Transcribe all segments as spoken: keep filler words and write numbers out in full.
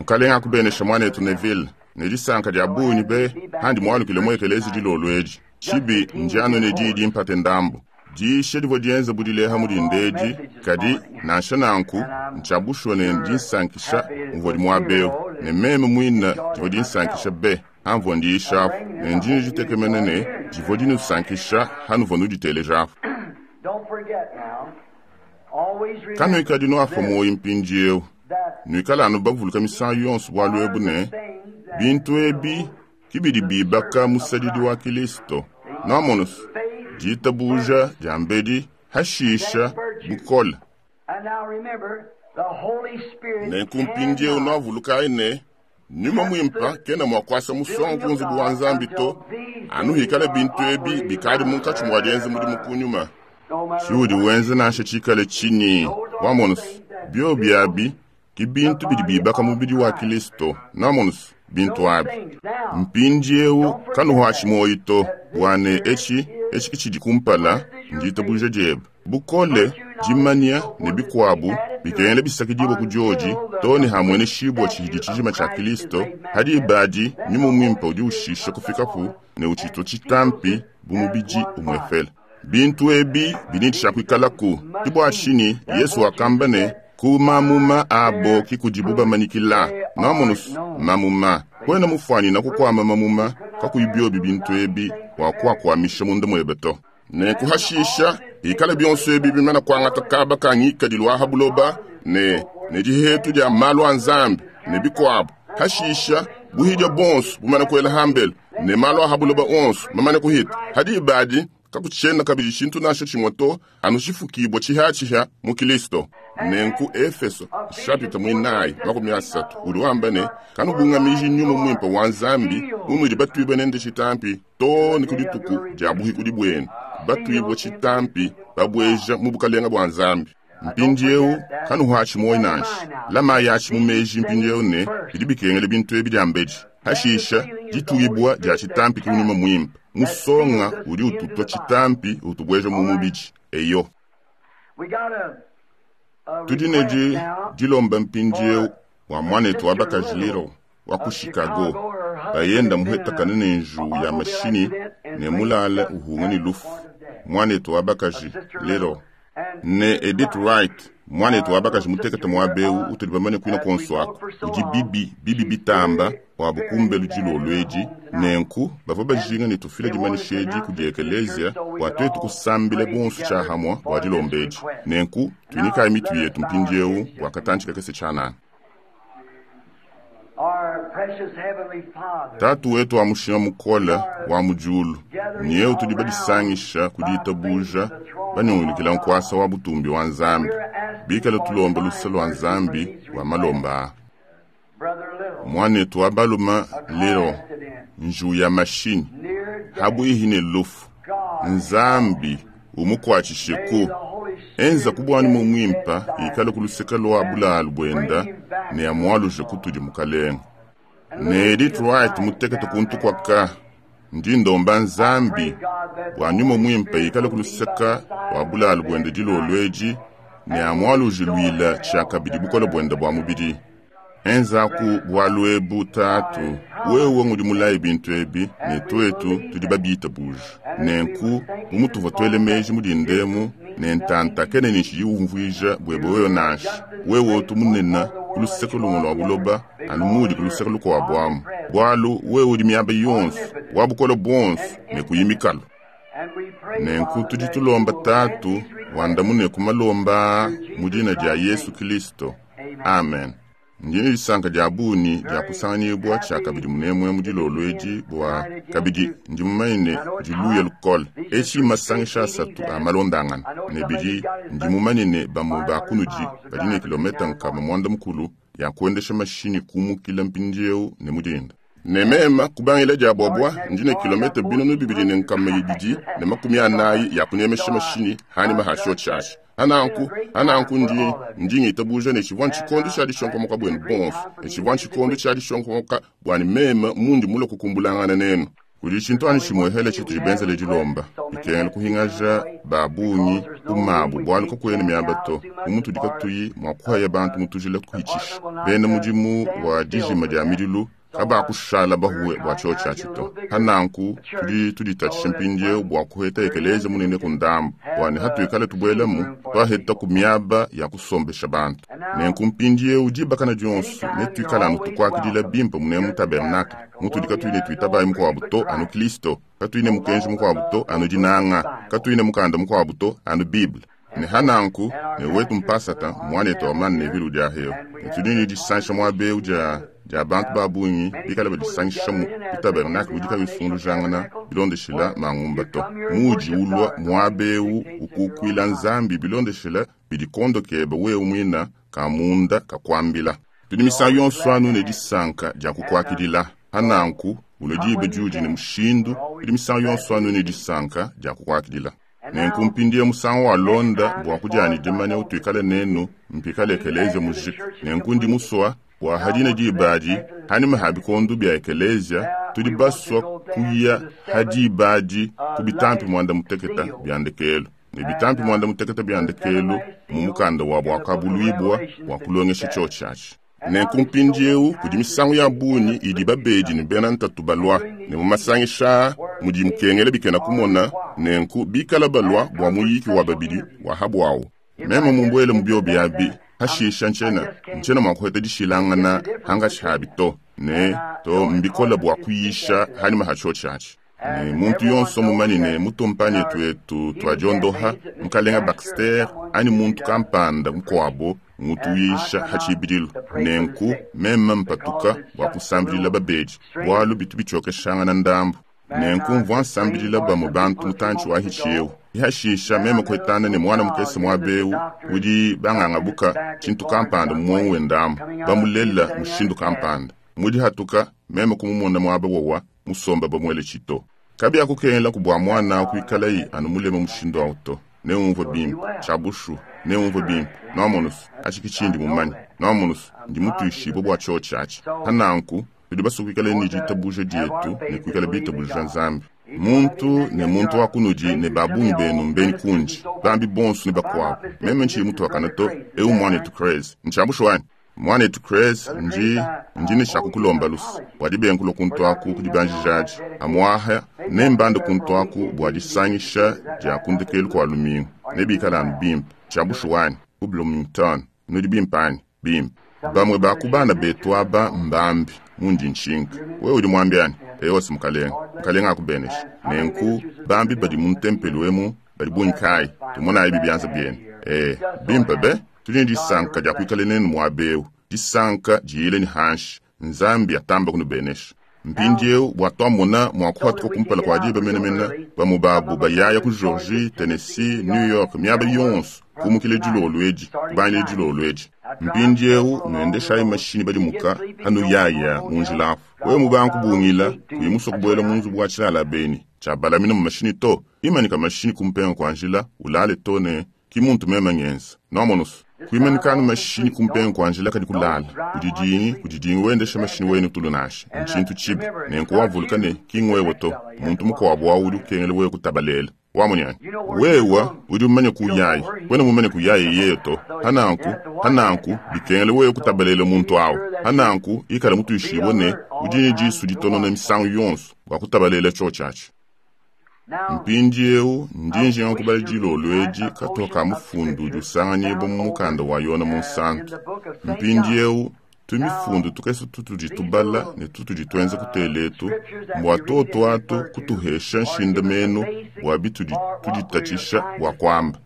Mukalenga akubenesha mwanetu Neville ne disanka dia bungi be handi mwalukile mu ekelezi dilolo edi. Tshibi ndiano ne diyi dimpate ndambu. Diisha divua dienza bu dileha mu dinda edi, kadi nansha nanku ntshia bushuwa ne dinsankisha muvua muaba eu, ne meme muine divua dinsankisha be hamvua ndiishapu, ne ndi ditekemena ne divua dinusankisha hanuvua nuditelejapu. Don't forget now. Always remember Kanuikadi nuapua muoyo mpindieu, that nuikala anu bavuluka misangu yonso bualu ebu ne bintu ebi kibidi bibaka musadidi wa Kristo. Nwamonusu ditabuja dia mbedi hashisha bukole. And now remember, the Holy Spirit Nenku mpindieu cannot nwavulukayi ne nyuma mwimpa kena mua kuasa musongo ku nzubu wa Nzambi to, anu hikala bintu ebi bikadi munkatshi mua dienza mudimu kunyuma. no matter Tshiudi wenza nansha tshikale tshinyi wamonusu bio biabi ki bintu bidi bibaka mubidi wa Kristo. Nwamonusu bintu abi. things. Now, Mpindieu kanuhwashi muoyo to, bua ne etshi etshi kitshidi kumpala nditabuja diebe. Bukole, dimanya ne bikuabu bikengela bisakidibwa ku diodi to ne hamwene shibwa tshihidi tshijima tshia Kristo hadi ibadi nyuma mwimpa udi ushisha kufikapu ne utshitwa tshitampi bu mubidi umwefela. Bintu ebi bidi tshiakuikalaku kibwa tshini Yesu wakamba ne ku mamuma abo kikudibu bamanyikila. Nwamonusu mamuma kwena mufwani na kukwama mamuma kakuyi biobi bintu ebi wakuakwamisha munda mwebe to. Ne kuhashisha ikala bionso ebi bimana kuangata kaba ka ngikadilu wa habuloba ne ne dihetu dia malu a Nzambi ne bikuabu. Hashisha buhidya bonso bumana kuela hambelu ne malu a habuloba onso mamane kuhita. Hadi ibadi kakutshiena kabidi tshintu nansha tshimwe to anu tshifukibwa tshihatshiha mu Kristo. Nenku Efeso chapitre mwinayi makumi asatu udi wamba ne kanubungamiji nyuma mwimpe wa Nzambi unudi batuibwe nende tshitampi to ne ku dituku dia buhikudi bwenu batuibwe tshitampi babweja mu bukalenga bwa Nzambi. Mpindieu kanuhwashi muoyo nansha lama yashi mu meji mpindieu ne bidi bikengela bintu ebi dia mbedi. Hashisha dituibwa dia tshitampi ki nyuma mwimpe musonga udi ututwa tshitampi utubweja mu mubidi. Eyo we got a, a tudi ne request di now dilomba mpindieu wa mwanetu wa bakaji Liro wa ku Chicago bayenda muhetakana ne nju ya mashini ne mulala uhunga ne lufu. Mwanetu wa bakaji Liro ne Edith Wright mwanetu wa bakaji mutekete muaba utudi bamane kuina konso ako udi bibi bibi bitamba wa bukumbelu dilolo edi nenku bavua bajinga ne tufile dimanyisha edi kudi ekelezia bua tuetu kusambila bonso tshiahamwa bua dilomba edi. Nenku tuinikayi mitu yetu mpindieu bua katantshi kakese tshianana. Our precious Heavenly Father, Tatu wetu wa mushinga mukole wa mujulu nyeu tudi badisangisha ku ditabuja banyungulukila nkuasa wa butumbi wa Nzambi bikala tulomba luse lua Nzambi wa malomba a Brother Little, mwanetu wa baluma a car Liro accident nju ya mashini near death. habwihi ne lufu God, Nzambi umukuatshisheku may the Holy Spirit enza kubwani get mumwimpa inside ikala kuluseka lwa bulalu bwenda ne amwaluje kutudi mukalenga. and Ne little Edith Wright mutekete kuntu kwaka ndi ndomba Nzambi bua nyuma mwimpe ikala kuluseka lwa bulalu bwende dilolo edi ne amwaluje lwila tshiakabidi bukole bwende bua mubidi. Enzaku bualu ebu tatu wewe ngudi mulayi bintu ebi ne tuetu tudi babitabuja. Nenku bu mutuvua tuele meji mu dindemu ne ntanta kene ne tshidi umvuija bwebe wewe nansha wewe utu munene ku luseke lumwe lua buloba anu mudi ku luseke lukuabu amu bualu wewe udi miaba yonso wa bukole buonso ne kuyimikalo. And we pray, Nenku Father, tudi that you tulomba will tatu grant these requests. wandamune ku malomba mu dina dia Yesu Kristo. Amen. Ndi ne disanka dia bungi dia kusanganyibwa tshiakabidi munemue mu dilolo edi bua kabidi ndi mumanye ne diluya lukole. Etshi masangisha asatu a malondangana ne bidi ndi mumanye ne bamue ba kunudi badi ne kilometa nkama mwanda mukulu ya kuendesha mashini kumukila mpindieu ne mudinda. Ne mema kubangila dia bwabwa ndi ne kilometa binunu bibidi ne nkama ibidi ne makumi anayi ya kunemesha mashini hani mahasho tshiashi. Ananku ananku ndi ndi ngitabuja ne tshivua tshikondo tshia dishonkomoka bwenu bonso ne tshivua tshikondo tshia dishonkomoka bwani meme mundi mulo kukumbulangana nenu. Kudi tshintu anu tshimuehele tshitudi benzele dilomba bikengela kuhingaja ba bungi ku mabu bualu kakuena miaba to bu mutudi katuyi mua kuhaya bantu mu tujila kuhitshisha bena mudimu wa dijima dia midilu kabakushala bahuwe bua tshiotshi atshi to. Hananku tudi tuditatshisha mpindieu bua kuheta ekelezia munene ku ndambu bua ne hatuikale tubuelamu twaheta ku miaba ya kusombesha bantu. Nenku mpindieu dibakana dionso netuikale anu tukuakidila bimpe munene mu tabernakle mutudi katuyi ne tuitabayi mukuabu to anu Kristo, katuyi ne mukenji mukuabu to anu dinanga, katuyi ne mukanda mukuabu to anu Bible. Ne hananku ne wetu mpasata muanetu wa mane ne vilu dia heo ne tudi ne disansha muaba eu dia dia bantu ba bungi bikale badisangisha mu tabernakle udi kayi usungulujangana bilondeshela mangumba to. Muudi ulua muaba eu ukukuila Nzambi bilondeshela bidi kondo kebe wewe muina ka munda kakuambila. Tudi misangu yonso anu ne disanka dia kukuakidila. Hananku ulue diba diudi ne mushindu, tudi misangu yonso anu ne disanka dia kukuakidila. Nenku mpindieu musangu wa londa bua kudiani dimanya utuikale nenu mpikale ekelezia mujika. Nenku ndi musua bua hadina diba adi hanima ha bikondo bia ekelezia tudi basua kuya ha diba adi ku bitampi muanda muteketa bia ndekelu. Ne bitampi muanda muteketa bia ndekelu mu mukanda wa buakabuluibua bua kulongesha tshiotshi atshi. Nenku mpindieu kudi misangu ya bungi idi babedi ne bena ntatu balua ne mu masangisha mudi mukengela bikena kumona, nenku bikala balua bua muyiki wa babidi wa habuawu. Meme mumbuele mu biobi abi hashisha ntshiena ntshiena mua kuheta dishilangana hangatshi habi to ne to mbikola bua kuyisha hanima ha tshiotshi atshi. Ne muntu yonso mumanye ne mutumpanye tuetu tuadiondoha mukalenga Baxter ani muntu kampanda mukuabo ngutuyisha hatshibidilu. Nenku meme mpatuka bua kusambilila babedi bualu bitu bitshiokeshangana ndambu. Nenku mvua nsambilila bamue bantu mutantshi wa hitshi eu. Ihashisha meme kuhetana ne mwana mukese muaba eu udi bangangabuka tshintu kampanda mumongo wendamu bamulela mushindu kampanda. Mudi hatuka meme kumumona muaba wowa musomba bamuele tshito. Kabiakukengela ku bua mwana kuikalayi anu mulema mushindu awu to. Neumvue bimpe tshiabushu, neumvue bimpe nwamonusu atshi kitshindi mumanye nwamonusu ndi mutuishibue bua tshiotshi atshi. Hananku tudi basue kuikala ne ditabuja dietu ne kuikala bitabuja Nzambi. Muntu ne muntu wa kunudi ne babungi benu mbeni kundi bambi bonso ne bakuabu. Meme ntshiyi mutuakana to eu mwanetu Craze ntshiabushu wanyi. Mwanetu Craze ndi ndi ne tshiakukulomba lusa bua dibenkulo kuntu aku kudi banjijaji amuaha ne mbanda kuntu aku bua disangisha dia kundekelu kua lumingu nebikala anu bimpe tshiabushu wanyi ku Bloomington nudi bimpe anyi bimpe. Bamue ba ku bana betu aba mbambi mundi nshinka wewe udi muambi anyi eyosi mukalenga mukalenga akubenesha. Nenku bambi badi mu ntempelo emu badi bungi kayi tumonayi bibianza bienu eh bimpe be. Tudi ne disanka dia kuikala nenu muaba eu disanka diyile ni hanshi Nzambi atamba kunubenesha. Mpindieu bua twamona mua kuhatuka kumpala kua diba menemene bamue babu bayaya ku Georgie, Tennessee, New York miaba yonso kumukile dilolo edi kubangile dilolo edi. Mpindieu nuendeshayi mashini badimuka hanu yaya mu njila apu. Wewe mubanku bungila kuyi musue kubuela mu nzubu wa tshilala beni tshiabalamina mu mashini to imanika mashini kumpenga kua njila ulale to ne ki muntu meme ngenza nwamonusu. Kuimanikanu mashini kumpenga kua njila kadi kulala kudidingi kudidingi wendesha mashini wenu tulu nasha ntshintu tshibi nenku wavuluka ne kingwewe to muntu mukuabu wawu udi ukengela wewe kutabalela wamunyanya wewa udi mumanye kuyayi wena mumanye kuyayi yeyo to hananku hananku bikengela wewe kutabalela muntu awu hananku ikala mutuishibue ne udi ne disu ditonona misangu yonso bua kutabalela tshiotshi atshi. Mpindieu ndi njinga kubala dilolo edi katoka mufundu udi usanganyibua mu mukanda wa Yona Munsantu. Mpindieu tumifundu tukese tutudi tubala ne tutudi tuenza kuteletu mbua toto atu kutuhesha nshindamenu bua bitudi tuditatshisha bua kuamba.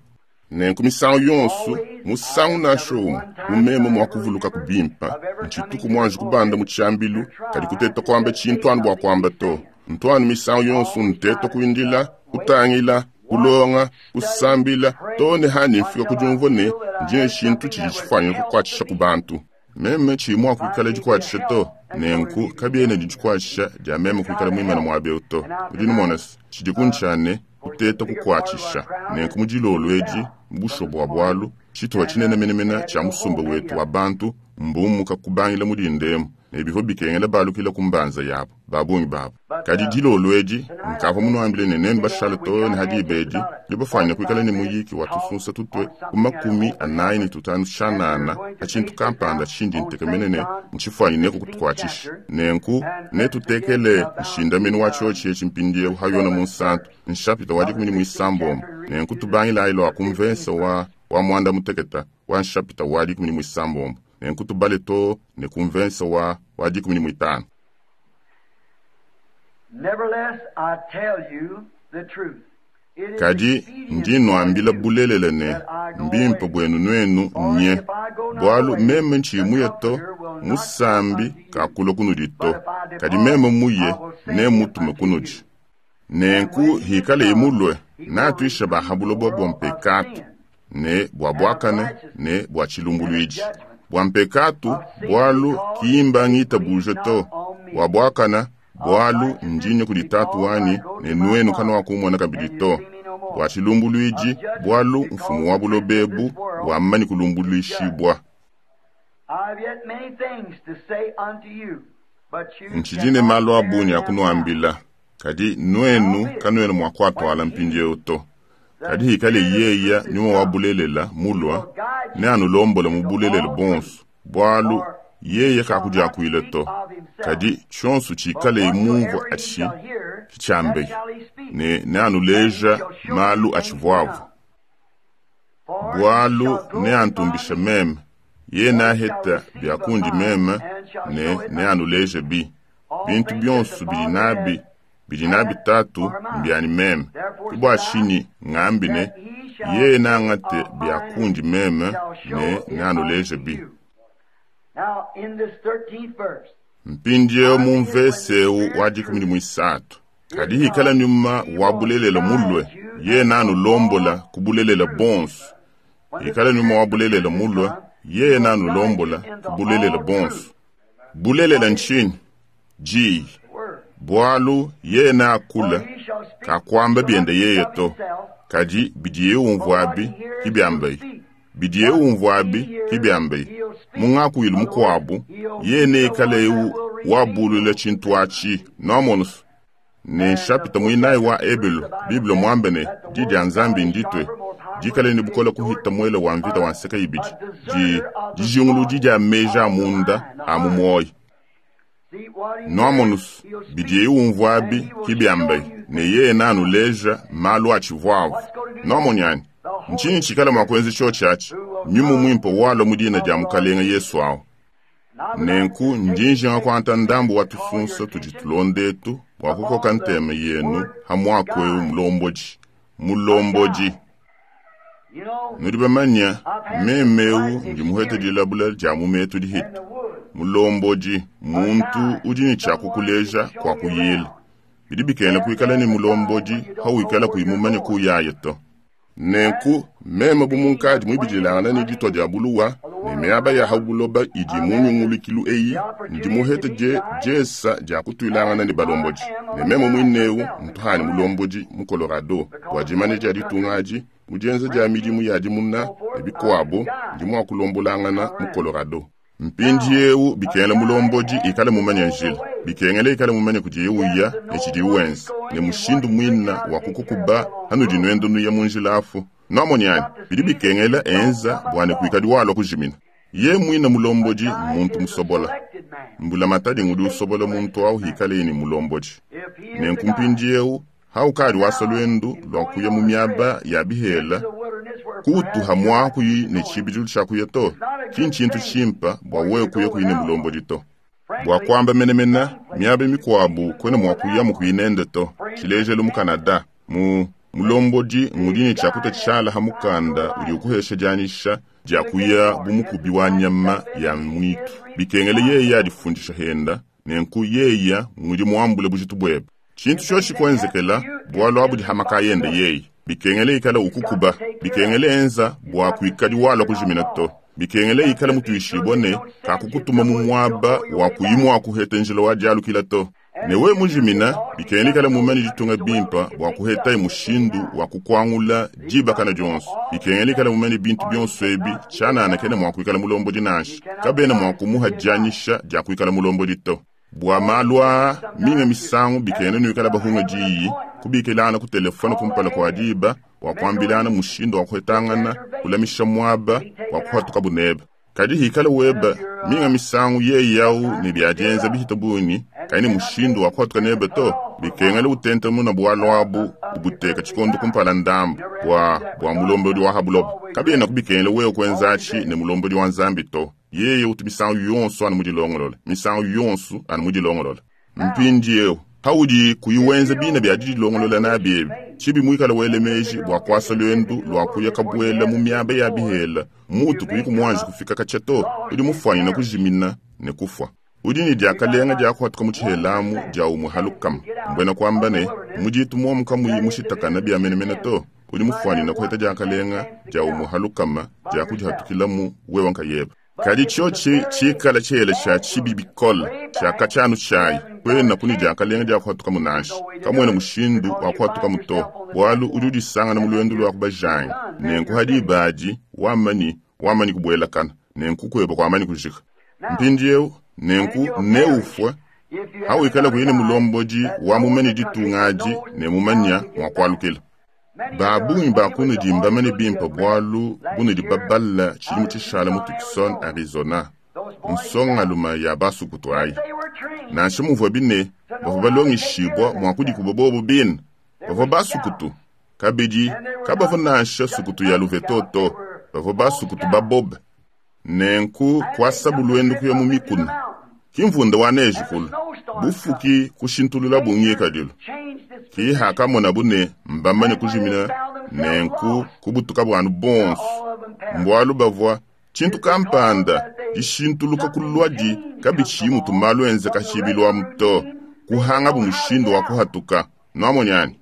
Nenku misangu yonso musangu nansha umue mumeme mua kuvuluka kubimpa ntshituku muanji kubanda mu tshiambilu kadi kuteta kuamba tshintu anu bua kuamba to. Ntwanu misangu yonso nteta kuindila kutangila kulonga kusambila to ne hani mfika kudiumvua ne ndi ne tshintu tshidi tshifuanyike kukuatshisha ku bantu. Meme tshiyi mua kuikala dikuatshisha to nenku kabiena dikuatshisha dia meme kuikala muimana muaba eu to. Udi numona se tshidi kuntshia kuteta kukuatshisha nenku mu dilolo edi mu bua bualu tshituha tshinene menemene tshia musumba wetu wa bantu mbumuka kubangila mu dindemu Ne bivua bikengela balukila ku mbanza yabo, ba bungi babo. Kadi dilolo edi, nkavua munuambile ne nenu bashale too ne ha diba edi, tudi bafuanyine kuikala ne muyiki wa tusunsa tutue ku makumi anayi ne tutanu tshianana ha tshintu kampanda tshindi ntekemene ne ntshifuanyineko kutukuatshisha. Nenku netutekele nshindamenu wa tshiotshi etshi mpindieu ha Yona Munsantu, nshapita wa dikumi ne muisambombo. Nenku tubangilayi lua ku mvese wa, wa muanda muteketa wa nshapita wa dikumi ne muisambombo. Nenku tubale too ne ku mvese wa, wa dikumi ne muitanu. Nevertheless, I tell you the truth. It is Kadi expedient ndi for nuambila you bulelela ne, that I go mbimpe away. bwenu nuenu For nye. if I go not Bwalu away, meme ntshimuye the to, Comforter will not come musambi unto you. kakulua kunudi But to. if I Kadi depart, meme muye, I will send ne him mutume unto kunudi. you. Nenku And when he is hikale come, imulwe, he will natuisha reprove the bahabulo bwa world of mpekatu, sin ne bwa and of bwakane, righteousness ne bwa and of chilumbuluiji. judgment. Bwa mpekatu, Of sin bwalu because kiimba they ngita believe buje not to. on me. Bwa bwakana, Of bwalu righteousness ndinye kudi tatu because I wanyi, go ne to my nuenu kana Father wakumona kabidi and you to. see me no more. Bwa chilumbuluiji, Of judgment bwalu because mfumu wa the prince of this bulobebu, world bwammanyi is judged. kulumbuluishibwa. I have yet many things to say unto you, but you Nchidine cannot malu a bear bungi them now. akunuambila. Kadi nuenu kanuena mua kuatwala When he, mpindieu to. the Kadi hikale Spirit of yeya truth, is nyuma wa come, bulelela he mulwa, will guide ne you anulombola mu into bulelela all truth. bonso. Bwalu For yeye he shall not kakudiakuile speak to. of himself, Kadi tshionso but tshikale mumvua whatsoever he atshi shall hear, that kitshiambeyi, shall he speak, ne ne and he anuleja shall show you malu things to atshivuavu. come. For he Bwalu shall ne glorify antumbisha me, meme, ye for he shall naheta receive of byakundi mine, meme and shall ne show it ne unto you. anuleje bi. All Bintu things that the byonso bidi Father nabi hath bidi nabi had tatu are mine. mbyani meme. Therefore Ke bwa said I, tshinyi ngambi ne that he shall yeye take nangate of mine and byakundi meme shall ne show ne it anuleje unto bi. you. Now, in this thirteenth verse, Mpindieu mu howbeit when the mvese eu Spirit wa of dikumi ne truth muisatu. is Kadi hikala come, nyuma he wa will bulelela mulwe, guide you ye into nanulombola all ku bulelela truth. bonso. When the Hikala nyuma Spirit wa of bulelela truth is mulwe, come, he ye will guide you nanulombola into ku bulelela all bonso. truth. Bulelela What is ntshinyi? Ji. the word? Bwalu ye For nakula he shall speak kakwamba shall byende not speak yeye of to. himself, Kadi bidiye but umvua what abi he hears he'll kibyambayi. speak. Bidiye What umvua he abi hears kibyambayi. he'll speak. Mungakuilu In other words, mukuabu, he'll ye be the neikale one that eu will reveal wabulula tshintu atshi noamonusu. Ne And the nshapita fourth muinayi wa chapter of Ebelu, the Bible Bible says mwambe ne that the di word dia of God Nzambi is nditwe. sharper, more powerful Dikale than ne two-edged bukola sword, kuhita mwele wa mvita a, wa nseka ibidi. a Di discerner of the dijinguludi thoughts dia meji a of the munda mind, the a mu heart. muoyo. See what he hears, Noamonusu, he'll speak, bidiye umvua and abi he will show kibyambayi. you Ne things yeye to come. nanuleja malu atshivuavu. What's going to do that? Noamonyani, The Holy ntshinyi tshikala mua Spirit kuenza tshiotshi atshi, who will nyumu come muimpe walwa mu dina of dia the Lord Mukalenga Jesus. Yesu awu. And I would like Nenku to take ndinjinga take kuanta a minute ndambu to wa call your tufunsa tudi attention tulondetu bua kukoka upon the ntema yenu word ha muaku eu guide. mulomboji. A Mulomboji. guide. You know, Nudi bamanya I've had some meme eu quite ndi muhete experience dilabula dia mu metu in dihita. the woods. Mulomboji A muntu guide, udi ne someone to tshiakukuleja show kua you kuyila. around. Bidi You bikengela have to kuikala ne have a guide mulomboji when you don't know hawikala where you're kuimumanya going. kuyaye to. And Nenku meme bu being a munkadi plain muibidilangana ne ditua hunting dia buluwa of the ne world miaba ya around, habuloba idi I've mu had the, nyungulukilu eyi the ndi opportunity to muhete be je guides, jesa dia kutuilangana and ne I balomboji. am Ne a meme guide muinewu myself in ntuhani Colorado mulomboji mu Colorado bua because dimanya in dia the ditunga country, adi mu dienza dia midimu ranching ya dimuna and so ne forth, I'm a bikuabu guide ndi mua kulombolangana mu Colorado. Colorado. Now, Mpindiewu a bikengela guide mulomboji has ikale to mumanya know the njila way. bikengela ikale mumanya kudiye He has uya to ne know tshidiye where he's wenza going ne and what mushindu he's drinking muina out wa to take care of kukukuba the long hanudi road. nwendo nuya mu njila afu noamonyani Got to bidi see that bikengela you don't enza come up bua ne lost. kuikadi walua kujimina. Ye muina A mulomboji guide muntu is a musobola. selected man, Mbulamatadi ngudi state usobola muntu selected awu man. hikale ni mulomboji. If he is the Nenku guide. mpindiewu haukadi wasa Now, lwendu in lua going kuya mu on a miaba trip ya into bihela the wilderness where kutuha perhaps you're not mwakuyi used to ne going, tshibidilu tshia kuya to it's not a good kintshintu thing tshimpa bua for you wewe to kuya go kuine without one. mulomboji to. Bua Frankly, kuamba menemene some places miaba you can't mikuabu even kwena go mua kuya without mu one. kuinende to. For instance, Tshilejelu mu Canada. Canada mu mulomboji The ngudi ne tshiakuta guide has tshishala ha to decide your mukanda udi life. ukuhesha dianyisha dia To the kuya game guard has bumukubi wa decided to nyama step in ya and he mwitu. is Bikengele yeya responsible for adifundisha you. henda nenku yeya ngudi muambule bujitu bwebe. Tshintu If tshiotshi anything happens to kuenzekela you, it's bualu abu his dihamakayende responsibility. yeyi. Bikengele ikala He's got to ukukuba, take care of bikengele you. enza He's bua got to see kuikadi that walua you're not kujimina to. lost. Bikengele Got ikala to be sure mutuishibua they ne don't send you kakukutuma mu somewhere you don't muaba know your wa way back. kuyi mua kuheta njila wa dialukila to. Ne we mujimina bikengela ikala mumanye ditunga bimpa bua kuhetaye mushindu wa kukuangula dibakana dionso. Bikengela ikala mumanye bintu bionso ebi tshianana kena mua kuikala mulombodi nansha. Kabena mua kumuha dianyisha dia kuikala mulombodi to. Bua malu aa minga misangu bikengela nuikala bahunga diyi kubikilana ku telefone kumpala kua diba wa kuambilana mushindu wa kuhetangana kulamisha muaba wa kuhatuka buneba. Kadi hikala weba minga misangu yeye yau ne biadienza bihita bungi kaine mushindu wa kuhatuka nebe to bikengela utenta muna bwalo abu ubuteka tshikondo kumpala ndambu bua bua mulombodi wa habuloba. Kabena kubikengela wewe kuenzachi ne mulombodi wa nzambi to. Yeye utu misangu yonso anu mudilongolola, misangu yonso anu mudilongolola. Mpindieu haudi kuyiwenza bina bya didilongolola nabi ebi chibi mwikala wele meji bua kuasa lwendu lwa kuya kabuela mu miaba ya bihela mutu kuyi kumwanji kufika katshia to udi mufwanyina kujimina ne kufwa. Udi ne diakalenga dia kuhatuka mu tshihelamu dia umwe halukama mbwena kuamba ne muditu muomu kamuyi mushitakana bya menemene to udi mufwanyina kuheta diakalenga dia umwe halukama dia kudihatukilamu wewa nkayeba. Kadi tshio tshikala tshihela tsha tshibi bikole tshiakatshianu tshayi kwena kuni diakalenga dia kuhatuka munanshi kamwena mushindu wa kuhatuka muto bwalu udi udisangana mu lwendu lwa kubajanga nenku hadi ibadi wamani wamani kubuelakana nenku kweba kwamani kujika. Mpindieu nenku neufwe hawikala kuyine mulombodi wa mumene ditungaji ne mumanya mwa kualukila. Babungi bakunu dimbamane bimpa bwalu bunudi baballa tshilimu tshishala mu Tucson, Arizona. Nsongaluma ya basukutu ayi. Nansha muvua bine bavua balongeshibwa mua kudikuba bobo bine bavua basukutu kabidi kabavua nansha sukutu ya luvetoto bavua basukutu babobe. Nenku kuasabu lwendu kuya mu mikuna kimvunda wa neji kulu bufuki kushintulula bungi kadilu ki hakamona bune mbamane kujimina nenku kubutuka bwanu bonso mbwalu bavua tshintu kampanda dishintuluka kulwadi kabichi mutu malu enze kashibilwa muto kuhanga bu mushindu wa kuhatuka nwamonyani.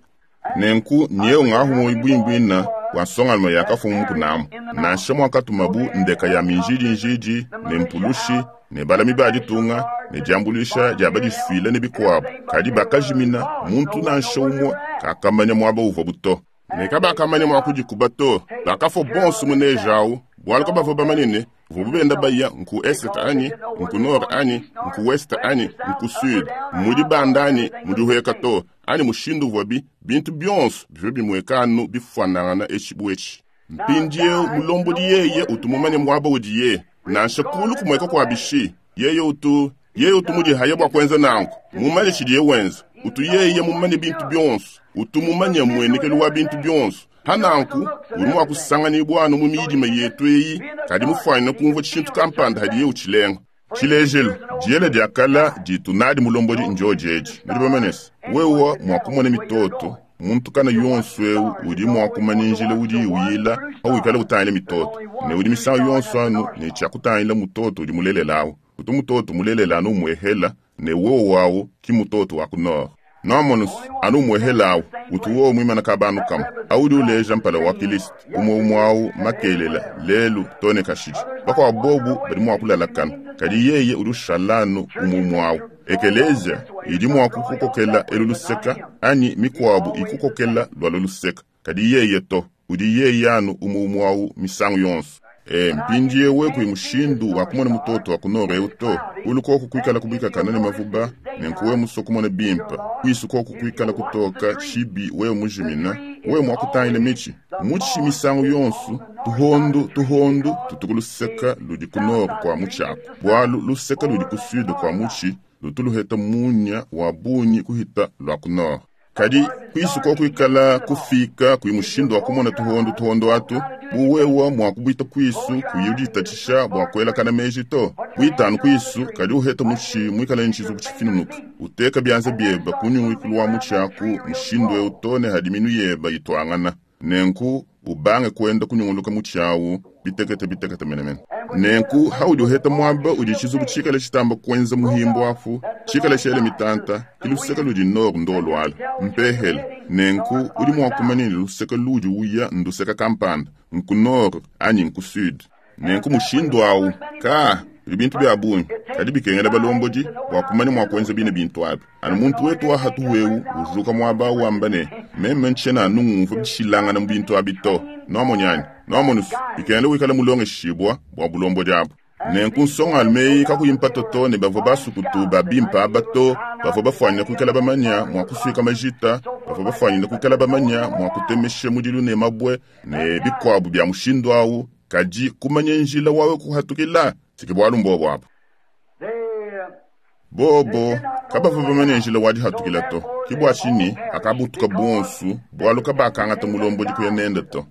Nenku nyeu ngahu ibwimbwina wa nsongaluma yakafumu mukunamu nansha mwakatuma bu ndeka ya minjidi njidi ne mpulushi ne balami ba ditunga ne diambulisha dia badisuile ne bikuabu kadi bakajimina muntu nansha umwe kakamanya mwaba uvua buto ne kabakamanya mwa kudikuba to bakafo bonso munejawu bwalu kabavua bamanene vubu benda baya nku est anyi nku nord anyi nku west anyi nku sud mudi banda anyi mudi hueka to anyi mushindu vuabi bintu bionso bivua bimwekanu bifuanangana etshi bu etshi. Mpindieu mulombodi yeye utu mumanye mwaba udiye nansha kulu kumweka kwa bishi yeye utu yeye utu mudihaya bua kuenza nanku mumanye tshidiye wenza utu yeye mumanye bintu bionso utu mumanye mwenekelu wa bintu bionso hananku uri mwa kusanganibwa mu midima yetu eyi kadi mufwanyina kumva tshintu kampanda hadiye utshilenga. Tshilejelu diela diakala ditu nadi mulombodi njojeji nudi bamanese wewa mwa kumona mitoto muntu kana yonso eu udi mwa kumanya njila udi uyila hawikala utangila mitoto ne udi misangu yonso anu ne tshia mutoto udi mulelelawu utu mutoto mulelela anu umwehela ne wowo wawu ki mutoto wa ku nord. Namonus anu umwehelawu utu wowo mwimana kabanu kama audi uleja mpala wa Kristo umwe umwawu makelela lelu tone kashidi bakwa bobu badi mwa kulalakana kadi yeye udi ushalanu umwe umwawu. Ekelezia idi mwa kukokela elu luseka anyi mikwabu ikukokela lwalo luseka kadi yeye to udi yeye anu umwe umwawu misangu yonso. E mpindiewe kui mushindu wa kumona mutoto wa kunora eu to ulukoko kuikala kubikakana ne mavuba nenkuwe muso kumona bimpa kwisu koko kuikala kutoka chibi wewe mujimina wewe mwakutangila michi muchi misangu yonso tuhondu tuhondu tutuku luseka ludi kunora kwa muchako bwalu luseka ludi kusude kwa muchi lutuluheta munya wa bunyi kuhita lwa kunora. Kadi kwisu koko kuikala kufika kui mushindu wa kumona tuhondu tuhondo atu buwewa mwa kubwita kwisu kuyuditatshisha bua kuelakana meji to bwitanu kwisu kadi uheta muchi mwikala ntshizu kutshifinunuka uteka byanza byeba kunyungwikulu wa muchi aku mushindu eu tone hadi minu yeba itwangana nenku ubange kwenda kunyunguluka muchi awu bitekete bitekete menemene. Nenku haudi uheta mwaba udi tshizubu tshikala tshitamba kuenza muhimbo afu tshikala tshele mitanta kiluseka ludi nord ndolwala mpehele nenku udi mua kumanya ne luseka ludi uya nduseka kampanda nku nord anyi nku sud. Nenku mushindu awu ka Kudi bintu bia bungi, kadi bikengela balombodi bua kumanya mua kuenza bine bintu abi. Anu muntu wetu wa hatuhu eu ujuka muaba wamba ne, meme ntshiena anu ngumvua bishilangana mu bintu abi to. Nuamonyi anyi? Nuamonu bikengela wikala mulongeshibua bua bulombodi abu. Nenku nsongalume eyi kakuyi mpata to ne bavua basukutu ba bimpe aba to, bavua bafuanyine kuikala bamanya mua kusuika majita, bavua bafuanyine kuikala bamanya mua kutemesha mudilu ne mabue ne bikuabu bia mushindu awu, kadi kumanya njila wawe kuhatukila siki bualu mbobo abu. Bobo kabavua bamanya njila wa dihatukila to, ke bua tshinyi akabutuka bonsu bualu kabakangata mulombodi kuya nende to.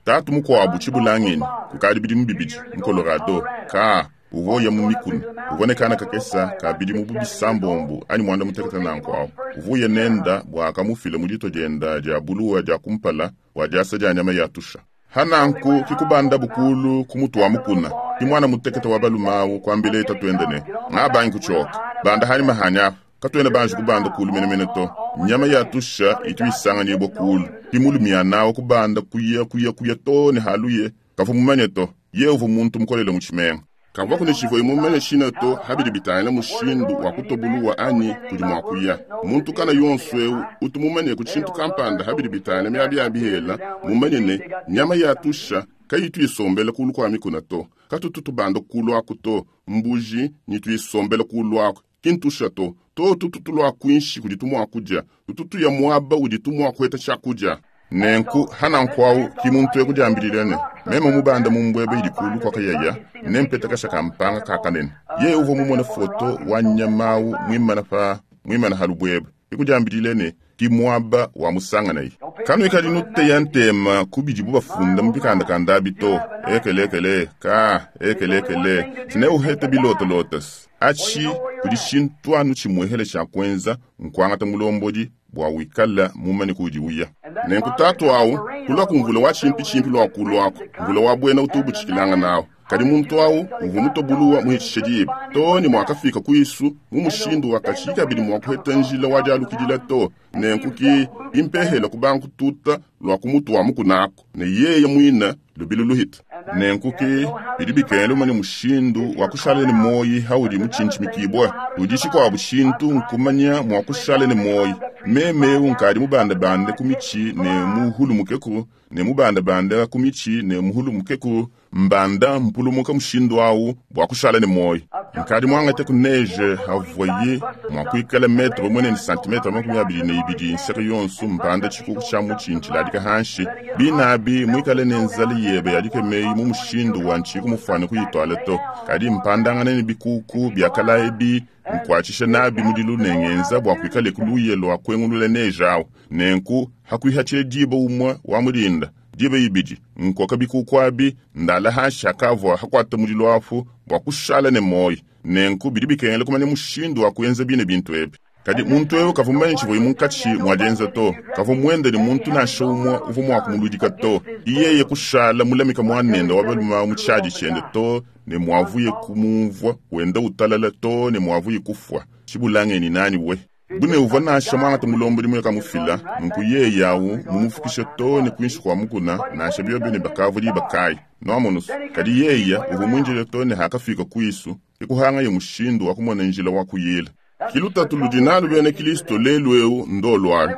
Tatu mukuabu tshibulangeni kukadi bidimu bibidi mu Colorado ka uvua uya mu mikuna uvua ne kana kakesa ka bidimu bu bisambombo anyi muanda mutekete nanku awu uvua uya nenda bua akamufila mu dito dienda dia buluwa dia kumpala bua diasa dia nyama ya tusha. Hananku kikubanda bukulu ku mutu wa mukuna ki mwana mutekete wa balume awu kuambila tatuende ne ngabangi kutshioka banda hanyi mahanya apa katuena banji kubanda kulu menemene to nyama ya tusha itu isanganyibwa kulu kimulumia nawo kubanda kuya kuya kuya to ne haluye kavua mumanye to ye uvua muntu mukolele mu tshimenga kavua kune tshivua mumanye tshina to habidi bitangila mushindu wa kutobuluwa anyi kudi mua kuya muntu kana yonso eu utu mumanye ku tshintu kampanda habidi bitangila miabi ya bihela mumanye ne nyama ya tusha kayitu isombela kulu kwa mikuna to katutu tubanda kulu aku to mbuji nyitu isombela kulu aku kintusha to to tutu tulua kuinshi kudi tumua kudia tutu tuya muaba udi tumua kuheta tshiakudia nenku hananku awu ki muntu ekudiambilile ne meme mubanda mumbwebe idi kulu kwakayaya nempeta kasha kampanga kakanene ye uvua mumone foto wa nyama awu muimana pa muimana ha lubwebe ikudiambilile ne ki muaba wa musanganayi kanuikali nuteya ntema kubidibu bafunda mu bikandakanda abi to ekelekele ka ekelekele tine uhete bilotolotas atshi kudi tshintu anu tshimuehele tshia kuenza nkuangata mulombodi bua wikala mumanye kudi uya nenku tatu awu kulua ku mvula wa tshimpitshimpi lua kulu aku mvula wa buena utu ubutshikilanga nawu kadi muntu awu uvua mutobuluwa muhitshishe diba to ne muakafika kuisu mu mushindu wa katshi kabidi mua kuheta njila wa dialukidila to nenku ki impehela kubanga kututa lua ku mutu wa mukuna aku ne yeye muina lubilu luhita nenku ki bidi bikengela umanye mushindu wa kushala ne moyi haudi mutshintshimikibua udi tshikuabu tshintu nkumanya mua kushala ne moyi meme eu nkadi mubandabande ku mitshi ne muhulumukeku ne mubandabande ku mitshi ne muhulumukeku mbanda mpulumuka mushindu awu bua kushala ne moyi nkadi muangate ku neige havuaye mua kuikala metre umue ne santimetre makumi abidi ne ibidi nseke yonso mbanda tshikuku tshia mutshi ntshiladika hanshi binabi muikale ne nzala yebe yadikemeyi mu mushindu wa ntshiku mufuane kuyituala to kadi mpandangane ne bikuku biakala ebi nkuatshisha nabi mudilu ne ngenza bua kuikale kuluye lua kuengulula neige awu nenku hakuihatshile diba umue wa mulinda diba ibidi nkoka bikuku abi ndala hanshi hakavua hakuata mudilu apu bua kushala ne moyi nenku bidi bikengela kumanya mushindu wa kuenza bine bintu ebi kadi muntu eu kavua mumanye tshivuaye munkatshi mua dienza to kavua muende ne muntu nansha umue uvua mua kumuludika to iyeye kushala mulamika muanende wa balume mu tshiadi tshiende to ne muavuye kumumvua wenda utalala to ne muavuye kufua tshibulangeni nani we bune uvua nansha muangata mulombodi muye kamufila nunku yeye awu mumufukishe to ne kuinshi kua mukuna nansha biobi ne bakavua diba kayi nuamonusu kadi yeya uvua muinjile to ne hakafika kuisu ikuhangaye mushindu wa kumona njila wa kuyila kilutatu ludi nalu bena Kristo lelu eu ndolualu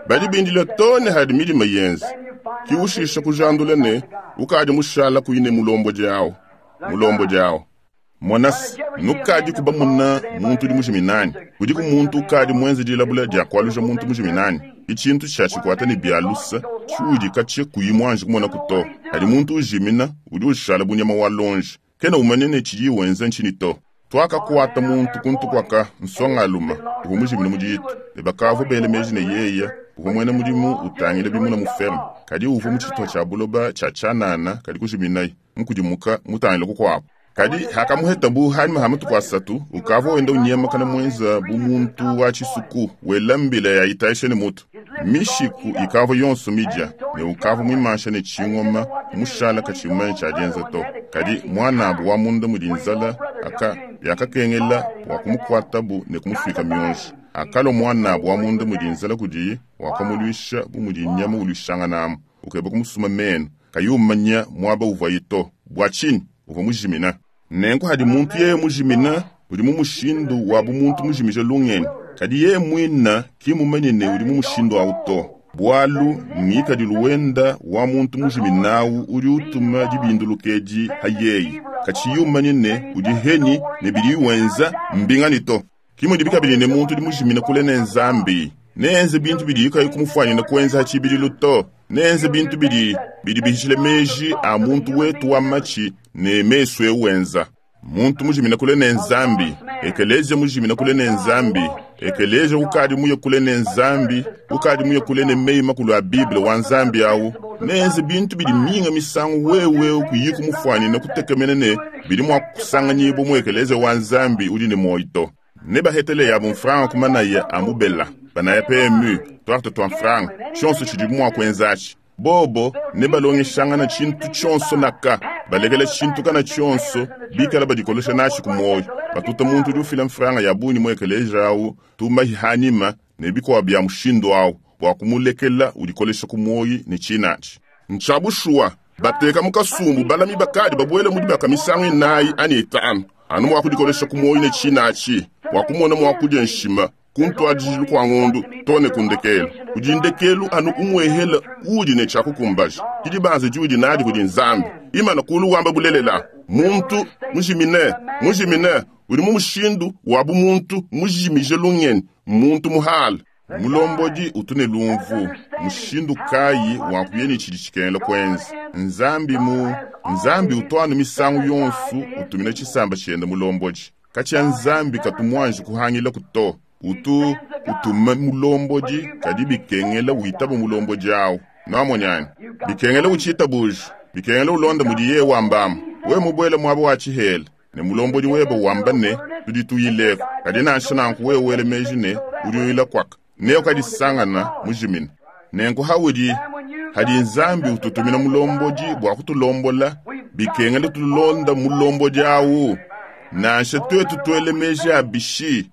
badi bindile to ne hadi milima yenza kiushisha kujandula ne ukadi mushala kuine mulombodi awu mulombodi awu monasi nukadi kubamuna muntu udi mujiminani kudiku muntu ukadi muenze dilabula dia kualuja muntu mujiminani itshintu tshia tshikuata ne bialusa tshiudi katshia kuyi muanji kumonaku to kadi muntu ujimina udi ushala bunyama wa lonji kena umanye ne tshidi wenza ntshini to twakakuata muntu kuntu kwaka nsongaluma uvua mujimine mu ditu ne bakavua bele meji ne yeya uvua muena mudimu utangila bimuna mu ferme kadi uvua mu tshitupa tshia buloba tshia tshianana kadi kujiminayi mukudimuka mutangila kukuabu kadi hakamuhetabu hanyuma ha matuku asatu ukavua wenda unyemakana muenza bu muntu wa tshisuku wela mbila ya itayisha ne mutu mishiku ikavua yonso midia ne ukavua muimansha ne tshingoma mushala katshimanye tshia dienza to kadi muanabu wa munda mudi nzala aka yakakengela bua kumukuatabu ne kumusuika mionji akalua muanabu wa munda mudi nzala kudiye wakamuluisha bu mudi nyama uluishanganamu ukeba kumusuma menu kayi umanya muaba uvuaye to bua tshinyi uvua mujimina Nenku hadi muntu yeye mujimina udi mu mushindu wa bumuntu mujimije lungenyi. Kadi yeye mwina ki mumanye ne udi mu mushindu awu to. Bwalu ngikadilu wenda wa muntu mujiminawu udi utuma dibindulukedi ha yeye. Kachiyi umanye ne udi henyi ne bidi wenza mbingani to. Kimudi bikabili ne muntu udi mujimina kule ne Nzambi. Neenze bintu bidi kayi kumufwanyina kuenza ha tshibidilu to. Neenze bintu bidi bidi bihishile meji a muntu wetu wa machi ne mesu eu wenza. Muntu mujimina kule ne Nzambi, ekelezia mujimina kule ne Nzambi, ekelezia ukadi muye kule ne Nzambi, ukadi muye kule ne meyi makulu a Bible wa Nzambi awu. Neenze bintu bidi minga misangu wewe kuyiku mufwanyina kutekemena ne bidi mwa kusanganyibwa mu ekelezia wa Nzambi udi ne moyo to. Ne bahetele ya mfranga kumanaya amubela banaya P M U twarte twa mfranga tshonso tshidi mwa kuenzachi bobo ne balongeshangana tshintu tshonso naka balekela tshintu kana tshonso bikala badikolesha nashi ku moyo batuta muntu udi ufila mfranga ya bunyi mu ekeleja awu tumahi hanima ne bikwa bya mushindu awu bwa kumulekela udikolesha ku moyo ne tshinachi nchabushuwa bateka mukasumbu balami bakadi babwele mudi bakamisango inayi ani itanu anu mwa kudikolesha ku moyo ne tshinachi wakumona mwakudia nshima kuntwadijilu kwa ngondu tone kundekelu kudindekelu anu umwehela udi ne chakukumbaja kidibanze judi nadi kudi Nzambi imana kulu wamba bulelela muntu mujimine mujimine udi mu mushindu wa bumuntu mujimije lungeni muntu muhala mulombodi utune lumvu mushindu kayi wakuyeni tshidi tshikengela kwenza Nzambi mu Nzambi utwana misangu yonsu utumina tshisamba tshienda mulombodi kachia Nzambi katumwanji kuhangila kuto utu utuma mulombodi kadi bikengela uitaba mulombodi awu namonyani bikengela uchitabuja bikengela ulonda mudiye wambama we mubwele mwabo wa tshihela ne mulombodi webe wamba ne tudi tuyileko kadi nansha nanku we wele meji ne udi uyila kwaka ne ukadisangana mujimina nenku haudi hadi Nzambi ututumina mulombodi bwa kutulombola bikengela tulonda mulombodi awu nansha twetu twele meji abishi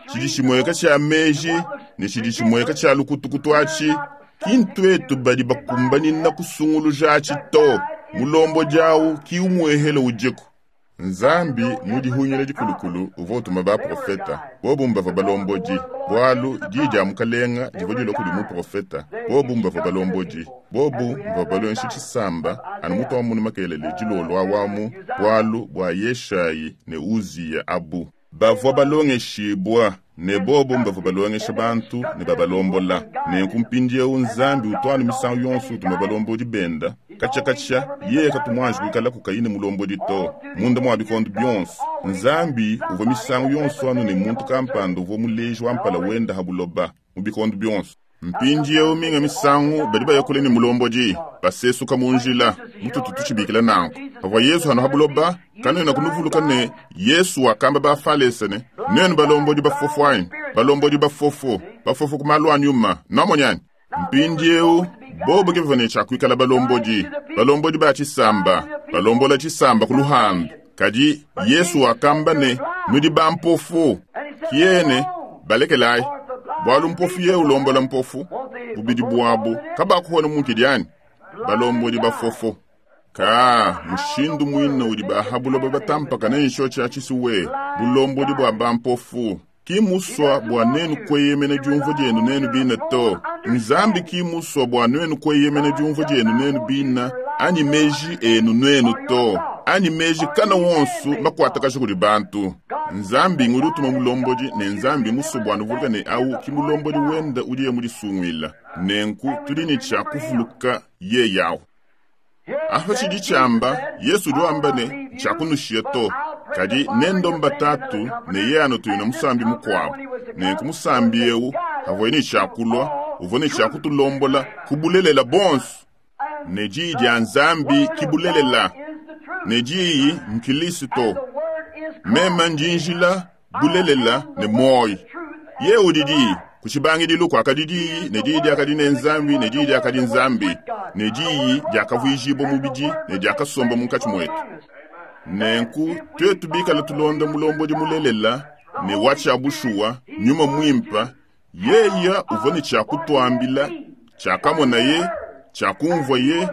tshidi tshimweka tshia meji ne tshidi tshimweka tshia lukutukutu atshi kintwetu badi bakumbanina kusunguluja atshi to mulombodi awu ki umwehele udiku Nzambi mudihunyila dikulukulu uvua utuma baprofeta bobu mbava balombodi bwalu di dia mukalenga divua dilua kudi muprofeta bobu mbava balombodi bobu mbava balongeshi tshisamba anu mutu wa munu makelele dilolwa wamu bwalu bwa Yeshayi ne Uziya abu bavua balongeshibwa ne bobo mbavua balongesha bantu ne babalombola nenku mpindiewu Nzambi utwana misangu yonso utuma balombodi benda katsha-katsha yeye katumwanji kuikala kukayine mulombodi to munda mwa bikondo byonso Nzambi uvua misangu yonso anu ne muntu kampanda uvua muleji wa mpala wenda ha buloba mu bikondo byonso mpindiewu minga misangu badi bayakule ne mulombodi basesuka mu njila mututu tutshibikila nanku pavua Yesu hano ha buloba kanena kunuvuluka ne Yesu wakamba bafalesa ne nenu balombodi bafofo anyi balombodi bafofo bafofo ku malu a nyuma namonyani mpindiewu bobo ke bavua ne kuikala balombodi balombodi ba tshisamba balombola tshisamba ku luhandu kadi Yesu wakamba ne nudi bampofu kiyene balekelayi bwalu mpofu ye ulombola mpofu bubidi bwabu kabakuhona munkidi balombodi bafofo ka mushindu mwina udi bahabuloba batampaka nensho tshia tshisuwe bulombodi bwa bampofu kimuswa bwa nenu kweyemena diumvu dienu nenu bina to Nzambi kimuswa bwa nenu kweyemena diumvu dienu nenu bina ani meji enu nenu to ani meji kana wonsu makwatakaji kudi bantu Nzambi ngudi utuma mulombodi ne Nzambi musu bwa nuvuluka ne awu ki mulombodi wenda udiye mudisungwila nenku tudi ne tshia kuvuluka ye yawu apa tshidi tshiamba Yesu udi wamba ne tshiakunushiya to kadi nendomba tatu ne ye anutuyina musambi mukuabu nenku musambi ewu avua ne tshiakulua uvua ne tshiakutulombola kubulelela bonso ne diyi dia Nzambi kibulelela ne diyi nkilisto mema ndinjila bulelela ne moyo ye udi diyi kutshibangidilu kuakadi diyi ne diyi diakadi ne Nzambi ne diyi diakadi Nzambi ne diyi diakavuijibwa mubidi ne diakasomba munkatshi mwetu nenku twetu bikala tulonda mulombodi mulelela ne watshia bushuwa nyuma mwimpa yeya uvua ne tshiakutwambila tshiakamonaye tshiakumvua ye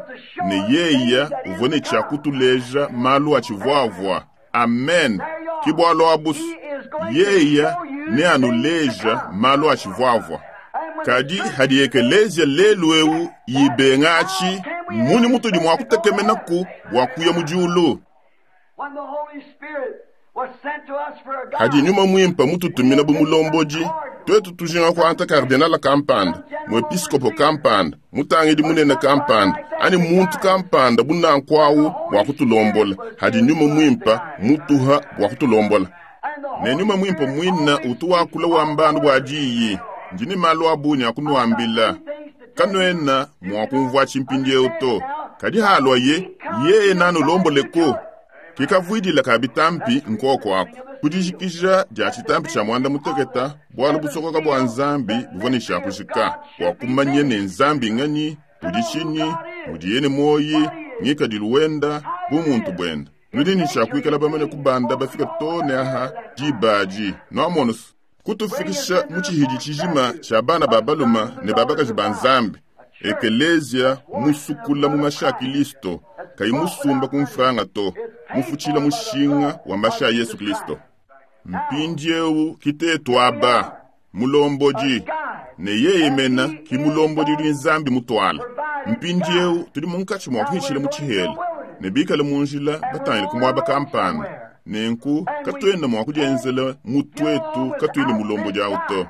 ne yeya uvua ne tshiakutuleja malu atshivuavua Amen. Ke bualu abu yeya neanuleja malu atshivuavua. Kadi hadi ekelezia lelu eu ibenga atshi, mmunyi mutudi mua kutekemenaku bua kuya mu diulu? When the Holy Spirit was sent to us for a Hadi guide, nyuma mwimpa mututumina bu mulombodi, twetu tujinga kuanta kardinala kampanda, muepiskopo kampanda, mutangidi munene kampanda, ani muntu kampanda bunanku awu bua kutulombola. Hadi nyuma mwimpa mutuha bua kutulombola. and the Ne Holy nyuma mwimpa Spirit mwina always utu wakula wambanu bua diyi, ndi ne malu abunyi akunuambila. Kanuena mua kumvua tshimpindiewu to. Kadi halua ye, yeye nanulomboleko. Kikavuidila ka bitampi nkoko aku. Kudijikija dia tshitampi tshia mwanda muteketa, bualu busokoka bua Nzambi buvua ne tshia kujika, bua kumanya ne Nzambi nganyi, udi tshinyi, mudiye ne muoyi, ngikadilu wenda, bumuntu buenda. Nudi ne tshia kuikala bamane kubanda bafika too ne aha diba adi. Nuamona kutufikisha mu tshihidi tshijima tshia bana ba baluma ne ba bakaji ba Nzambi. Ekelezia musukula mu mashi a Kilisto, kayi musumba ku mfranga to, mufutshila mushinga wa mashi a Yesu Kristo. Mpindiewu kitetu aba, mulombodi, ne yeye mena ki mulombodi udi Nzambi mutwala. Mpindiewu tudi munkatshi mua kuhitshila mu tshihela, ne bikale mu njila batangile ku muaba kampanda. Nenku katuena mua kudienzela mutwetu katuyi ne mulombodi awu to.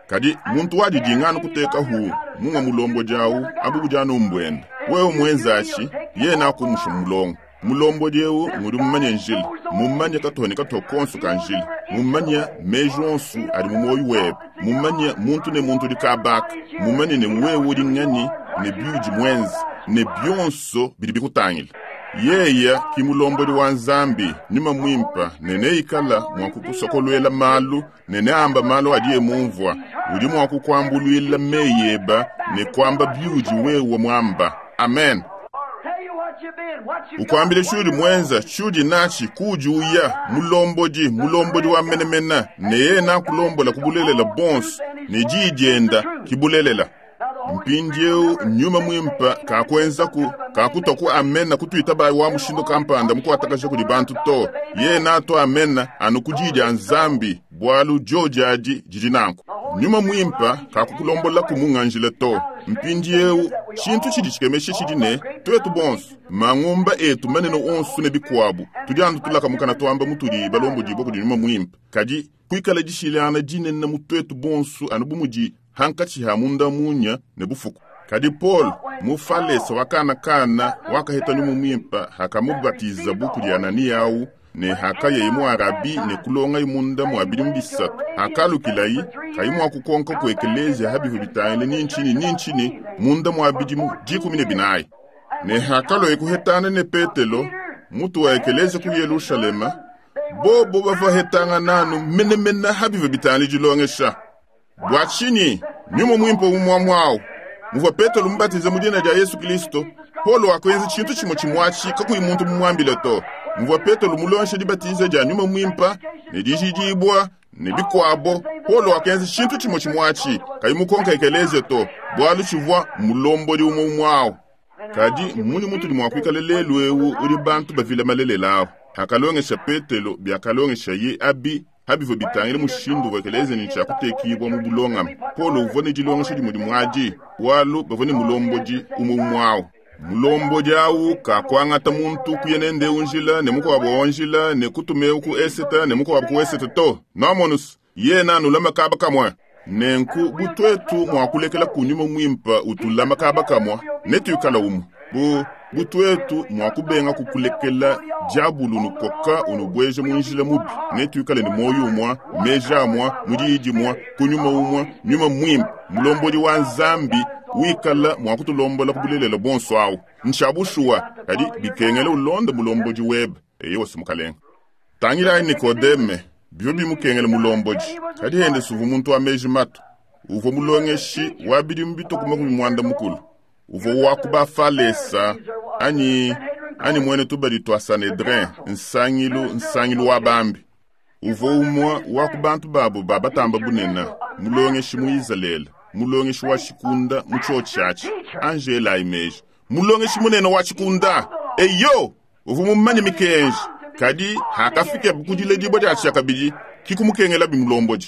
Kadi muntu wadidingana kuteka hu munga mulombodi awu abu budi anu mbuenda. Wewe muenzashi yena akumusha mulongo. Mulombodi eu ngudi mumanye njila, mumanye katuha ne katuha konso ka njila, mumanye meji onso adi mu muoyo webe, mumanye muntu ne muntu udi kabaka, mumanye ne wewe udi nganyi ne biudi muenze, ne bionso bidi bikutangila. Yeya ki mulombodi wa Nzambi, nyuma mwimpa, ne neikala mua kukusokoluela malu, ne neamba malu adiye mumvua. Udi mua kukuambuluila meyi eba ne kuamba biudi wewe muamba. Amen. tell you what you've been, what you got, Ukwambile what tshiudi you're muenza, tshiudi natshi, kuudi uya, mulombodi, mulombodi wa menemena, ne yeye nakulombola kubulelela bonso, ne diyi dienda kibulelela. Mpindiewu nyuma mwimpa kakuenzaku, kakutwa ku amena kutuita bayi wa mushindo kampanda mukuatakaja kudi bantu to. Yeye nato amena anu ku diyi dia Nzambi, bualu dioji adi didi nanku. Nyuma mwimpa kakukulombola ku munganjila to. Mpindiewu tshintu tshidi tshikemesha tshidi ne twetu bonso mangumba etu manene onso ne bikuabu tudi anu tulaka mukana twamba mutudi balombodibua kudi nyuma mwimpa. Kadi kuikala dishilana dinene mu twetu bonso anu bu mudi hankatshi ha munda munya ne bufuku. Kadi Paul mufalesa wakanakana wakaheta nyuma mwimpa hakamubatiza bu kudi Anania awu ne hakayeye mu Arabi ne kulongayi munda mua bidimu bisatu. Hakalukilayi kayi mua kukonka ku ekelezia habivu bitangile nintshini nintshini munda mua bidimu dikumi ne binayi. Ne hakaloye kuhetana ne Petelo mutu wa ekelezia ku Yelushalema, bobo bavua hetanga nanu menemene habivu bitangile dilongesha. Bua tshinyi nyuma mwimpe umwamwawu muvua Petelo mubatize mu dina dia Yesu Kristo, Paulo wakuenza tshintu tshimue tshimwatshi kakuyi muntu mumuambile to. Muvua Petelo mulongesha dibatiza dia nyuma mwimpa ne dijidibua ne bikuabo, Paulo wakuenza tshintu tshimue tshimwatshi kayi mukonka ekelezia to, bualu tshivua mulombodi umwe umwawu. Kadi mmunyi mutudi mua kuikala lelu eu udi bantu bavila malelela awu? Hakalongesha Petelo biakalongesha ye abi habivua bitangile mushindu wa ekelezia ne tshia kutekibua mu bulongame. Paulo uvua ne dilongesha dimue dimue adi, bualu bavua ne mulombodi umwe umwe awu. Mulombodi awu kakuangata muntu kuya nende unjila ne mukuabo onjila ne kutumeu ku eseta ne mukuabo ku eseta to. Namonus, yena anulama kaba kamwe. Nenku butwetu mua kulekela kunyuma mwimpa utulama kaba kamwa, netuikala umu. Bu butwetu mua kubenga kukulekela diabulu nukoka unubweje mu njila mubi, netuikale ne moyo umwa, meji amwa, mudiidi mwa, kunyuma umwa, nyuma mwimpa, mulombodi wa Nzambi wikala mua kutulombola kubulelela bonso awu. Nshabushuwa, kadi bikengele ulonde mulombodi webe, eye wose mukalenga. Tangilayi Nikodeme, bivua bimukengele mulombodi, kadi ende suvu muntu wa meji matu. Uvua mulongeshi wa bidimu bituku makumi mwanda mukulu. Uvua wa ku bafalesa anyi, anyi mwene tubadi twa Sanhedrin, nsangilu, nsangilu wa bambi. Uvua umwe wa ku bantu babo ba batamba bunene, mulongeshi mu Izalele, mulongeshi wa tshikunda mu tshio tshiatshi, Angela Imeji, mulongeshi munene wa tshikunda. Eyo, uvua mumanye mikenji. Kadi hakafike kudiledibua dia tshiakabidi kikumukengela bimulombodi.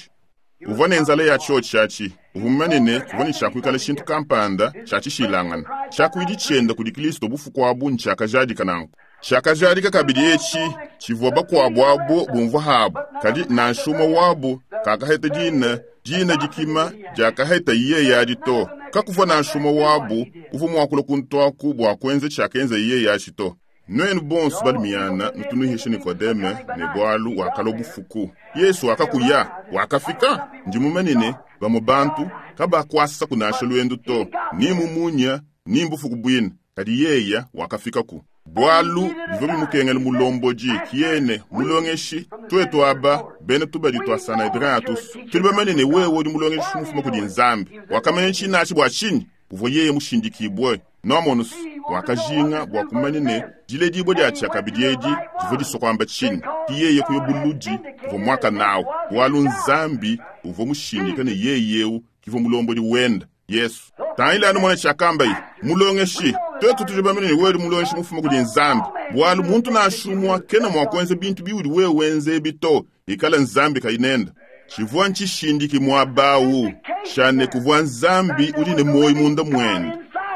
Uvua ne nzala ya tshiotshi uvua mumanye ne kuvua ne tshiakuikala tshintu kampanda tshiatshishilangana tshiakuidi tshienda kudi Kristo bufuku abu ntshiakajadika nanku. Tshiakajadika kabidi etshi tshivua bakuabu abo bumvua habu, kadi nansha umue wabu kakaheta dina dina dikima diakaheta yeye adi to. Kakuvua nansha umue wabu uvua muakula kuntuaku bua kuenza tshiakenza yeye atshi to. Nuenu bonso balimiana nutunuhishe Nikodeme ne bualu wakalua bufuku. Yesu wakakuya wakafika ndi mumanye ne bamue bantu kabakwasa kunasha lwendu to ni mumunya ni mbufuku bwina, kadi yeya wakafikaku. Bualu bivua bimukengela mulombodi kiyene mulongeshi twetu aba bena tubadi twa Sanhedrin atusu tuli bamanye ne wewe udi mulongeshi mufuma kudi Nzambi. Wakamanya tshinachi bua tshinyi uvua yeye mushindikibwe noamonusu wakajinga bua kumanya ne diledibua dia tshiakabidi edi divua disua tshinyi ki yeye kuya buludi uvua mwaka nawu bualu Nzambi uvua mushindika ne yeye eu kivua mulombodi wenda Yesu. Tangila anu mwana tshiakambayi mulongeshi twetu tudi bamanye ne wewe mulongeshi mufuma kudi Nzambi bualu muntu nansha kena mua kuenza bintu biudi wewe wenza ebi to ikala Nzambi kayinenda. Tshivua ntshishindiki muabawu shane kuvua Nzambi udi ne moyo munda mwende.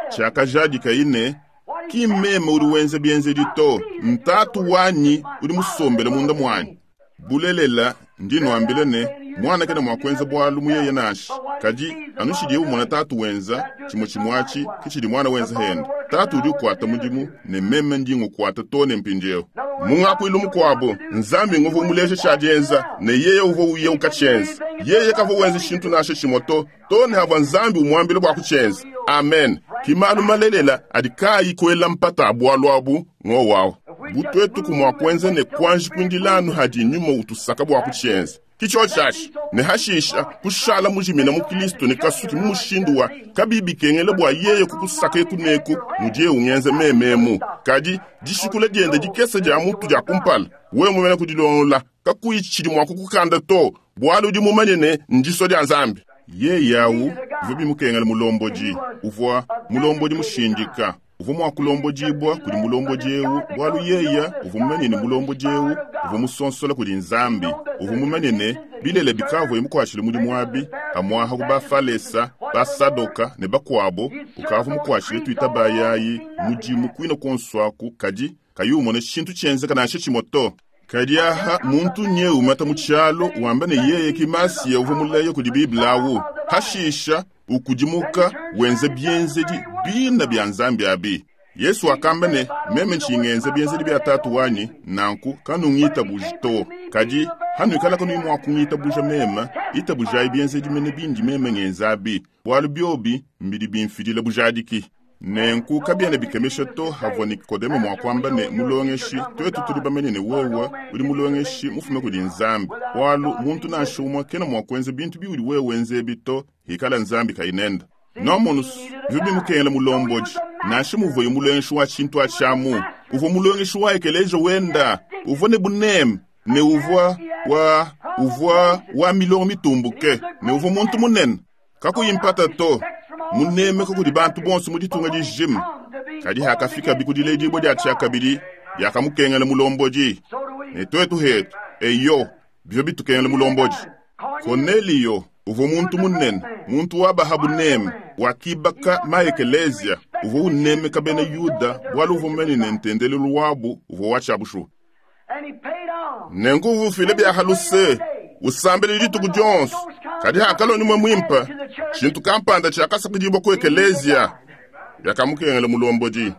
Tshiakajadika ine ki meme udi wenza bienzedi to ntatu wanyi udi musombele munda mwanyi. Bulelela ndi nwambile ne mwana kena mua kuenza bualu muyeye nansha, kadi anutshidiye umona tatu wenza tshimue tshimue kitshidi mwana wenza henda. Tatu udi ukuata mudimu ne meme ndi ngukuata to ne mpindieu. Mungakuilu mukuabu Nzambi nguvua muleje tshiadienza ne yeye uvua uye ukatshienza. Yeye kavua wenza tshintu nansha tshimue to to ne havua Nzambi umuambile bua kutshienza. Amen. Kimalu malelela adi kayi kuela mpata bualu abu ngowawu. Butwetu kumua kuenza ne kuanji kuindilanu hadi nyuma utusaka bua kutshienza. Kicho tshiatshi ne hashisha kushala mujimina mu Kristo ne kasuki mu mushindu wa kabibi kengela bua yeye kukusaka ekuneku mudiye ungenza mememu. Kadi dishikula diende dikesa dia mutu dia kumpala wewe mumene kudilongola kakuyi tshidi mua kukukanda to bualu udi mumanye ne ndiso dia Nzambi. Yeye awu bivua bimukengela mulombodi uvua mulombodi mushindika uvua mua kulombodibua kudi mulombodi eu bualu yeye uvua mumanye ne mulombodi eu uvua musonsola kudi Nzambi. Uvua mumanye ne bilele bikavuye mukuatshile mudimu abi amwaha ku bafalesa basadoka ne bakuabo ukavua mukuatshile tuita bayayi mudimu kuina kuonso kadi kayi umona tshintu tshienzeka nansha tshimue to. Kadi aha muntu nye umata mu tshialo wamba ne yeye ki Masiya uvua mulaya kudi Biblia awu hashisha ukudimuka wenze bienzedi bina bia Nzambi abi. Yesu akamba ne meme nshingenze bienzedi bia tatu wanyi nanku kanungitabuja to, kadi hanuikala kanuyi mua kungitabuja mema itabujayi bienzedi mene bindi meme ngenza abi bualu biobi mbidi bimfidila bujadiki. Nenku kabiena bikemesha to havua Nikodemo mua kuamba ne mulongeshi twetu tuli bamanye ne wewe udi mulongeshi mufume kudi Nzambi bualu muntu nansha umue kena mua kuenza bintu biudi wewe wenza ebi to ikala Nzambi kayinenda. Nomonus bivua bimukengela mulombodi nansha muvuye mulongeshi wa tshintu atshiamu uvua mulongeshi wa ekeleja wenda uvua ne buneme ne uvua wa uvua wa milongo mitumbuke ne uvua muntu munene kakuyi mpata to munemeka kudi bantu bonso mu ditunga dijima. Kadi hakafika bikudiledibua dia tshiakabidi diakamukengela mulombodi ne twetu hetu eyo bivua bitukengela mulombodi. Korneliyo uvua muntu munene muntu wa baha buneme wakibaka maekelezia uvua unemeka bena Yuda bualu uvua mumanye ne ntendelelu wabu uvua wa tshiabushuwa. Nenku uvua ufila bia haluse usambele dituku dionso, kadi hakaloni mwe mwimpa tshintu kampanda tshiakasakidibua ku ekelezia biakamukengela mulombodi.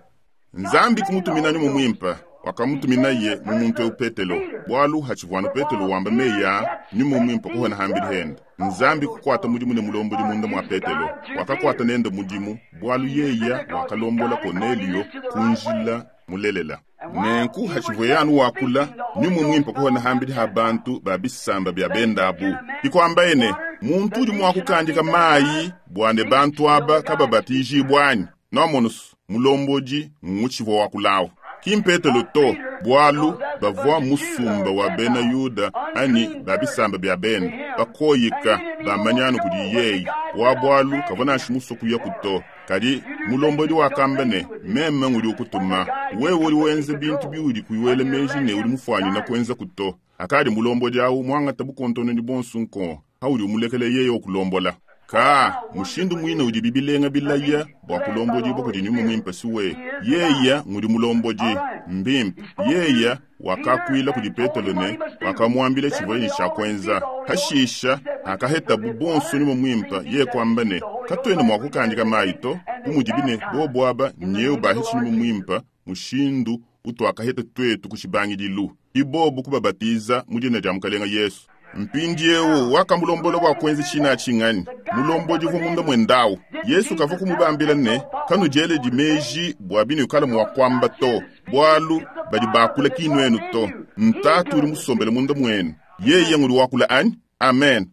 Nzambi kumutumina nyuma mwimpa wakamutuminaye mu muntu eu Petelo bualu hatshivuanu Petelo wamba meya nyuma mwimpa kuhona hambili henda. Nzambi kukwata mudimu ne mulombodi munda mwa Petelo wakakwata nende mudimu bualu yeya wakalombola Kornelio kunjila mulelela. Nenku hatshivuye anu wakula nyuma mwimpa kuhona hambili ha bantu ba bisamba bya bendabu ikwambaye ne muntu udi mua kukandika mayi bua ne bantu aba kababatijibwa anyi nomonus mulombodi ngutshivua wakulawu. Ki Petelo to bualu bavua musumba wa bena Yuda ani ba bisamba bya benda bakoyika bamanyanu kudi yeye wa bualu kavua nansha musua kuya kuto. Kadi mulombodi wakamba ne, meme ngudi ukutuma. Wewe udi wenza bintu biudi kuiwela meji ne udi mufuanyina kuenza kuto. Akadi mulombodi awu muangata bukontononi bonso nko, haudi umulekele yeye okulombola. Ka mushindu mwine udi bibilenga bilaya bua kulombodi bua kudi nyuma mwimpe siwe. Yeya ngudi mulombodi mbimpe. Yeya wakakuila kudi Petelo ne wakamuambila tshivua ne tshia kuenza. Hashisha akaheta bonso nyuma mwimpe yeye kwamba ne katuena mua kukandika mayi to bumudi bine bobo aba nyeu baheshi nyuma mwimpe mushindu utwakaheta twetu kushibangidilu. Ibobo kubabatiza mu dina dia Mukalenga Yesu. Mpindiewu wakamulombola bua kuenza tshina tshingani mulombodi uvua munda mwendawu. Yesu kavua kumubambila ne kanudieledi meji bua binu kala mua kuamba to bwalu badi bakula kinuenu to ntatu udi musombele munda mwenu yeye ngudi wakula anyi. Amen.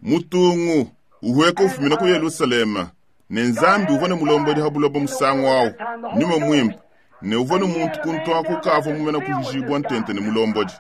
Mutungu uhueka ufumina ku Yerusalema ne Nzambi uvua ne mulombodi ha buloba musangu awu nyuma mwimpe ne uvua ne muntu kuntu kavua mumena kujibwa ntente ne mulombodi.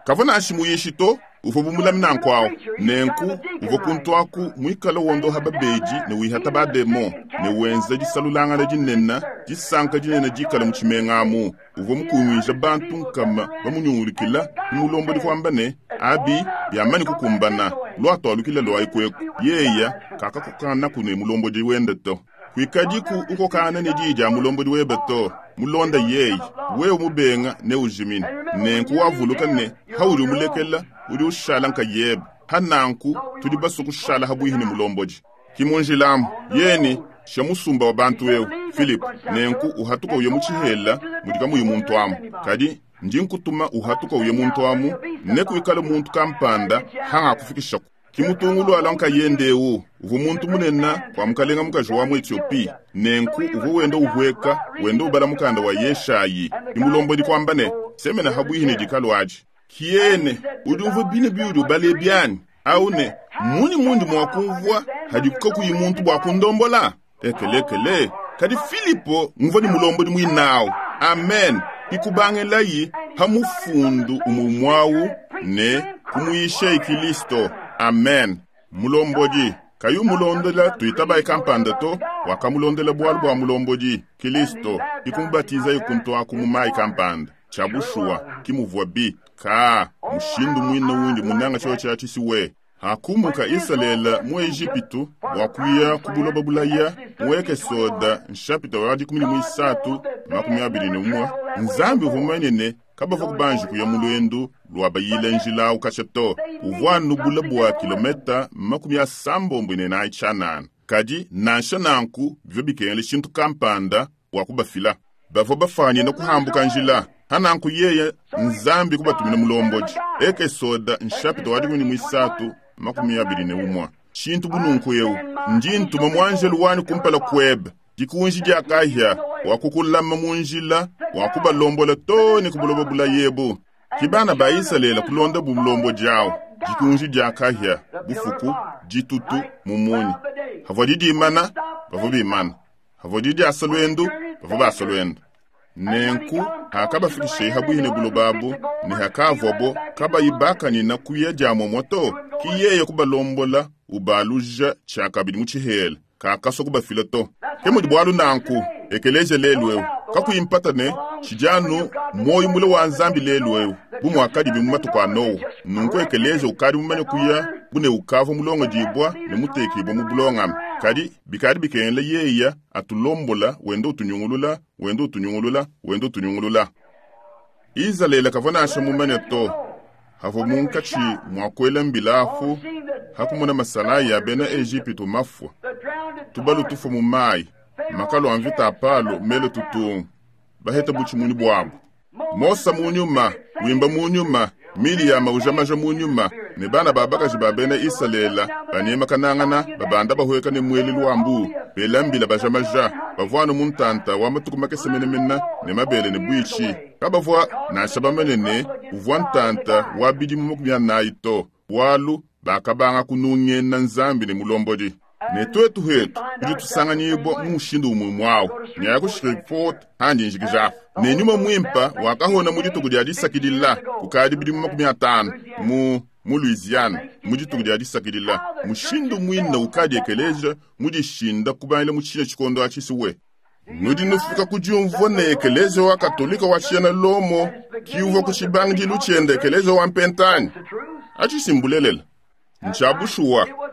Kavua nashi muyishi to uvua bumulamina nkwawu nenku uvua kuntu aku mwikala wondoha babedi ne wihata bademo ne wenza disalulangana dinene disanka dinene dikala mu tshimenga amu. Uvua mukunguija bantu nkama bamunyungulukila mulombodi kwamba ne abi byamani kukumbana lwatwalukila lwayi kweku yeya kakakukana kune mulombodi wende to. Kwikadiku ukokana ne diyi dia mulombodi webe to mulonda yeyi wewe mubenga ne ujimina nenku wavuluka ne haudi umulekela udi ushala nkayebe hananku tudi basu kushala habuihi ne mulombodi. Kimunjilamu yeni sha musumba wa bantu eu Philip nenku uhatuka uye mu tshihela mudi kamuyi muntu amu kadi ndi nkutuma uhatuka uye muntu amu ne kuikala muntu kampanda hanga kufikishaku. Kimutungulu ala nkayende eu uvua muntu munene kwa mukalenga mukaji wa mu Ethiopia nenku uvua wenda uhueka wenda ubala mukanda wa Yeshayi imulombodi kwamba ne semena habuihi ne dikalo aji kiene udi uvua bine biudi ubale byani au ne muni mundi mwa kumvua hadikuka kuyi muntu bua kundombola ekelekele. Kadi Filipo nguvua ni mulombodi mwinawu. Amen. Ikubangelayi hamufundu umumwawu ne kumuyisha Kristo. Amen. Mulombodi kayu mulondola tuitabaye kampanda to wakamulondela bwalu bwa mulombodi Kristo ikumubatiza ikuntu aku mu mayi kampanda chabushuwa kimuvua bi ka mushindu mwine wundi munanga cho cha chisiwe. Hakumuka Israela mu Egipitu wakuya kubuloba bulaya muweke soda nshapita wa dikumi ni mwisatu makumi abiri ne umwe. Nzambi uvumanye ne kabava kubanji kuya mulwendu lwa bayile njila ukasha to uvua nubula bwa kilometa makumi asambombo ne nayi chanana kadi nansha nanku bivyo bikengele shintu kampanda wa kubafila bavua bafanye na kuhambuka njila hananku yeye Nzambi kubatumina mulombodi. Eke soda nshapita wa dikumi ni mwisatu makumi abiri ne umwe. Shintu bununku eu ndi ntuma mwanjelu wani kumpala kwebe dikunji dia kahya wakukulama munjila wakubalombola to ne kubuloba bula yebu. Kibana ba Israela kulonda bumulombo jawo dikunji dia kahya bufuku ditutu mumunyi havua didimana bavua bimana havua didiasa lwendu bavua basa lwendu. Nenku hakabafikishe habuihi ne bulobabu ne hakavwabo kabayibakanina kuya dia momoto kiyeye kubalombola ubaluja tshakabidi mu tshihela kakaswa kubafila to. Ke mudi bwalu nanku ekeleje lelu eu kakuyimpata ne tshijanu moyo mule wa Nzambi lelu eu bumwakadi bimu matuku a Noa. Nunku ekeleje ukadi mumanye kuya bune ukavua mulongo dibwa ne mutekibwa mu bulongame kadi bikadi bikengela yeya atulombola wenda utunyungulula wenda utunyungulula wenda utunyungulula. Israela kavua nasha mumanye to havua munkatshi mwakwela mbilafu hakumona masala ya bena Egipitu mafua tubalu tufua mu mayi makalo a mvita apalo mele tutungu baheta buchimuni bwabo. Mosa munyuma wimba munyuma Miriam ujamaja munyuma ne bana babakaji ba bena Israela banemakanangana babanda bahueka ne mweli lwambu belambila bajamaja bavwana muntanta wa matuku makese menemena ne mabele ne bwichi kabavwa nansha bamanene uvwa ntanta wa bidimu makumi anayi to walu bakabanga kunungena Nzambi ne mulombodi. Ne twetu hetu tudi tusanganyibwa mu mushindu umwe mwawu nyaya ku Shreveport handi njikijafu ne nyuma mwimpa wakahona mu dituku dia disakidila kukadi bidimu makumi atanu mu mu Louisiana mu dituku dia disakidila mushindu mwina ukadi ekeleja mudishinda kubangila mu tshine tshikondo atshisiwe nudi nufika ku diumvua ne ekeleja wa katolika wa tshiena Lomo kiuvua ku tshibangidilu tshiende ekeleja wa mpentani atshisimbulelele ntshia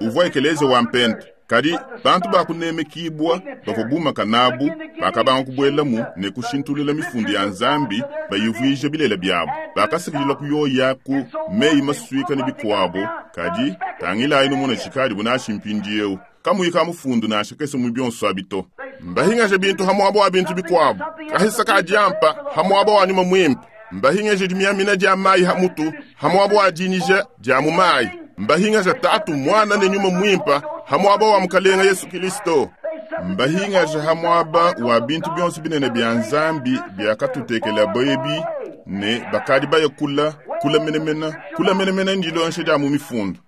uvua ekeleja wa mpenta kadi bantu bakunemekibwa bavua bumaka nabu bakabanga kubuelamu ne kushintulula mifundu ya nzambi bayivuija bilela byabo bakasakidila kuyoya ku meyi masuika ne bikuabo kadi tangilayi numona tshikadi bunashi mpindiewu kamuyi mufundu nansha kese mu bionso abito mbahingaje bintu hamuaba wa bintu bikuabo kahisa ka diampa hamuaba wa nyuma mwimpe mbahingaje dimiamina dia mayi hamutu hamuaba wa dinyija dia mu mayi mbahingaje tatu mwana ne nyuma mwimpa hamuaba wa mukalenga Yesu Kristo mbahingaje hamuaba wa bintu bionso binene bya nzambi byakatutekela boyebi ne bakadi baye kula kula menemena kula menemena ndilonshe dia mu mifundu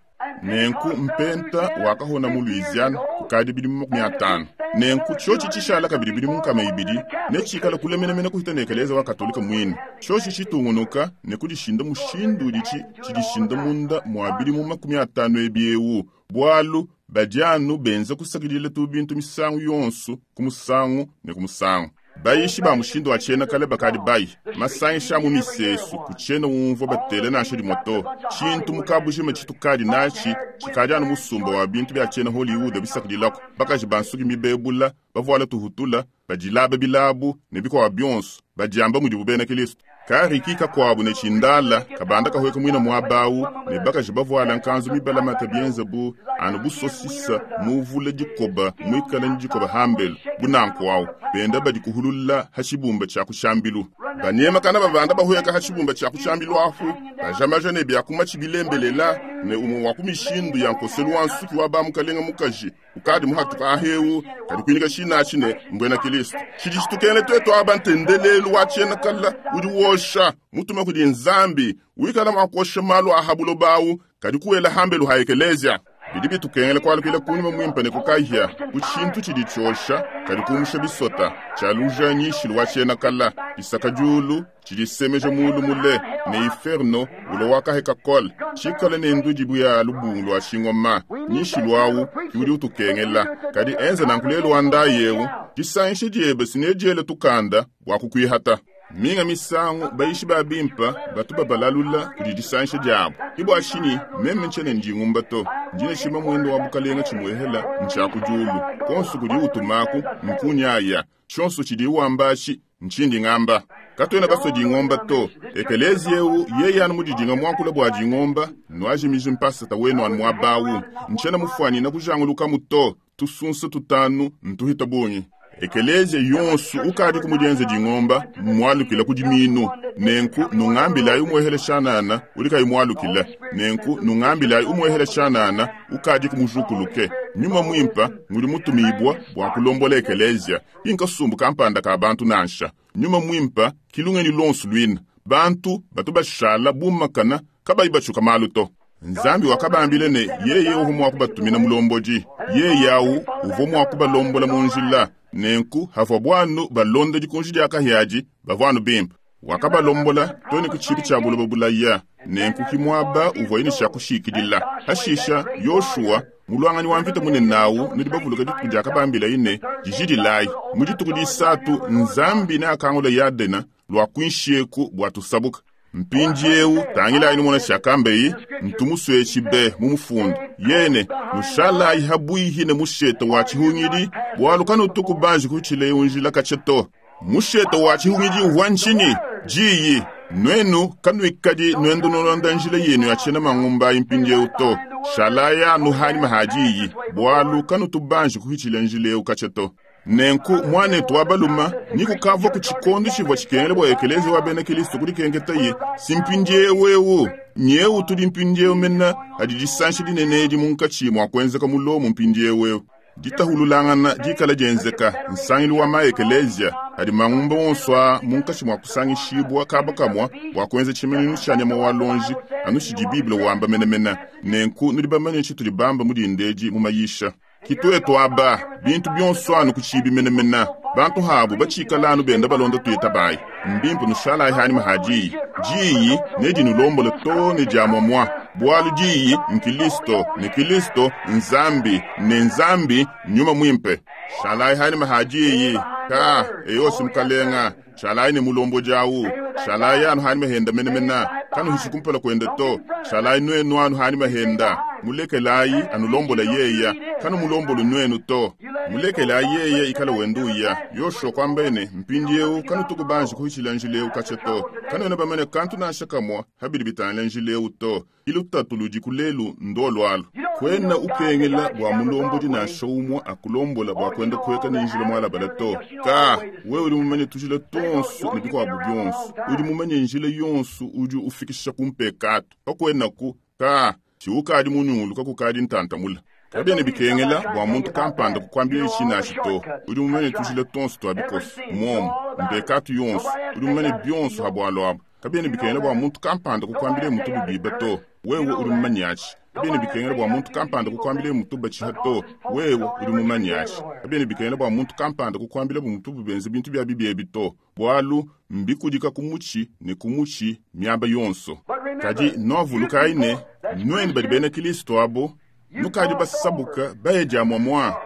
nenku mpenta wakahona mu Louisiana kukadi bidi makumi atano nenku tshotshi tshishala kabidi bidi munkama ibidi ne tshikala kula menemena kuhita ne ekeleza wa katolika mwine tshotshi tshitungunuka ne kudishinda mushindu uditshi tshidishinda munda mua bidi mu makumi atano ebiewu bwalu badianu benza kusakidila tu bintu misangu yonso ku musangu ne ku musangu bayishi ba mushindu wa tshiena kale bakadi bayi masangisha mu misesu ku tshiena umvua batele nansha dimoto tshintu mukabujima tshitukadi natshi tshikadi anu musumba wa bintu bya tshiena Hollywood bisakidilako bakaji bansuki mibebula bavuala tuhutula badilaba bilabu ne bikwa bionso badiamba mudibu bena Kristo kariki kakwabu ne tshindala kabanda kahweka mwina mwabawu ne bakaji bavuala nkanzu mibalamata bienza bu anu busosisa muvula dikoba mwikala ni dikoba hambelu bunanku benda badi kuhulula hashibumba tsha kushambilu banyema kana babanda bahweka hashibumba tsha kushambilu afu bajamaja ne byakuma tshibilembelela ne umwe wa kumishindu ya nkoselu wa nsuki wa bamukalenga mukaji ukadi muhatuka ahewu kadi kwinika shina ne mbwena Kristo tshidi tshitukene twetu aba ntendelelu wa tshiena kala udi wosha mutuma kudi nzambi wikala mwakosha malu ahabulo bawu kadi kuwela hambelu ha ekelezia bidi bitukengela kwalukila kunyuma mwimpa ne kukahya ku tshintu tshidi tshiosha kadi kumusha bisota tshialuja nyishilu wa tshiena kala isaka diulu tshidisemeja mulu mule ne iferno ulo wakaheka kole tshikale ne ndudibu ya lubungu lwa tshingoma nyishilu awu kiudi utukengela kadi enza nankulelu wa ndayewu disangishe diebe sinediele tukanda bua kukwihata minga misangu bayishi ba bimpa batu babalalula kudi disangisha diabo ibwa shini meme ntshene ndingumba to ndine tshima mwendo wa bukalenga tshimwehela ntsha kudiulu konso kudi utumaku nkunyaya tshonso tshidi wambashi ntshindi ngamba katwena baso dingomba to ekelezi eu yeye anu mudidinga mwankula bua dingomba nwajimiji mpasata wenu anu mwabawu ntshena mufwani na kujanguluka muto tusunsa tutanu ntuhita bungi ekelezia yonso ukadi kumudienza dingomba mwalukila kudiminu nenku nungambilayi umwehele shanana ulikayi mwalukila nenku nungambilayi umwehele shanana ukadi kumujukuluke nyuma mwimpa nguli mutumibwa bua kulombola ekelezia inkasumbu kampanda ka bantu nansha nyuma mwimpa kilungeni lonso lwina bantu batu bashala bumakana kabayi batshuka malu to nzambi wakabambile ne yeye uvu mua kubatumina mulombodi yeye awu uvua mua kubalombola mu njila nenku havua bwanu balonda dikunji dia kahiadi bavua bimpe wakabalombola tone ku tshibi tshia buloba bulaya nenku kimwaba uvua yine tsha kushikidila hashisha Yoshua mulwanganyi wa mvita munene nawu nudi bavuluka dituku diakabambila ine dijidilayi mu dituku disatu nzambi ne akangula Yadena lwa kuinshieku bua tusabuka mpindiewu tangilayi numona tshiakambeyi ntumusue be mu mufundu yene nushalayi habwihi ne mushete wa tshihungidi bwalu kanutuku banji kutshileyo njila katshia to mushete wa tshihungidi uvua ntshini diyi nwenu kanuikadi nwendo nolonda njila yenu ya tshiena mangumbayi mpindiewu to shalayi anu hanyima ha diyi bwalu kanutu banji kuhitshila njila ewu katshia to nenku mwanetu wa baluma nikukavua ku tshikondo tshivua tshikengele bua ekelezi wa bena Kristo kudikengetaye simpindiewu ewu nyewu tudi mpindiewu mena adi disanshi dinene edi munkatshi mua kuenzeka mulomo mpindiewu ewu ditahululangana dikala dienzeka nsangilu wa maekelezia adi mangumba wonso a munkatshi mua kusangishibwa kaba kamua bua kuenza tshimanyinu tshia nyama wa lonji anu tshidi Bible wamba menemene nenku nudi bamanye tshitudi bamba mudindedi mu mayisha kitwetu aba bintu bionso anu kutshibi menemene bantu habu batshikala anu benda balonda tuyita bayi mbimpe nushalayi hanyima ha diyi diyi nedinulombola to ne dia mwamwa Bwalu diyi nkilisto ne Kilisto Nzambi ne Nzambi nyuma mwimpe. Shalai hani mahadiyi ka eyosi mukalenga shalai ne mulombo jawu shalai anu hani mahenda menemena kanu hisikumpela kwenda to shalai nwenu anu hani mahenda mulekelai anulombola yeya kanu mulombolu nwenu to mulekelai yeya ikala wenduya yosho kwambene mpindiewu kanu tukubanji kuhichila njileu kache to kanu ena bamene kantu nasha kamwa habili bitangila njileu to ilu tatuludi kulelu ndolwalo kwena ukengela bwa mulombodi nasha umwa akulombola bwa kwenda kweka ninjila mwalabala to ka wewe uli mumanye tujila tonso ne bikwabu byonso udi mumanye njila yonso udi ufikisha kumpekatu kakwenaku ka chiukadi munyungulu kakukadi ntantamula kabyene bikengela bwa muntu kampanda kukwambila icinashi to udi mumanye tujila tonso twa bikoso momo mpekatu yonso udi mumanye byonso habwalo abo kabyene bikengela bwa muntu kampanda kukwambila mutu bubiba to wewe udi mumanyachi kabyene bikengela bwa muntu kampanda kukwambila mutu bachiha to wewe udi mumanyachi kabyene bikengela bwa muntu kampanda kukwambila bumutu bubenze bintu bya bibyebi to bwalu mbikudika kumuchi ne kumuchi miaba yonso kadi novulukayi ne nweni badi bena Kristo abo nukadi basabuka bayeja mwamwa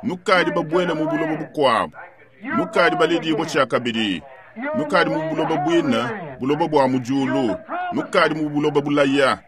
nukadi babwela mu bulobo bukwabo nukadi balidibwa kyakabili nukadi mu bulobo bwina bulobo bwa mujulu nukadi mu bulobo bulaya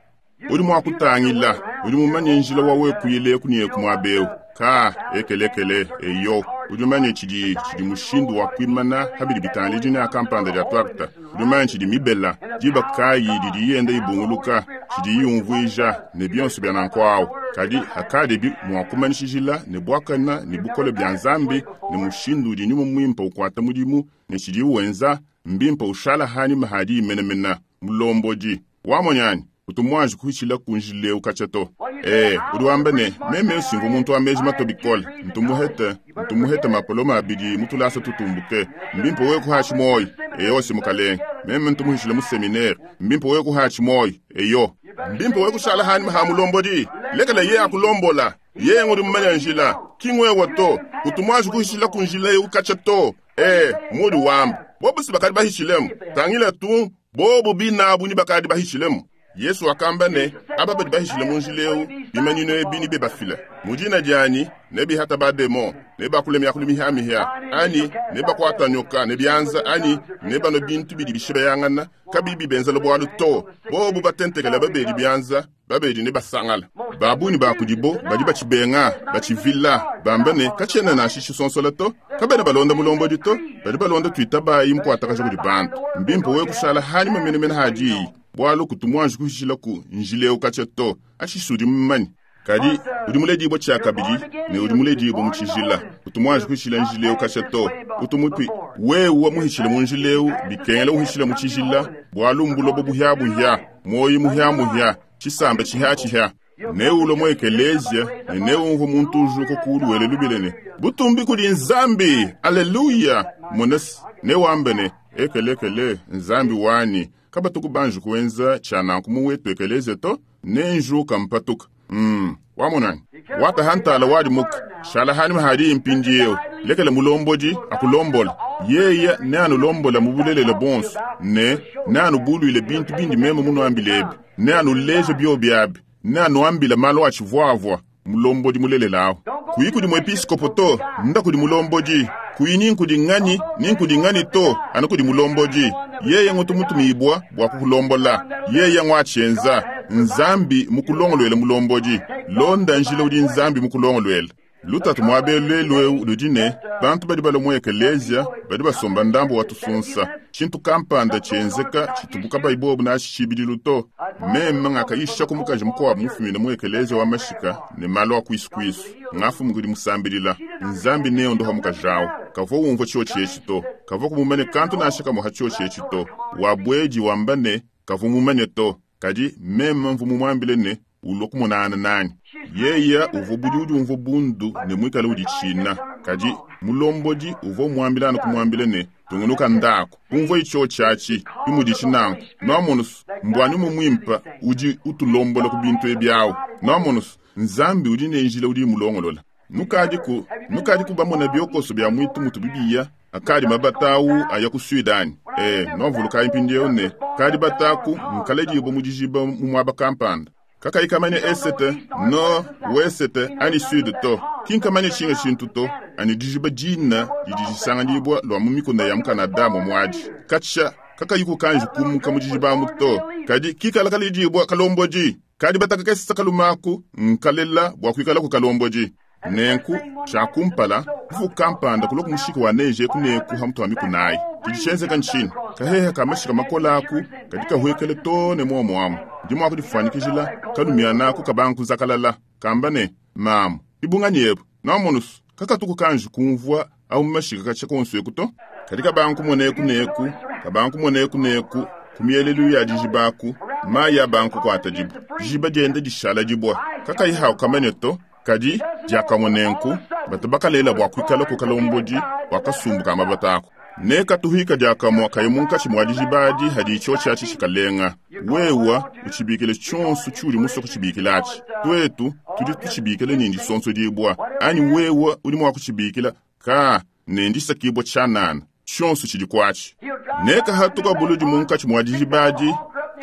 udi mwakutangila udi mumanye njila wawe kuyile kuniye kumwabewu ka ekelekele eyo udi mumanye tshidi tshidi mushindu wa kwimana habili bitangila dina ya kampanda dia twakta udi mumanye tshidi mibela diba kayi didi yenda ibunguluka tshidi yumvuija ne bionso bya nankwawu kadi hakadibi mwakumanyishijila ne bwakana ne bukole bya nzambi ne mushindu udi nyuma mwimpa ukwata mudimu ne tshidi wenza mbimpa ushala hani mahadi imenamena mulombodi wamonyani utumwanji kuhichila kunjileu kachato eh udi wamba ne meme singu muntu wa meji mato bikole ntumuhete ntumuhete mapoloma abidi mutulasa tutumbuke mbimpo we kuhachi moyo eyo simukalenge meme ntumuhishile mu seminaire mbimpo we kuhachi moyo eyo mbimpo we kushala hani maha mulombodi lekela ye akulombola ye ngudi mumanya njila kingwewa to utumwanji kuhishila kunjileu kachato eh mudi wamba bobu sibakadi bahishilemu tangila tu bobu binabu ni bakadi bahishilemu Yesu akamba ne aba badi bahishile munjileu bimanyino ebi be bafila mujina jani ne bihata bademo ne bakule myakulu mihamihya ani ne bakwata nyoka ne byanza ani ne bano bintu bidi bishibayangana kabibi benzela bwalu to bobu batentekela babedi byanza babedi ne basangala babuni bakudibo badi bachibenga bachivila bamba ne kachena na shishisonsola to kabena balonda mulombodi to badi balonda twitabayi mkwatakaja kudi bantu mbimpo we kushala hani mamenemene hadiyi bwalu kutumwanji kuhishila ku njileu kacha to ashisudi mmanyi kadi udi muledibwa kyakabili ne udi muledibwa mu tshijila kutumwanji kuhishila njileu kacha to utumupi wewe muhishile mu njileu bikengela uhishile mu tshijila bwalu mbulobo buhyabuhya moyi muhyamuhya tshisamba tshihyatshihya neulo mu ekelezia ne neumva muntu ujuka kuluwele lubilene butumbi kudi nzambi aleluya monesi newambe ne ekelekele nzambi wani kabatuku banji kuenza tshananku muwetu ekelezia to nenjuka mpatuka mm wamonani watahantala wadi muka shala hani mahadi impindiewu lekele mulombodi akulombola yeya ne anulombola mubulelela bonso ne ne anubuluile bintu bindi meme munuambilebi ne anuleje byobyabi ne anuambila malu atshivwavwa mulombodi mulelelawo kuyi kudi muepiskopo to nda kudi mulombodi kuyi ninkudi ngani ninkudi ngani to anu kudi mulombodi yeye ngutu mutumibwa bwa kukulombola yeye ngwachenza nzambi mukulongolwele mulombodi londa njila udi nzambi mukulongolwele lutatu mwabelelweu ludi ne bantu badi bala mu ekelezia badi basomba ndambo wa tusunsa tshintu kampanda tshenzeka tshitubuka bayibobu nashi tshibidilu to meme ngakayisha kumukaji mukuabu mufumine mu ekelezia wa mashika ne malu a kwisukuisu ngafumu kudi musambilila nzambi neo ndoha mukajawu kavua umvua tshio tshietshi to kavua kumumane kantu nasha kamuha tshio tshietshi to wabweji wamba ne kavua mumanye to kadi meme mvu mumuambile ne ulua kumonana nani yeya uvua budi udi umvua bundu ne muikale udi tshina kadi mulombodi uvua umuambilana kumuambile ne tungunuka ndako umvua itsho tshiatshi imudi tshinanku noamonusu mbwani mumwimpa udi utulombola ku bintu ebyawu noamonusu nzambi udi ne njila udi mulongolola nukadiku nukadiku bamona biokoso bya mwitu mutu bibiya akadi mabatawu aya ku sudani eh novuluka impindiewu ne kadi bataku nkaledibo mudijiba mu mwaba kampanda Kakayikamanya esete, nord, wesete ani sud to. Kinkamanya tshinga tshintu to, ani dijiba dina didi disanganyibwa lwa mu mikuna ya mu Canada momwadi. Katsha kakayiku kanji kumuka mu dijiba amu to. Kadi kikala kalidibwa kalombodi. Kadi bataka kesesa kalumaku nkalela bwa kuikala ku kalombodi. Nenku tshakumpala kuvu kampanda kuloku mushiki wa neje kuneku hamutu wa mikunayi. Tshidi tshenzeka ntshini kaheha ka mashika makola aku kadi kahuekele to ne muomuamu. Ndi mua kudifuanyikijila kalumianaku kabanga kuzakalala kamba ne mamu ibunganyi ebu namonusu kakatuku kanji kumvua au mashika katshia konso eku to. Kadi kabanga kumoneku neku kabanga kumoneku neku kumielelu ya dijibaku mayi abanga kukuata dibu dijiba dienda dishala dibwa kakayi hawu kamanya to. Kadi diakamonenku batu bakalela bwa kuikala ku kalombodi bwa kasumbu ka mabatako. Ne katuhika diakamwa kayi munkatshi mwa dijibadi hadi itsho tshiatshi tshikalenga. Wewa utshibikile tshonso tshiudi musue kutshibikilatshi. Tuetu tudi tutshibikila ne ndisonso dibwa. Anyi wewa udi mua kutshibikila ka ne ndisakibwa tshianana. Tshonso tshidi kuatshi. Ne kahatuka buludi munkatshi mwa dijibadi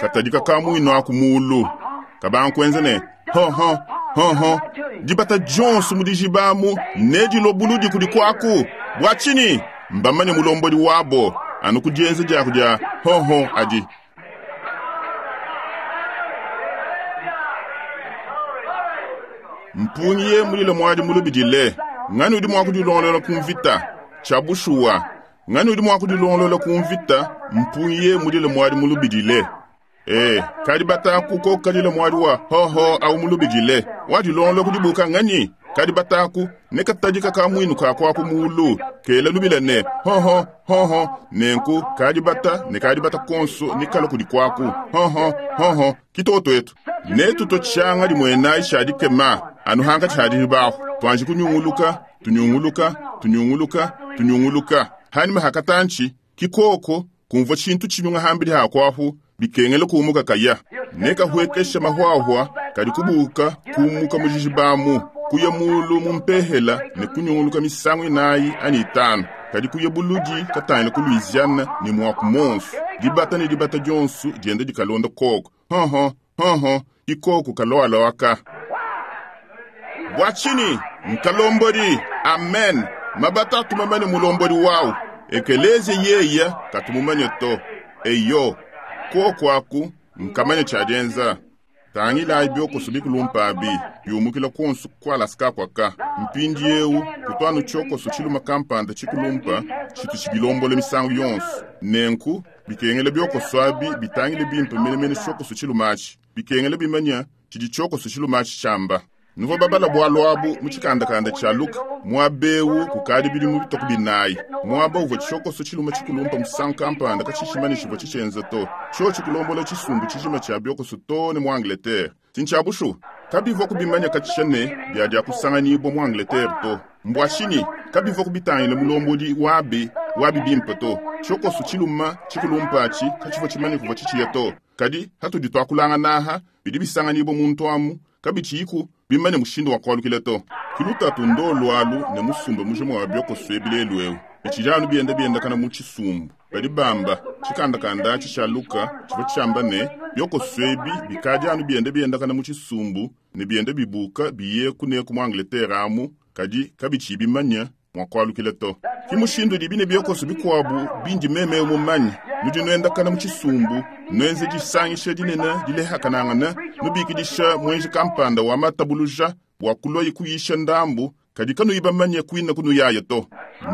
katadika kamuino aku mulu. Kabankuenze ne ho ho ho ho dibata dionso mu dijibamu ne dilobuludi kudi kwaku. Bwa tshini mbamanye mulombodi wabo anu kudienza diaku dia ho ho adi. Mpungiye mulile mwadi mulubidile ngani udi mua kudilongolola ku mvita tshiabushuwa ngani udi mua kudilongolola ku mvita mpungiye mulile mwadi mulubidile. Eh, kadi bataku ko kalila mwadi wa ho ho au mulubidile wadilongolola kudibuka ngani kadi bataku ne katadika ka mwinu ka kwaku mulu kela lubila ne ho ho ho ho nenku kadi bata ne kadi bata konso ni kala kudi kwaku ho ho ho ho kitoto etu ne tuto tshanga limwena ishadi kema anu hanga tshadi baho twanji kunyunguluka tunyunguluka tunyunguluka tunyunguluka hani mahakatanchi kikoko kumva tshintu tshinyunga hambili hakwahu bikengele kumuka kaya neka huekesha mahwahwa kadi kubuka kumuka mujijibamu kuya mulu mumpehela ne kunyunguluka misangu inayi ani itanu kadi kuya buludi katangila ku Louisiana ne mwaku monso dibata ne dibata dionso dienda dikalonda koko hoho hoho ikoko kaloalowaka bwa tshini nkalombodi amen mabata tumamane mulombodi wawu ekeleze yeya katumumanye to eyo koko aku nkamanya tshiadienza tangilayi biokoso bikulumpa biumukila konso kualaska kwaka mpindi eu kutwanu tshiokoso tshiluma kampanda tshikulumpa tshitu tshibilombola misangu yonso nenku bikengela biokoso abi bitangile bimpe menemene tshiokoso tshilumatshi bikengela bimanya tshidi tshiokoso tshilumatshi tshiamba nuvo babala bwalo abu mu tshikandakanda tshia Luka muabewu kukadi bilimu bitoku binayi muaba uvua tshiokoso tshiluma tshikulumpa musangu kampanda katshishimani tshivua tshitshienza to tshio tshikulombola tshisumbu tshijima tshia biokoso to ne mu Angleterre tintshiabushu kabivua kubimanya katshisha ne biadia kusanganyibwa mu Angleterre to mbwa tshini kabivua kubitangila mulombodi wabi wabi bimpe to tshiokoso tshiluma tshikulumpa atshi katshivua tshimanya kuvua tshitshiya to kadi hatudi tuakulanganaha bidi bisanganyibwa muntu amu kabitshiyiku bimane mushindu wa kualukila to kilutatu ndo lwalu ne musumba mujima wa biokoso ebilelu eu bitshijanu bienda biendakana mu tshisumbu badi bamba tshikandakanda atshi tshia Luka tshivua tshiamba ne biokoso ebi bikadi anu bienda biendakana mu tshisumbu ne bienda bibuka biye kuneku mu Angleterre amu kadi kabitshiyi bimanya mua kualukila to ki mushindu dibi ne biokoso bikuabu bindi meme mumanye nudi nuendakana mu tshisumbu nuenze disangisha dinene dilehakanangana nubikidisha mwenji kampanda wa matabuluja bua kuloyi kuyisha ndambu kadi kanuyi bamanye kuina kunuyaya to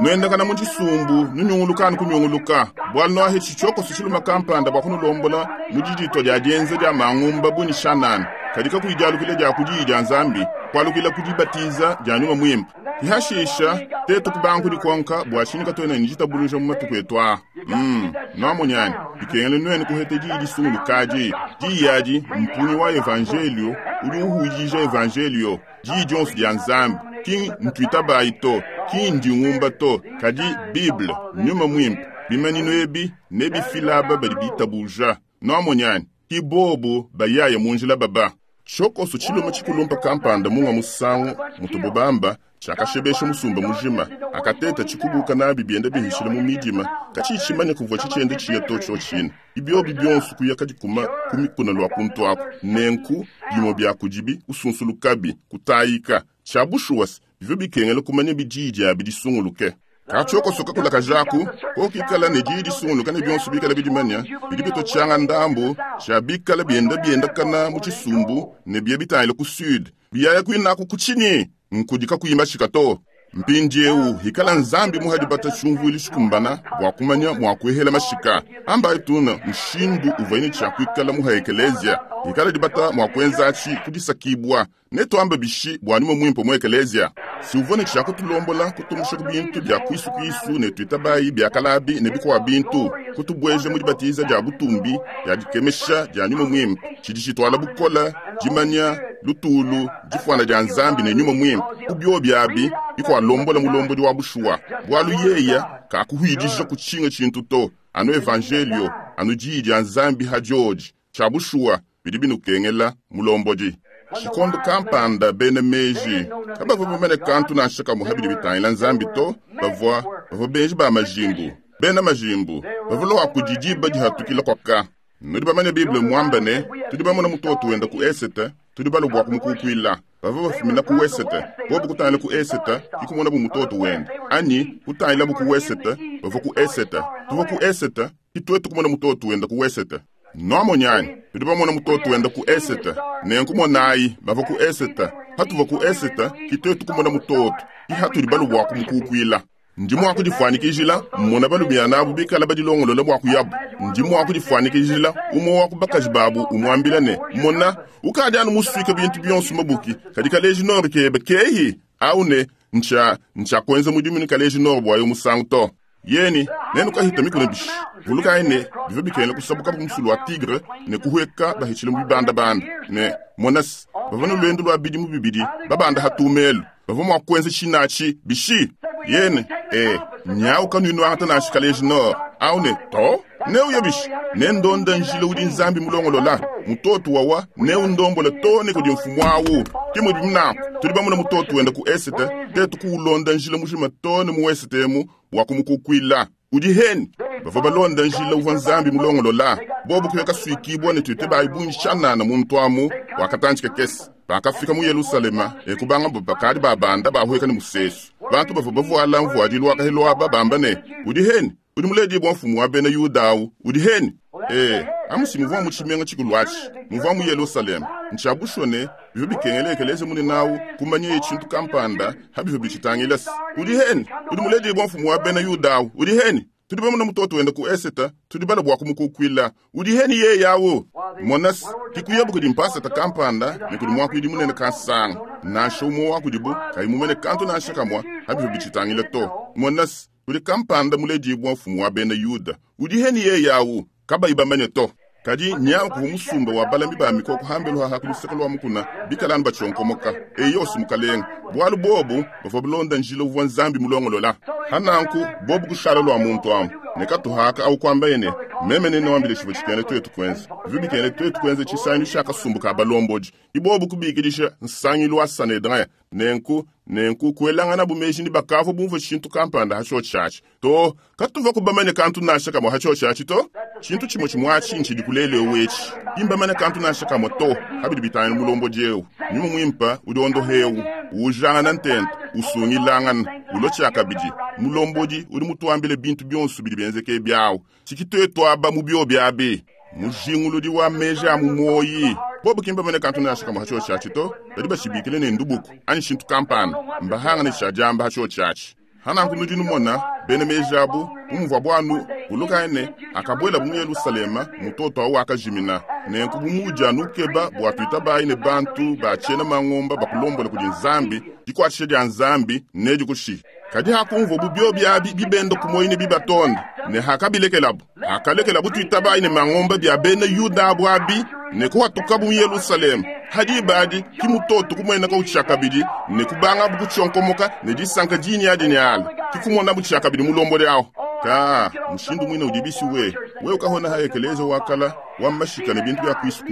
nuendakana mu tshisumbu nunyunguluka kunyunguluka bua nuahe tshiokoso tshiluma kampanda bua kunulombola mu didito dia dienza dia mangumba buni shanana kadi kakuyidialukila dia kudiyi dia Nzambi kualukila kudibatiza dia nyuma mwimpe ihashisha tetu kubangu dikonka bua tshini katuena ne ditabuluja mu matuku etu aa mm nwamonyani bikengele nuenu kuhete diyi disungulukadi diyi adi mpunyi wa evangelio udi uhuijija evangelio diyi dionso dia Nzambi ki ntwitabayi to ki ndingumba to kadi Bible nyuma mwimpe bimanino ebi ne bifilaba badi bitabuja nwamonyani ki bobo bayaya munjila baba tshiokoso tshiluma tshikulumpa kampanda munga musangu mutububamba Tshiakashebesha musumba mujima. Akateta tshikubuka nabi bienda bihishila mu midima. Katshiyi kuvua tshitshienda tshiya to tshiotshina. Ibiobi bionso kuya kadikuma ku mikuna lua kuntu aku. Nenku bimue bia kudibi kusunsulukabi kutayika. Tshiabushuwasi bivua bikengela kumanya bidiyi diabi disunguluke. Katshiokosoka kulakajaku kokikala ne diyi disunguluka ne bionso bikala bidimanya bidi bitotshianga ndambu tshia bikala bienda biendakana mu tshisumbu ne bia bitangila ku sud biyaya kuinaku kutshinyi nkudika kuyimba shika to. Mpindiewu hikala nzambi muhadibata tshiumvuili tshikumbana bua kumanya mua kuehela mashika amba etuna mushindu uvaine tshia kuikala muha ekelezia hikala dibata mua kuenzatshi kudisakibwa netuamba bishi bua nyuma muimpe mu ekelezia si uvone tshia kutulombola kutumusha ku bintu bia kuisu-kuisu ne tuitabayi bia kalabi ne bikwa bintu kutubweja mu dibatiza dia butumbi dia dikemesha dia nyuma muimpe tshidi tshitwala bukola dimanya lutulu difuana dia nzambi ne nyuma muimpe kubio biabi bikwalombola mulombodi wa bushuwa bwalu yeya kakuhwidija kutshinga tshintu to anu evangelio anu diyi dia nzambi ha dioji tshia bushuwa bidi binukengela mulombodi. Tshikondo kampanda bena meji kabavua bamane kantu nansha kamwe habidi bitangila nzambi to bavua bavua benji ba majimbu bena majimbu bavua lwa kudidiba dihatukila kwaka. Nudi bamanye Bible mwamba ne tudi bamona mutoto wenda ku esete tudi balobwa kumukukwila bavua bafumina ku wesete bobu kutangila ku esete ikumona bu mutoto wenda anyi kutangila bu ku wesete bavua ku esete tuvua ku esete itwetu kumona mutoto wenda ku wesete. Noamonyani tudi bamona mutoto wenda ku esete nenkumonayi bava ku esete hatuva ku esete kitwetu kumona mutoto ihatuli balobwa kumukukwila. Ndi mua kudifuanikijila mmona balumiana abo bikala badilongolola bua kuyabu. Ndi mua kudifuanikijila umwe wa kubakaji babu umwambila ne mona ukadi anu musuike bintu bionso mabuki kadi kaleji nord kebe kehi au ne ntsha ntsha kuenza mudimu ni kaleji nord bua yo musangu to. Yeni nenu kahita mikuna bishi vulukayi ne bivua bikengela kusabuka musulu wa tigre ne kuhweka bahitshile mu bibandabanda ne monasi bavua ne lwendo lwa bidimu bibidi babanda hatumelu bavua mua kuenza tshinatshi bishi. Yene e nyawu kanuinu angata nansha kaleji nord au ne to neuya bishi nendonda njila udi nzambi mulongolola mutoto wawa neundombola to ne kudi mfumu awu kimudi mnaku tudi bamona mutoto wenda ku esete tetu kuulonda njila mujima to ne mu esete emu bua kumukukwila udi heni bavua balonda njila uvua nzambi mulongolola bobu kuya kasuikibwa ne tuite bayibungi tshanana muntu amu wakatandika kesi. Bakafika mu Yerusalema ekubanga bakadi babanda bahweka ne musesu bantu bavua bavuala mvuadilu wakahelo aba bamba ne udi heni udi muledi bwa mfumu wa bena Yuda udi heni eh amusi muvua mu tshimenga tshikulu atshi muvua mu Yerusalema ntshiabusho ne bivua bikengela ekeleze mune nawu kumanya tshintu kampanda habivua bitshitangila udi heni udi muledi bwa mfumu wa bena Yuda udi heni tudi bamona mutoto wenda ku eseta tudi bala bua kumukukwila udi heni ye yawo monas kikuyabu kudi mpasata kampanda ne kudi mwakuidi munene kansanga nansha umwe wa kudibu kayimumene kantu nansha kamwa habivua bitshitangila to monas udi kampanda muledibwa mfumu wa bena Yuda udi heni ye yawo kabayi bamanye to. Kadi nyawu kuva musumba wa balami ba mikoko hambelu haha kuluseka lwa mukuna bikalanu batshonkomoka eyosi mukalenga bwalu bobu bavua bulonda njila uvua nzambi mulongolola hananku bobu kushala lwa muntu amu ne katuhaka au kwamba ene meme nene wambile tshivua tshikene twetu kuenza bivua bikene twetu kuenza tshisangilu tshia kasumbu ka balomboji ibobu kubikidisha nsangilu wa Sanhedrin nenku nenku kuelangana bumeji ni bakavua bumvua tshintu kampanda hatsho tshatshi to katuva kubamanya kantu nansha kamwe hatsho tshatshi to tshintu tshimwe tshimwatshi ntshidi kulelewu etshi imbamanya kantu nansha kamwe to habidi bitangila mulomboji ewu nyuma mwimpa udi ondohewu ujangana ntente usungilangana ulo kabidi mulombodi udi mutuambile bintu bionso bidi bienzeke byawu tshikitwetu aba mu bio byabi mujinguludi wa meji a mu moyi bobu kimbamanya kantu nansha kamwe hatsho tshatshi to badi bashibikile ne ndubuku anyi tshintu kampanda mbahangane tshiadiamba hatsho tshatshi hananku nudi numona bena meji abu umuvua bwanu ulukane akabwela mu Yerusalema mutoto awu akajimina nenku bumudi anukeba bua tuitabayi ne bantu batshiena mangomba bakulombola kudi nzambi dikuatshisha dia nzambi nedikushi kadi hakumvua bubio byabi bibenda kumoyi ne bibatonda ne hakabilekelabu hakalekelabu tuitabayi ne mangomba bya bena Yuda abu abi ne kuhatukabu mu Yerusalema hadi badi kimutoto kumweneka utshakabidi ne kubangabu kutshonkomoka ne disanka dini adi ne ala kikumona butshakabidi mulombodi awo. Ka mushindu mwine udi bisi we we ukahona ha ekeleza wakala wa mashika ne bintu bya kwisu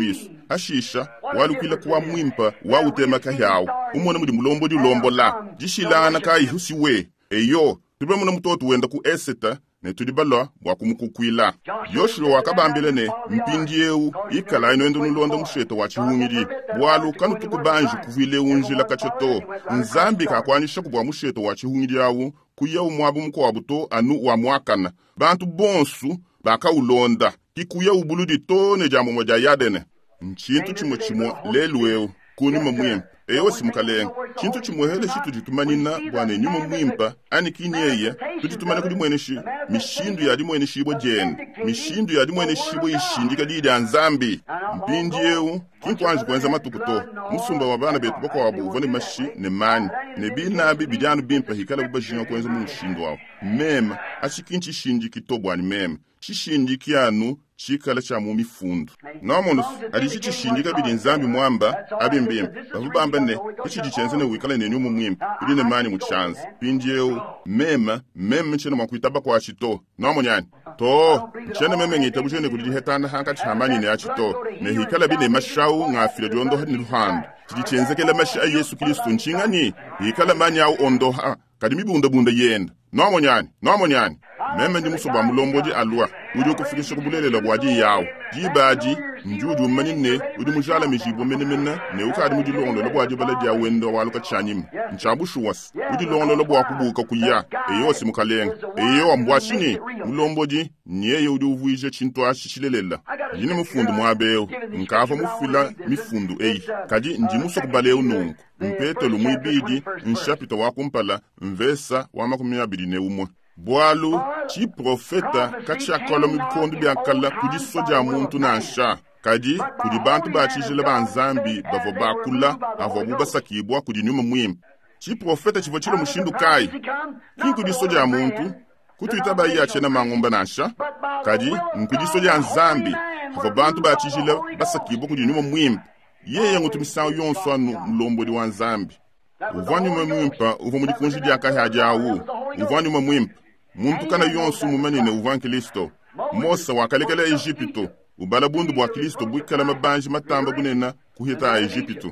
ashisha walukwila kuwa mwimpa wa utema kahyawo umona mudi mulombo dilombola dishilana kayi husi we eyo tube muna mutoto wenda ku eseta ne tudi balwa bwa kumukukwila Yoshua wakabambile ne mpindiewu ikala ino nulonda musheta wa chihungidi bwalu kanu tukubanji kuvile unjila kachoto nzambi kakwanisha kubwa musheta wa chihungidi awu kuya umwabu mukwabu to anu wa mwakana bantu bonsu bakaulonda kikuya ubuludi to ne jambo moja yadene nchintu chimwe chimwe lelu kunyuma mwimpa eyo simukalenga chintu chimwehele chitu ditumanina bwana nyuma mwimpa ani kinyeye tuditumana kuli mweneshi mishindu ya limweneshi ibwe jene mishindu ya limweneshi ibwe ishindika lili ya nzambi mpindi eu kinkwanji kwenza matuku to musumba wa bana betu bakwabu uvone mashi ne mani ne binabi bidyanu bimpa hikala bubajinga kwenza mu mushindu wawo mema achikinchi shindiki to bwani mema chishindiki anu chikala cha mu mifundu nomono alichi chishindika bili nzambi mwamba abimbimba bavubamba ne ichidi chenze ne wikala ne nyumu mwimpa uli ne mani mu chanza pinjeu mema meme chene mwakuitaba kwa chito nomonyani to chene meme ngita bujene kuli hetana hanka chamani ne achito ne hikala bine mashau ngafira diondo ni luhando chidi chenzekela masha Yesu Kristo nchingani hikala mani au ondoha kadi mibunda bunda yenda nomonyani nomonyani meme ndi musoba mulombodi alwa udi ukufikisha kubulelela bwadi yawo dibaadi njudu umanyine udi mujala mijibo menemene ne ukadi mudilongolola bwadi bala dia wenda waluka tshanyima nchabushuwasi udilongolola bwa kubuka kuya eyo simukalenga eyo ambwashini mulombodi nyeye udi uvuije chintu ashi chilelela yine mufundu mwabeo nkava mufila mifundu eyi kadi ndi musokubaleu nungu mpetelo mwibidi nshapita wakumpala mvesa wa makumi abili ne umwe bwalu chiprofeta kachiakola mubikondo byakala kudiso dia muntu nansha kadi kudi bantu bachijila ba nzambi bavua bakula avua basakibwa kudi nyuma mwimpe chiprofeta chivua chilo mushindu kayi ki kudiso dia muntu kutuita bayi achena mangomba nansha kadi nkudiso dia nzambi avua bantu bachijila basakibwa kudi nyuma mwimpe yeye ngutumisango yonso anu mulombodi wa nzambi uvua nyuma mwimpa uvua mudikunji dia kahya awu uvua nyuma mwimpa muntu kana yonso mumanene uvua Kristo Mose wakalekela Egypto ubala bundu bwa Kristo bwikala mabanji matamba bunena kuhita a Egypto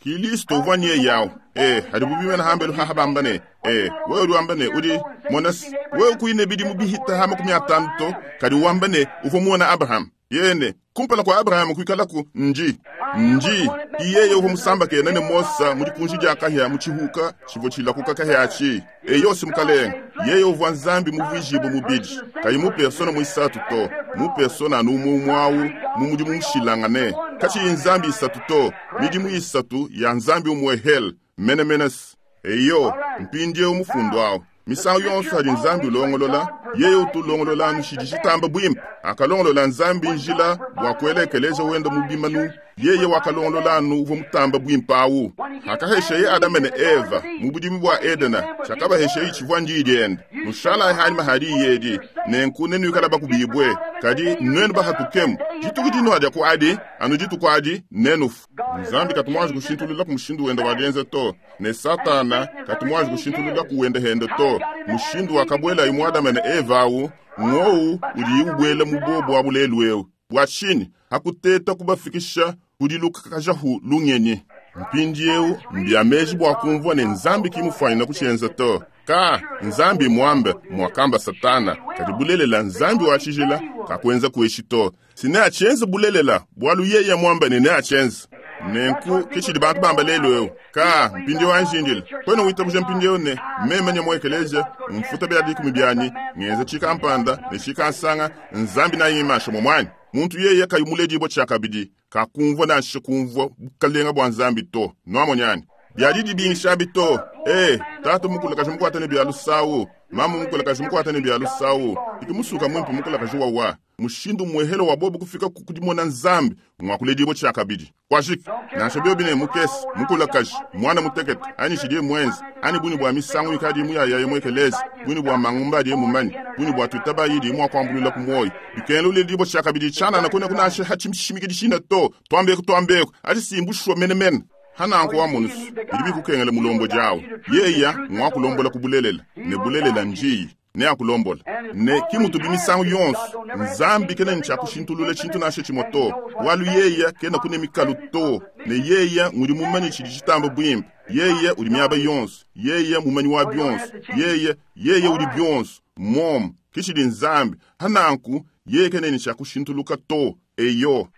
Kristo uvua niye yawo eh hadi bubimena hambelu hahabambane eh wewe uri udi monas wewe kuine bidi mubihita ha makumi atanu to kadi wambane uvua muona Abraham yene kumpala kwa Abraham kuikalaku nji nji iyeye uvo musamba kena ne Mosa mudikunji dia kahya muchihuka chivo chilakuka kahya achi eyo simukalenga yeye uvua nzambi muvuijibu mubidi kayi mu persona muisatu to mu persona anu umwe mu mudimu mushilangane kachiyi nzambi isatu to midimu isatu ya nzambi umwe hel menemenes eyo mpindie umufundu awo misango yonso hadi nzambi ulongolola yeye utulongolola anu shidi shitamba bwimpe akalongolola nzambi njila bwa kuelekeleza wenda mubimanu yeye wakalongolola anu uvua mutamba bwimpe awu akahesheye Adama ne Eva mu budimu bwa Edena shakabahesheye chivua ndidiende nushala hanyuma hadi yedi nenku nenuikala bakubibwe kadi nwenu bahatukemu dituku dino adia ku adi anu dituku adi nenufu nzambi katumwaji kushintulula ku mushindu wenda walienze to ne satana katumwaji kushintulula ku wenda hende to mushindu wakabwela imu Adama ne Eva awu ng'owu udi ubwela mu bobo abulelu eu bwashini hakuteta kubafikisha kudilukakajahu lungenyi mpindiewu mbyameji bwa kumvua ne nzambi kimufanyina kuchenza to ka nzambi mwambe mwakamba satana kadi bulelela nzambi wachijila kakwenza kueshi to sine achenza bulelela bwalu yeye mwambe ne ne achenza nenku kichidi bantu bamba lelu eu ka mpindi wanjindile kwena witabuja mpindi ne meme nyamwekeleje mfuta bya dikumi byanyi ngenza chikampanda ne chikansanga nzambi nayimasha momwani muntu yeye kayumuledibwa chakabidi kakumvua nansha kumvua bukalenga bwa nzambi to nwamonyani byadidi bingishabi to eh tata mukulakaji mukwata ne byalusawu mama mukulakaji mukwata ne byalusawu ikimusuka mwimpe mukulakaji wawa mushindu mwehelo wa bobo kufika kukudimona nzambi mwakuledibwa chakabidi kwashika nansha byo bine mukesi mukulakaji mwana mutekete ani shidie mwenzi ani buni bwa misango ikadi muyayaye mwekelezi buni bwa mangumba adiye mumanyi buni bwa twitaba yidi mwakwambulula kumoyo bikengela uledibwa chakabidi chana nakone kunashe hachimshimikidi shina to twambeko twambeko ati simbushwa menemene hananko wa munusu bidi bikukengela mulombo jawo yeya mwakulombola kubulelela ne bulelela njiyi Neakulombola. Ne ki mutubi misangu yonso. Nzambi kena ne tshiakushintulula tshintu nansha tshimue to. Bualu yeya kena kune mikalu to. Ne yeya ngudi mumanye tshidi tshitamba buimpe. Yeya udi miaba yonso. Yeya mumanyi wa bionso. Yeya, yeya udi bionso. Mom, ke tshidi Nzambi. Hananku, yeye kena ne tshiakushintuluka to. Eyo.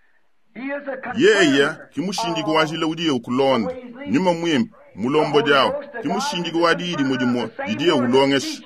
Yeya ki mushindiki wa njila udiye ukulonda. Nyuma mwimpe, mulombodi awo. Ki mushindiki wa diyi dimue dimue didiye ulongesha.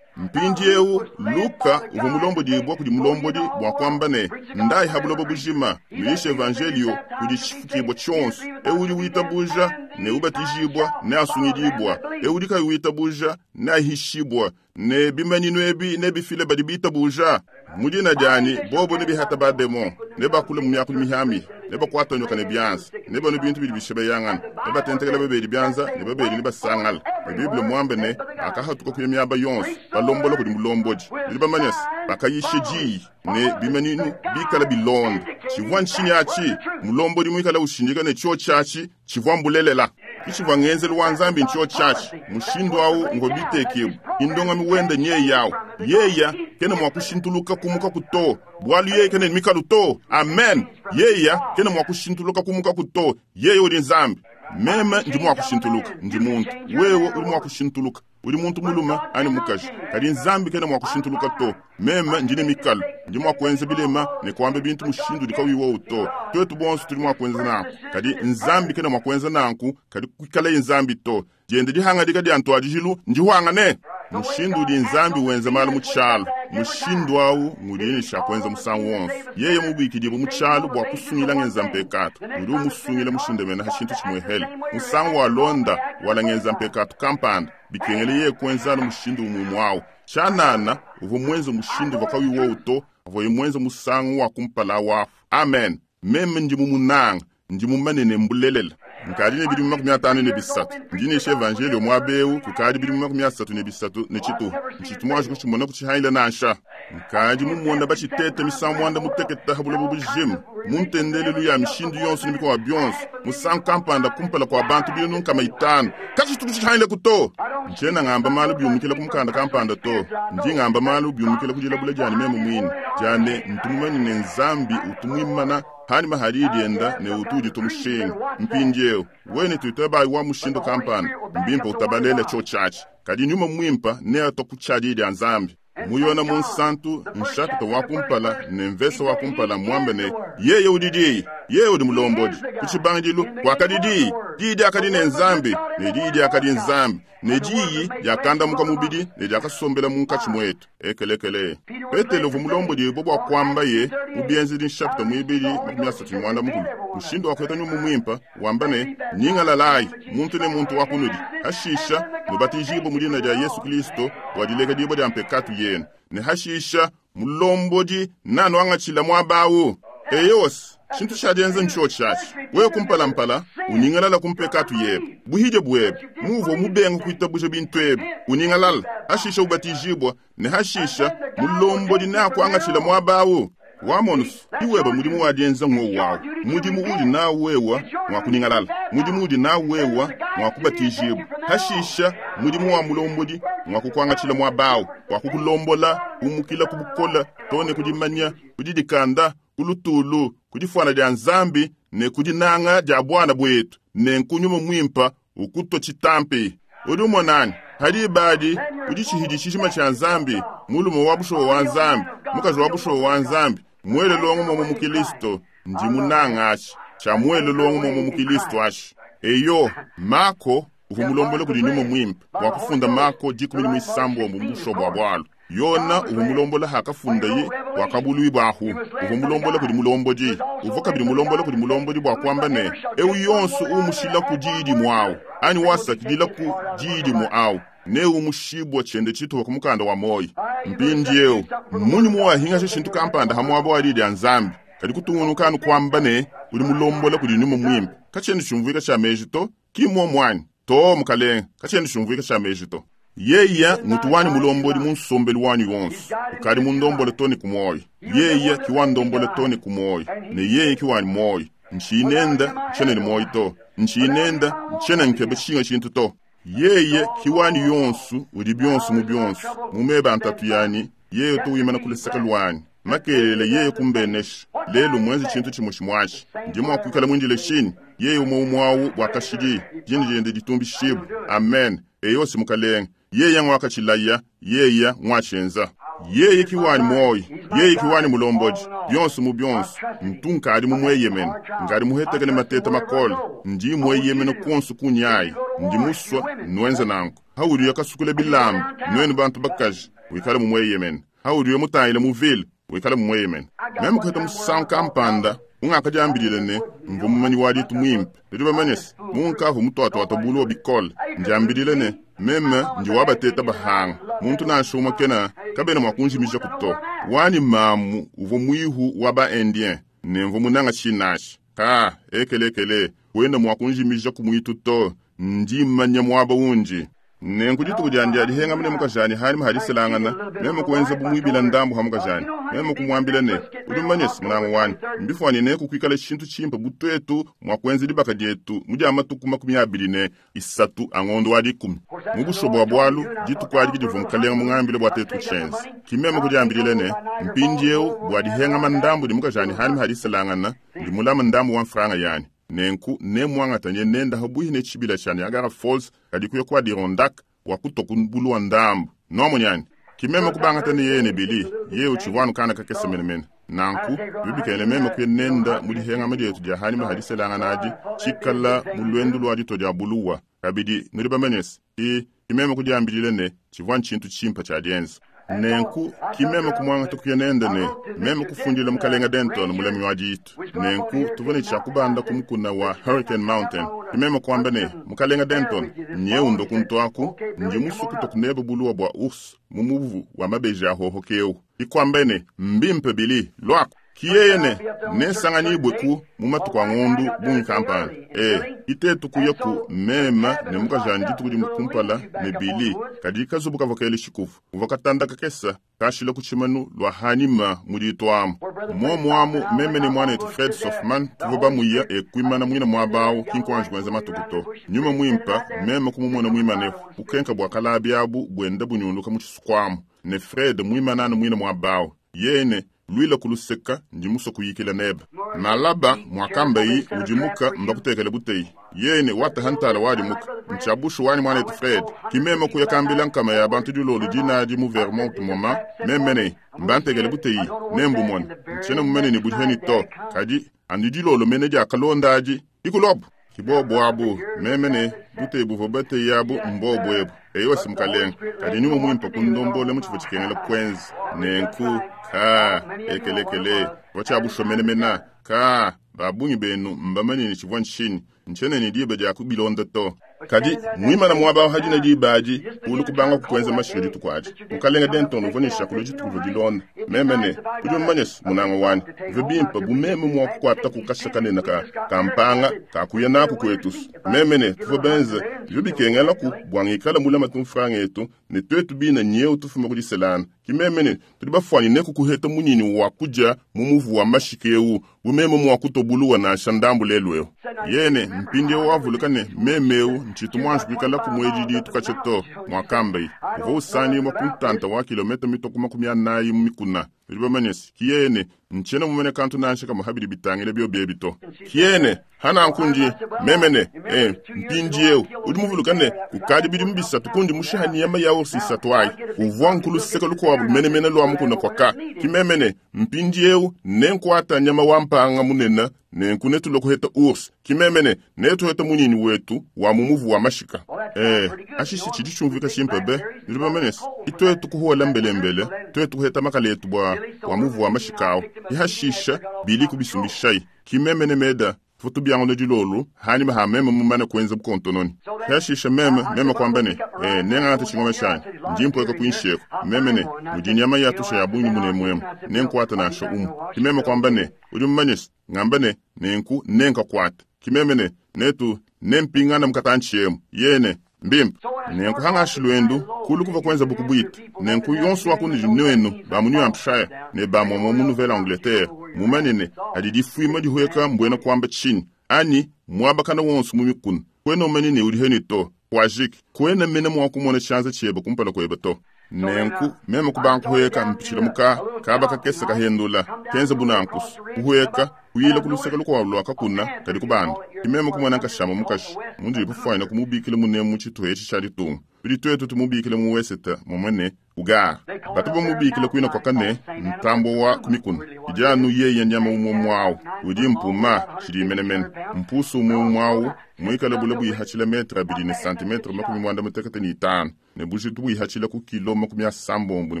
Mpindiewu Luka uvua mulombodibua kudi mulombodi bua kuamba ne, ndayi ha buloba bujima, muyishe evanjelio kudi tshifukibua tshionso. Ewu udi witabuja ne ubatijibua ne asungidibua. Ewu udi kayi witabuja ne ahishibua. Ne bimanyinu ebi nebifile badi bitabuja. Mu dina dianyi bobo nebihata bademon, nebakule mu miakulu mihami, nebakuata nyoka ne bianza, nebanwe bintu bidi bishebeyangana, nebatentekela babedi bianza ne babedi nebasangala. Ne Bible muambe ne bakahatuka kuya miaba yonso, balombola kudi mulombodi. Nudi bamanye se, bakayisha diyi ne bimanyinu bikala bilonda. Tshivua ntshinyi atshi? Mulombodi muikala ushindika ne tshio tshiatshi tshivua mbulelela. Kitshivua ngenzelu wa Nzambi ntshio tshiatshi. Mushindu awu nguvua bitekibua. Indongami wenda nyeyawu. Yeya kena mua kushintuluka kumuka ku to. Bualu yeye kena ne mikalu to. Amen. Yeya kena mua kushintuluka kumuka ku to. Yeye udi Nzambi. Meme ndi mua kushintuluka, ndi muntu. Wewe udi mua kushintuluka. Udi muntu mulume anyi mukaji. Kadi Nzambi kena mua kushintuluka to. Meme ndi ne mikalu. Ndi mua kuenza bilema ne kuamba bintu mushindu udi kauyi wowu to. Tuetu bonso tudi mua kuenza nanku. Kadi Nzambi kena mua kuenza nanku, kadi kuikalaye Nzambi to. Diende dihangadika dia ntuadijilu ndihwangane. Mushindu udi Nzambi wenza malu mu tshialu, mushindu awu ngudiye ne tshia kuenza musangu wonso. Yeye mubikidibue mu tshialu bua kusungila ngenza mpekatu, udi umusungila mushindamena ha tshintu tshimuehele. Musangu wa londa wala ngenza mpekatu kampanda, bikengele yeye kuenza anu mushindu umwe awu. Tshianana uvua muenze mushindu uvua kauyi wowu to, avuaye muenze musangu wa kumpala wafu. Amen. Meme ndi mumunanga, ndi mumane ne mbulelela. Nkadi ne bidimu makumi atanu ne bisatu. Ndi nyisha evanjelio muaba ewu kukadi bidimu makumi asatu ne bisatu ne tshituha. Ntshitu muanji kutshimona kutshihangila nansha. Nkadi mumona batshitete misangu muanda mutekete ha buloba bujima, mu ntendelelu ya mishindu yonso ne mikowa bionso, musangu kampanda kumpala kua bantu binunu nkama itanu. Katshitu kutshihangilaku to. Ntshiena ngamba malu biumukila ku mukanda kampanda to. Ndi ngamba malu biumukila ku dilabula dianyi meme muine. Diane ntu mumanye ne Nzambi utu muimana hanyima hadi dienda ne utu uditua mushinga. Mpindiewu wene tuitabayi wa mushindu kampanda, mbimpe utabalela tshio tshiatshi. Kadi nyuma mwimpa neatwa ku tshiadi dia Nzambi. Muyona munsantu nshapita wa kumpala ne mvese wa kumpala muambe ne yeye udi diyi, yeye udi mulombodi. Ku tshibangidilu kwakadi diyi, diyi diakadi ne Nzambi, ne diyi diakadi Nzambi, ne diyi diakandamuka mubidi ne diakasombela munkatshi muetu. Ekelekele. Petelo uvua mulombodi bua kuamba ye mu Bienzedi nshapita muibidi makumi asatu ne muanda mukulu. Mushindu wa kueta nyuma mwimpa wamba ne nyingalalayi muntu ne muntu wa kunudi. Hashisha nubatijibwe mu dina dia Yesu Kristo bua dilekadibua dia mpekatu yenu. Ne hashisha mulombodi nanuangatshila muaba awu. Eyos, tshintu tshiadienza ntshio tshiatshi. Wewe kumpalampala unyingalala ku mpekatu yebe. Buhidye bwebe, muvua mubenga kuitabuja bintu ebi. Unyingalala, hashisha ubatijibwa ne hashisha mulombodi nakuangatshila muaba awu. Wamonusu, iweba mudimu wadienza ng'owu wawu. Mudimu udi nawu wewa mwa kunyingalala. Mudimu udi nawu wewa mwa kubatijibwa. Hashisha mudimu wa mulombodi mwa kukuangatshila muaba awu, wa kukulombola, kumukila ku bukola, to ne kudimanya, kudidikanda, ku lutulu, ku difuana dia Nzambi ne ku dinanga dia bwana bwetu, ne nkunyuma mwimpa ukutwa tshitampi. Udi umonani, hadi ibadi udi tshihidi tshijima tshia Nzambi, mulume wa bushowa wa Nzambi, mukaji wa bushowa wa Nzambi, mwele longo mwa mu Kristo, ndi munanga atshi, tshia mwele longo mwa mu Kristo atshi. Eyo, Mako uvua mulombola kudi nyuma mwimpe bua kufunda Mako dikumi ne muisambombo mu bushowa bua bualu. Yona uvua mulombola hakafundaye wakabuluibwa ahu. Uvua mulombola kudi mulombodi. Uvua kabidi mulombola kudi mulombodi bua kuamba ne ewu yonso umushila ku diyi dimue awu, anyi wasakidila ku diyi dimue awu, ne umushibwa tshiende tshituha ku mukanda wa moyi. Mpindiewu mmunyi muwahingasha tshintu kampanda ha muaba wa diyi dia Nzambi, kadi kutungunuka anu kuamba ne udi mulombola kudi nyuma mwimpe. Katshiena tshiumvuika tshia meji to, ki muomu anyi? To mukalenge, katshiena tshiumvuika tshia meji to. Yeya ngutu wanyi mulombodi mu nsombelu wanyi wonso. Ukadi mundombole to ne ku moyo. Yeya ki wandombole to ne ku moyo. Ne yeye ki wanyi moyo. Ntshinenda ntshiena ne moyo to. Ntshinenda ntshiena nkeba tshinga tshintu to. Yeye kiwani yonsu udi byonsu mu byonsu mumeba ntatu yani yeye tuwimana kuleseka lwanyi makelele yeye kumbenesha lelo mwenzi chintu chimwe chimwachi ndimo akwikala mwindile shini yeye umwe umwawu bwakashidi jini jende ditumbishibu amen eyosi mukalenga yeye ngwakachilaya yeye ngwachenza yeye kiwani moyi yeye kiwani mulomboji byonsu mu byonsu ntunkali mumweyemene ngali muhetekele mateta makole ndi mweyemene konsu kunyayi ndi muswa nwenze nanku hauliyo kasukule bilamba nwenu bantu bakaji wikale mumweyemene hauliyo mutayile muvile wikale mumweyemene meme kuheta musanku kampanda ungakajambilile ne mvu mumanyi wa ditu mwimpe lidi bamanyese munkavu mutwatwata bulu wa bikole njambilile ne meme ndi wabateta bahanga muntu nansha umwe kena kabena mwa kunjimija kuto wani mamu uvo mwihu wa ba indien ne mvu munanga chinashi ka ekelekele wenda mwa kunjimija kumwitu to ndi manya mwaba unji nenku dituku dyandi alihenga mune mukajani hani mahaliselangana meme kuwenza bumwibila ndambu ha mukajani meme kumwambila ne uli mmanyesi munango wani mbifwani ne kukwikala chintu chimpa butwetu mwakuenza libaka dyetu mudya matuku makumi abili ne isatu angondo wa dikumi mubushobo bwa bwalu dituku adi divu mukalenga mung'ambile bwa tetu kuchenza kimeme kudyambilile ne mpindiewu bwadihenga mandambu di mukajani hani mahaliselangana ndi mulama ndambu wa mfranga yani nenku nemwangatanye nenda habuhi ne chibila cha Niagara Falls kadikuya kwa Adirondack wakutoka mbulu wa ndambu nomonyani kimeme kubangatane yene bili ye uchivwanu kana kakese menemene nanku bibikene meme kuye nenda mulihengama dyetu dya hani mahaliselangana adi chikala mulwendu lwa dito dya buluwa kabidi nuli bamenyesi i kimeme kudyambilile ne chivwanu chintu chimpa cha dyenza nenku kimeme kumwanga tukuye nenda ne meme kufundile mukalenga Denton mulemi wa ditu nenku tuvone chakubanda kumukuna wa Hurricane Mountain kimeme kwamba ne mukalenga Denton nyeundo kuntwaku ndi musuku tokuneba buluwa bwa urs mumuvu wa mabeji ahohokewu ikwamba ne mbimpe bili lwako kiyeyene nesanganyibwe ku mumatuku a ng'ondu bungi kampani e itetu kuya ku mema ne mukajani dituku dimu kumpala ne bili kadi kazubu kavokele xikufu uva katanda kakesa kashila ku tshimanu lwa hanima muditwamu momwamu meme ne mwana etu Fred Sofman tuva bamuya ekwimana mwina mwabawu kinkwanji kwenza matuku to nyuma mwimpa meme kumumona mwimanefu bukenka bwa kalabi abu bwenda bunyunduka mu tshisukwamu ne Fred mwimanana mwina mwabawu yene lwila kuluseka ndi muso kuyikila neba malaba mwakambayi udimuka mbakutekele buteyi yene watahantala wadimuka nchabushu wani mwanetu Fred kimeme kuyakambila nkama ya bantu dilolu dinadi mu Vermont moma memene mbantekele buteyi nembumona nchene mumene ni budiheni to kadi andi dilolo mene diakalondaji ikulobu kibobo abu memene buteyi buvo bateyi abu mbobo ebu eyosi mukalenga kadi nyuma mwimpa kundombole muchifo chikengela kwenzi nenku ka ekelekele vachabushomenemena ka babungi benu mbamanini chivwa nshini ncheneni diba dya kubilonda to kadi mwimana mwabawo hadina dibaji ulu kubanga kukwenza mashilo dituku adi mukalenga Denton uvonesha kulo dituku dilonda memene udi mmanyesi munanga wani ve bimpa bumeme mwa kukwata kukasha kanena ka kampanga kakuya naku kwetusu memene tuvo benze byo bikengelaku bwangikala mulama tumfranga etu ne twetu bina nyeu tufuma kudiselana kimemene tudi bafwani neku kuheta munyini wa kuja mumuvu wa mashikewu bumeme mwa kutobuluwa nasha ndambu lelweo yene mpindi wavuluka ne memeu nchitu mwanji kuikala kumwedi ditu kacheto mwakambai uva usani mwa kuntanta wa kilomita mitoko makumi anayi mumikuna bidi bamanyesi kiyene nchene mumene kantu nansha kama habidi bitangile byo byebito kiyene hana nkundi memene eh mpindi eu udi muvuluka ne kukadi bidi mubisatu kundi mushihani yama yawo sisatu ayi uvwa nkulu seka lukwabu menemene lwa mukuna kwaka kimemene mpindi eu nenkwata nyama wampanga munena nenku netulokuheta urs kimemene netuheta munyini wetu wa mumuvu wa mashika eh ashishi chidi chumvika chimpe be bidi bamenesi itwetu kuhuwela mbelembele twetu kuheta makala etu bwa wa muvu wa mashikawo ihashisha bili kubisumbishai kimemene meda futu byango dilolu hanyuma ha meme mumane kwenza bukontononi hashisha meme meme kwambene eh nengata chingoma shani ndimpo kuinsheko memene mudinyama yatusha ya bungi mune mwemu nenkwata nasho umu kimeme kwambene uli mmanyesi ngambene nenku nenka kwata kimemene netu nempingana mkatanchiyemu yene mbimpa nenku hangashi lwendu kulu kuva kwenza bukubwita nenku yonso wakundi nwenu ba mu New Hampshire ne ba mwa mu Nouvelle Angleterre mumanene adi difwima dihweka mbwena kwamba chini ani mwabakana wonso mu mikuna kwena umanene uli heni to Kwajiki, kwena mene mwa kumona tshianza tshiebe kumpala kuebe to. Nenku meme kubanga kuheka mpitshila muka kaba kakese kahendula kenza bunankusu kuheka kuyila kuluseke lukuabu lua kakuna kadi kubanda kimeme kumona nkashama mukashi mundu ipufwanya kumubikila munemu tshituha etshi tshia ditunga tudi twetu tumubikila mu weseta momwene ugara batu bamubikila kwina kwakane ntambo wa kumikuna idi anu yeye nyama umwe mwawu udi mpuma tshidi menemene mpusu umwe mwawu mwikale bule buihatshila metre abidi ne santimetre makumi mwanda mutekete ni itanu ne bujitu buihatshila ku kilo makumi asambombo ne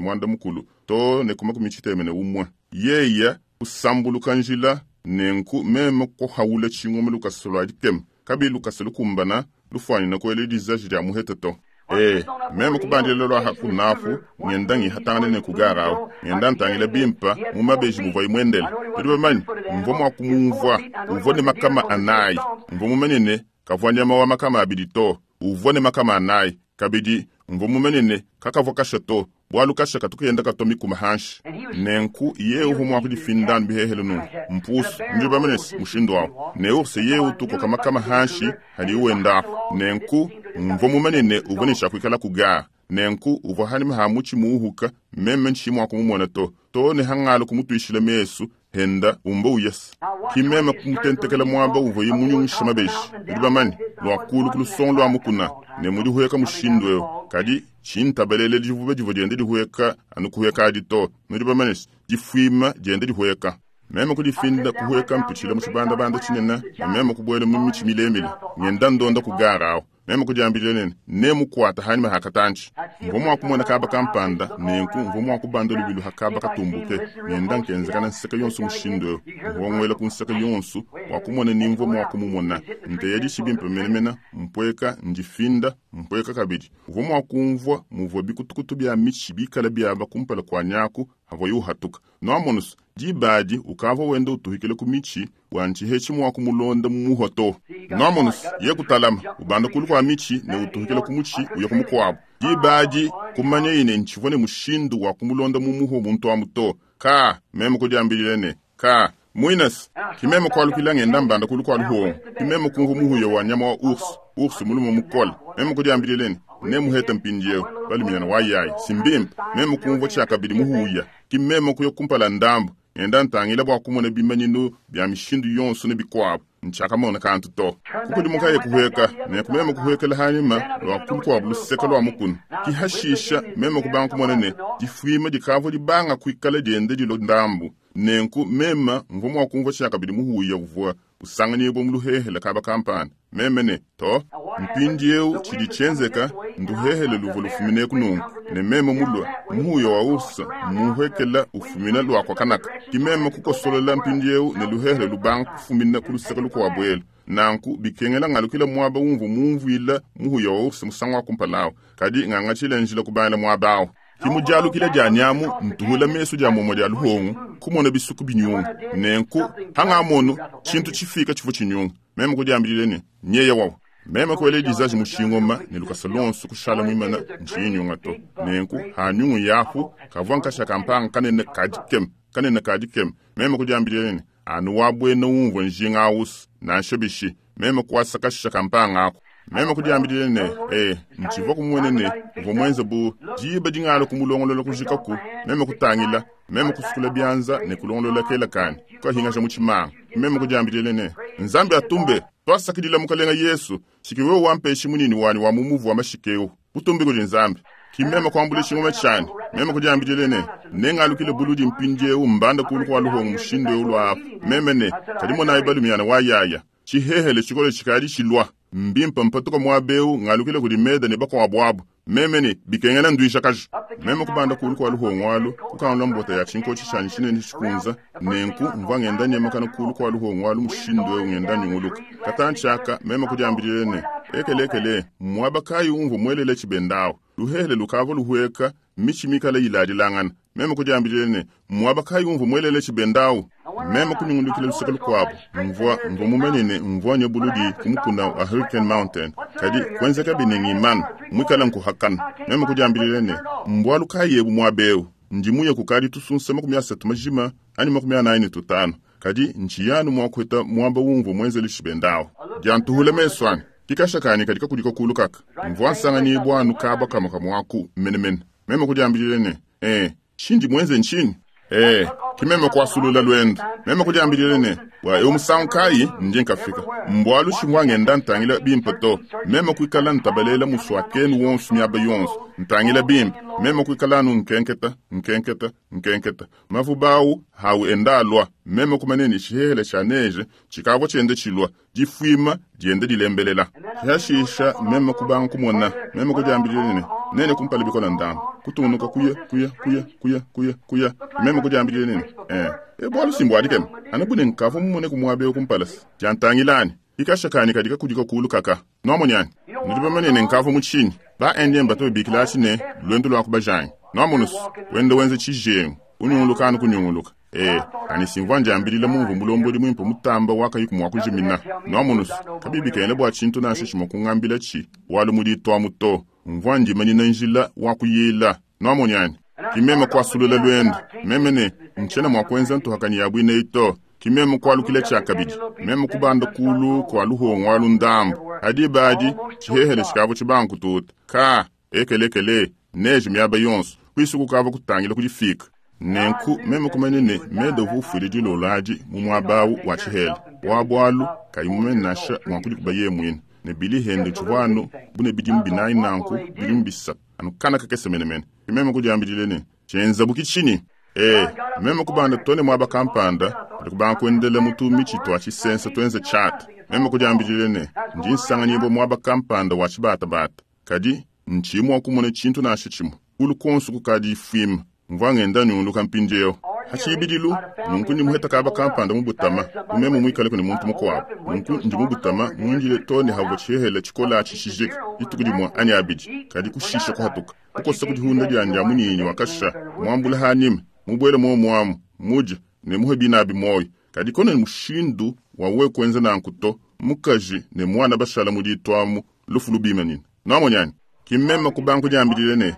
mwanda mukulu to ne ku makumi tshiteme ne umwe yeya kusambuluka njila nenku meme kuhawula tshingoma lukasa lua dikema kabi lukasa lukumbana lufwanyina kuela dizaji dia muhete to. Eh, meme kubandila lwa hakunafu ngenda ngihatangana ne kugarawo ngenda ntangila bimpa mu mabeji muvua imwendela tudi bamanyi mvua mua kumumvua uvua ne makama anayi mvua mumanye ne kavua nyama wa makama abidi to uvua ne makama anayi kabidi mvua mumanye ne kakavua kasha to bwalu kasha katukuyenda kato mikuma hanshi nenku ye uvua mua kudifindanu bihehele nunku mpusu ndi bamanye mushindu wawu ne urse ye utukoka makama hanshi hadi uwendapo nenku mvua mumanye ne uvua ne tshiakuikala kugara nenku uvua hanima ha mutshi muuhuka meme ntshi mua kumumona to to ne hangala kumutuishila mesu henda umba uyasa kimeme kumutentekela muaba uvua ye munyungisha mabeji udi bamanye lua kulu ku lusongo lua mukuna ne mudihueka mushindu eu kadi tshintabelele divuba divua diende dihueka anu kuhueka adi to nudi bamanye difuima diende dihueka meme kudifinda kuhueka mpitshila mu tshibandabanda tshinene ne meme kubuela mu mitshi milemile ngenda ndonda kugara awo meme kudiambila nene nemukuata hanyima hakatantshi mvua mua kumona kaba kampanda nenku mvua mua kubanda lubilu hakaba katumbuke ngenda nkenzekana nseka yonso mushindu eu mvua ngwela ku nseka yonso wa kumona ni mvua mua kumumona nteya dishi bimpe menemene mpweka ndifinda mpweka kabidi uvua mua kumvua muvua bikutukutu bia mitshi bikala biaba kumpala kua nyaku havua uhatuka noamonusu dibadi ukavua wenda utuhikila ku mitshi wantshihetshi mua kumulonda mumuhwa to noamonusu ye kutalama ubanda kulu kua mitshi ne utuhikila ku mutshi uya ku mukuabu dibadi kumanya ine ntshivua ne mushindu wa kumulonda mumuhwa muntu amu to ka meme kudiambilile ne ka muinasi kimeme kualukila ngenda mbanda kulu kua luhongo kimeme kumvua muhuya wa nyama wa ursu ursu mulume mukole meme kudiambilile ne nemuheta mpindieu balumiana wa yayi simbimpe meme kumvua tshiakabidi muhuya kimeme kuya kumpala ndambu ngenda ntangila bua kumona bimanyinu bia mishindu yonso ne bikuabu ntshiakamona kantu to kukudimukaye kuhueka nenku meme kuhuekela hanyima lua kulu kuabu luseke lua mukuna kihashisha meme kubanga kumona ne difuima dikavua dibanga kuikala diende dilo ndambu nenku meme mvua mua kumvua tshiakabidi muhuya uvua usanganyibua mu luhehele kaba kampanda meme ne to mpindieu tshidi tshienzeka nduhehele luvua lufumineku nunku ne meme mulua muhuya wa ursa muhekela ufumina lua kwa kanaka kimeme kukosolola mpindieu ne luhehele lubanga kufumina ku luseke lukuabu elu nanku bikengela ngalukila muaba umvua mumvuila muhuya wa ursa musangu wa kumpala kadi ngangatshile njila kubangila muaba awu kimudialukila dia nyamu ntuhula mesu dia momwe dia luhongo kumona bisuku binyunga nenku hangamonu tshintu tshifika tshivua tshinyunga meme kudiambilile ne nyeya wawu meme kuela dizaji mushingoma ne lukasa lonso kushala muimana ntshinyunga to nenku hanyungu yapu kavua nkasha kampanga kanene kadikema kanene kadikema meme kudiambilile ne anu wabuena umvua njinga awusu nansha bishi meme kuasa kasha kampanga ako meme kudiambilile ne eh ntshivua kumwene ne uvua muenze bu diba dingala kumulongolola kujikaku meme kutangila meme kusukula bianza ne kulongolola kela kani kukahingaja mu tshimanga meme kudiambilile ne nzambi atumbe twasakidila mukalenga yesu tshiki wewe wampeshi munini wani wa mumuvu wa mashikeu butumbi kudi nzambi kimeme kuambula tshingoma tshiani meme kudiambilile ne nengalukile buludi mpindieu mbanda kulu kua luhongo mushindu eu lua apu meme ne kadi monayi balumiana wa yaya tshihehele tshikole tshikadi tshilua mbimpa mpatuka muaba eu ngalukile kudi meda ne bakuabu abu meme ne bikengela nduishakaji meme kubanda kulu kua luhongo alu kukangula mbota ya tshinkotshi tshianyi tshinene tshikunza nenku mvua ngenda nyemakana kulu kua luhongo alu mushindu eu ngenda nyunguluka katantshi aka meme kudiambilile ne ekelekele muaba kayi umvua muelele tshibendawu luhehele lukavua luhueka mitshi mikala iladilangana meme kudiambilile ne muaba kayi umvua muelele tshibendawu meme kunyungulukila luseke lukuabu mvua mvua mumanye ne mvua nye buludi ku mukuna wa Hurricane Mountain kadi kuenzeka bine ngimana mwikala nkuhakana meme kudiambilile ne mbwalu kayi ebu muaba eu ndi muye kukadi tusunsa makumi asatu majima anyi makumi anayi ne tutanu kadi ntshiyanu mua kuheta muaba umvua muenzele tshibendawu diantuhula mesu anyi Kikasha kanyi kadi kakudika kulu kaka. Mvua nsanganyibua anu kaba kamue kamue aku menemene. Meme kudiambidile ne, Eh, tshindi muenze ntshinyi? Eh, ki meme kuasulula luendu. Meme kudiambidile ne, bua eu musangu kayi ndi nkafika. Mbualu tshivua ngenda ntangila bimpe to. Meme kuikala ntabalela muswakenu wonso miaba yonso. Ntangila bimpe. Meme kuikala anu nkenketa, nkenketa, nkenketa. Mavuba awu hawu enda alua. Meme kumanya ne tshihehele tshia neje tshikavua tshienda tshilua. Difuima dienda dilembelela. Hashisha meme kubanga kumona. Meme kudiambidile ne, nene kumpala bikola ndambu. Kutungunuka kuya, kuya, kuya, kuya, kuya, kuya. Meme kudiambidile ne, eh, e bualu simbu adikema. Anu bune nkavua mumone kumuaba eu kumpala se. Diantangilani. Ikasha kanyi kadi kakudika kulu kaka. Nwamonyani. Nudi bamanye ne nkavua mu tshinyi. Ba Indien bato babikila atshi ne luendu lua kubajangi. Nwamonusu, wenda wenza tshijengu. Unyunguluka anu kunyunguluka. Eh, ani simvua ndiambilila mumvu mulombodi muimpe mutamba wakayi kumua kujimina. Nwamonusu, kabibikengela bua tshintu nansha tshimue kungambila tshi, bualu muditua to. Mvua ndimanyina njila wa kuyila. Nwamonyani. Kimeme kuasulula luendu. Meme ne, ntshiena mua kuenza ntuhakanyi ya buineyi to. Kimeme kualukila tshia kabidi. Meme kubanda kulu kua luhongo alu ndambu. Adi badi, tshihehele tshikavua tshibangu kututa. Ka, ekelekele, neje miaba yonso. Kuisu kukavua kutangila kudifika. Nenku meme kumanya ne meda uvua ufuile dilolo adi mu muaba awu wa tshihele. Wa bualu, kayi mumanye nansha mua kudikuba yeye muine. Ne bili hende tshivua anu bune bidimu binayi nanku bidimu bisatu. Anu kana kakese menemene. Meme kudiambidile ne, tshienza buki tshinyi? Eh, meme kubanda tone muaba kampanda, kadi kubanga kuendela mutu mitshi twa tshisensa tuenze tshata. Meme kudiambidile ne, ndi nsanganyibua muaba kampanda wa tshibatabata. Kadi, ntshiyi mua kumona tshintu nansha tshimue. Kulu konso kukadi ifuima. Mvua ngenda nyunguluka mpindieu. Hatshibidilu, nunku ndi muheta kaba kampanda mu butama, umeme muikale kune muntu mukuabu. Nunku ndi mu butama muindile to ne havua tshihehele tshikola tshishijika, dituku dimue anyi abidi, kadi kushisha kuhatuka. Kukosa kudihunda diandi ya munyinyi wakasha, muambula hanyima, mubuele muomuamu, mudya, ne muhe binabi moyo. Kadi kone mushindu wa wewe kuenza nanku to, mukaji ne mwana bashala mudituamu, lufu lubimanyina. Nwamonyani, kimeme kubanga kudiambidile ne,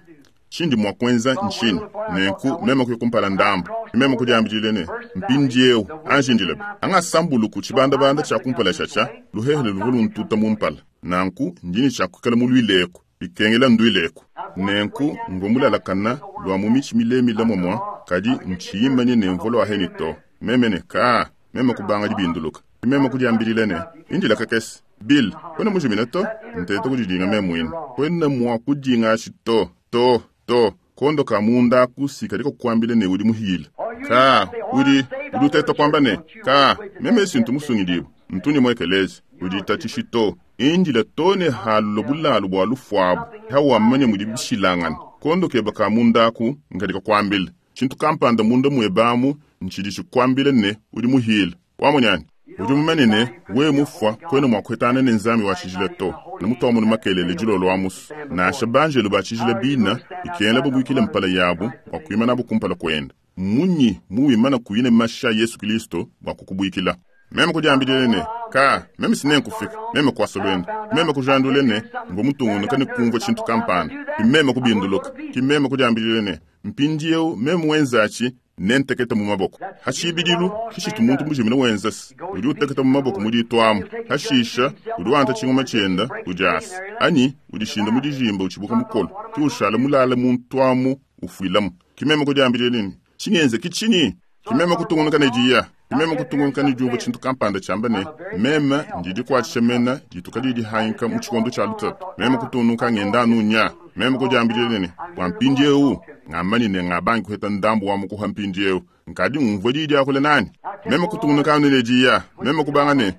tshindi mua kuenza ntshinyi? Nenku meme kuya kumpala ndambu. Meme kudiambidile ne, mpindieu anjindile. Angasambuluku tshibandabanda tshia kumpala tshatsha, luhehele luvua luntuta mu mpala. Nanku ndini tshia kuikala muluileku, bikengela nduileku. Nenku mvua mulalakana lua mu mitshi milemile momua, kadi ntshiyimanye ne mvua lua heni to. Meme ne ka, meme kubanga dibinduluka. Meme kudiambilile ne, indila kakese. Bill, kwena mujimina to? Ntete kudidinga meme muine. Kwena mua kudinga ashi to, to, to. Kondo ka munda kusi kadi kukuambile ne udi muhile. Ka, udi, udi uteta kuamba ne, ka, meme sintu musungidibue. Ntunye muekeleze, udi tatishi to. Indila to ne halulo bulalu bua lufuabu. Hawamanya mudi bishilangana. Kondo keba ka munda aku nkadi kukuambile. Tshintu kampanda munda muebamu ntshidi tshikuambile ne udi muhile. Wamonyani? Udi mumanye ne, wewe mufua kwena mua kuhetana ne Nzambi wa tshijila to. Ne mutu wa makelele dilolo wa musu. Nansha banjelu ba tshijila bina, ikengela babuikile mpala yabu, bua kuimana bu kumpala kuenda. Munyi muwimana kuyine masha Yesu Kristo bua kukubuikila. Meme kudiambidile ne, ka, meme sine nkufika, meme kuasa luendu. Meme kujandule ne, mvua mutungunuka ne kumvua tshintu kampanda. Ki meme kubinduluka. Ki meme kudiambidile ne, mpindieu meme wenzatshi nentekete mu maboko. Hashibidilu, kishitu muntu mujimina wenzasi. Udi uteketa mu maboko mudituamu. Hashisha, udi wanta tshingoma tshienda, udiasa. Anyi, udishinda mu dijimba utshibuka mukolo. Ki ushala mulala muntu amu ufuilamu. Ki meme kudiambidile ne, tshingenze kitshinyi? Ki meme kutungunuka ne diya. Ki meme kutungunuka ne diumvua tshintu kampanda tshiamba ne, meme ndi dikuatshisha mena dituka didi hanyika mu tshikondo tshia lutatu. Meme kutungunuka ngenda anu nya. Meme kudiambidile ne, bua mpindieu, ngamanyi ne ngabangi kuheta ndambu wa mukuha mpindieu. Nkadi ngumvua didi akule nani? Meme kutungunuka anu ne diya. Meme kubanga ne,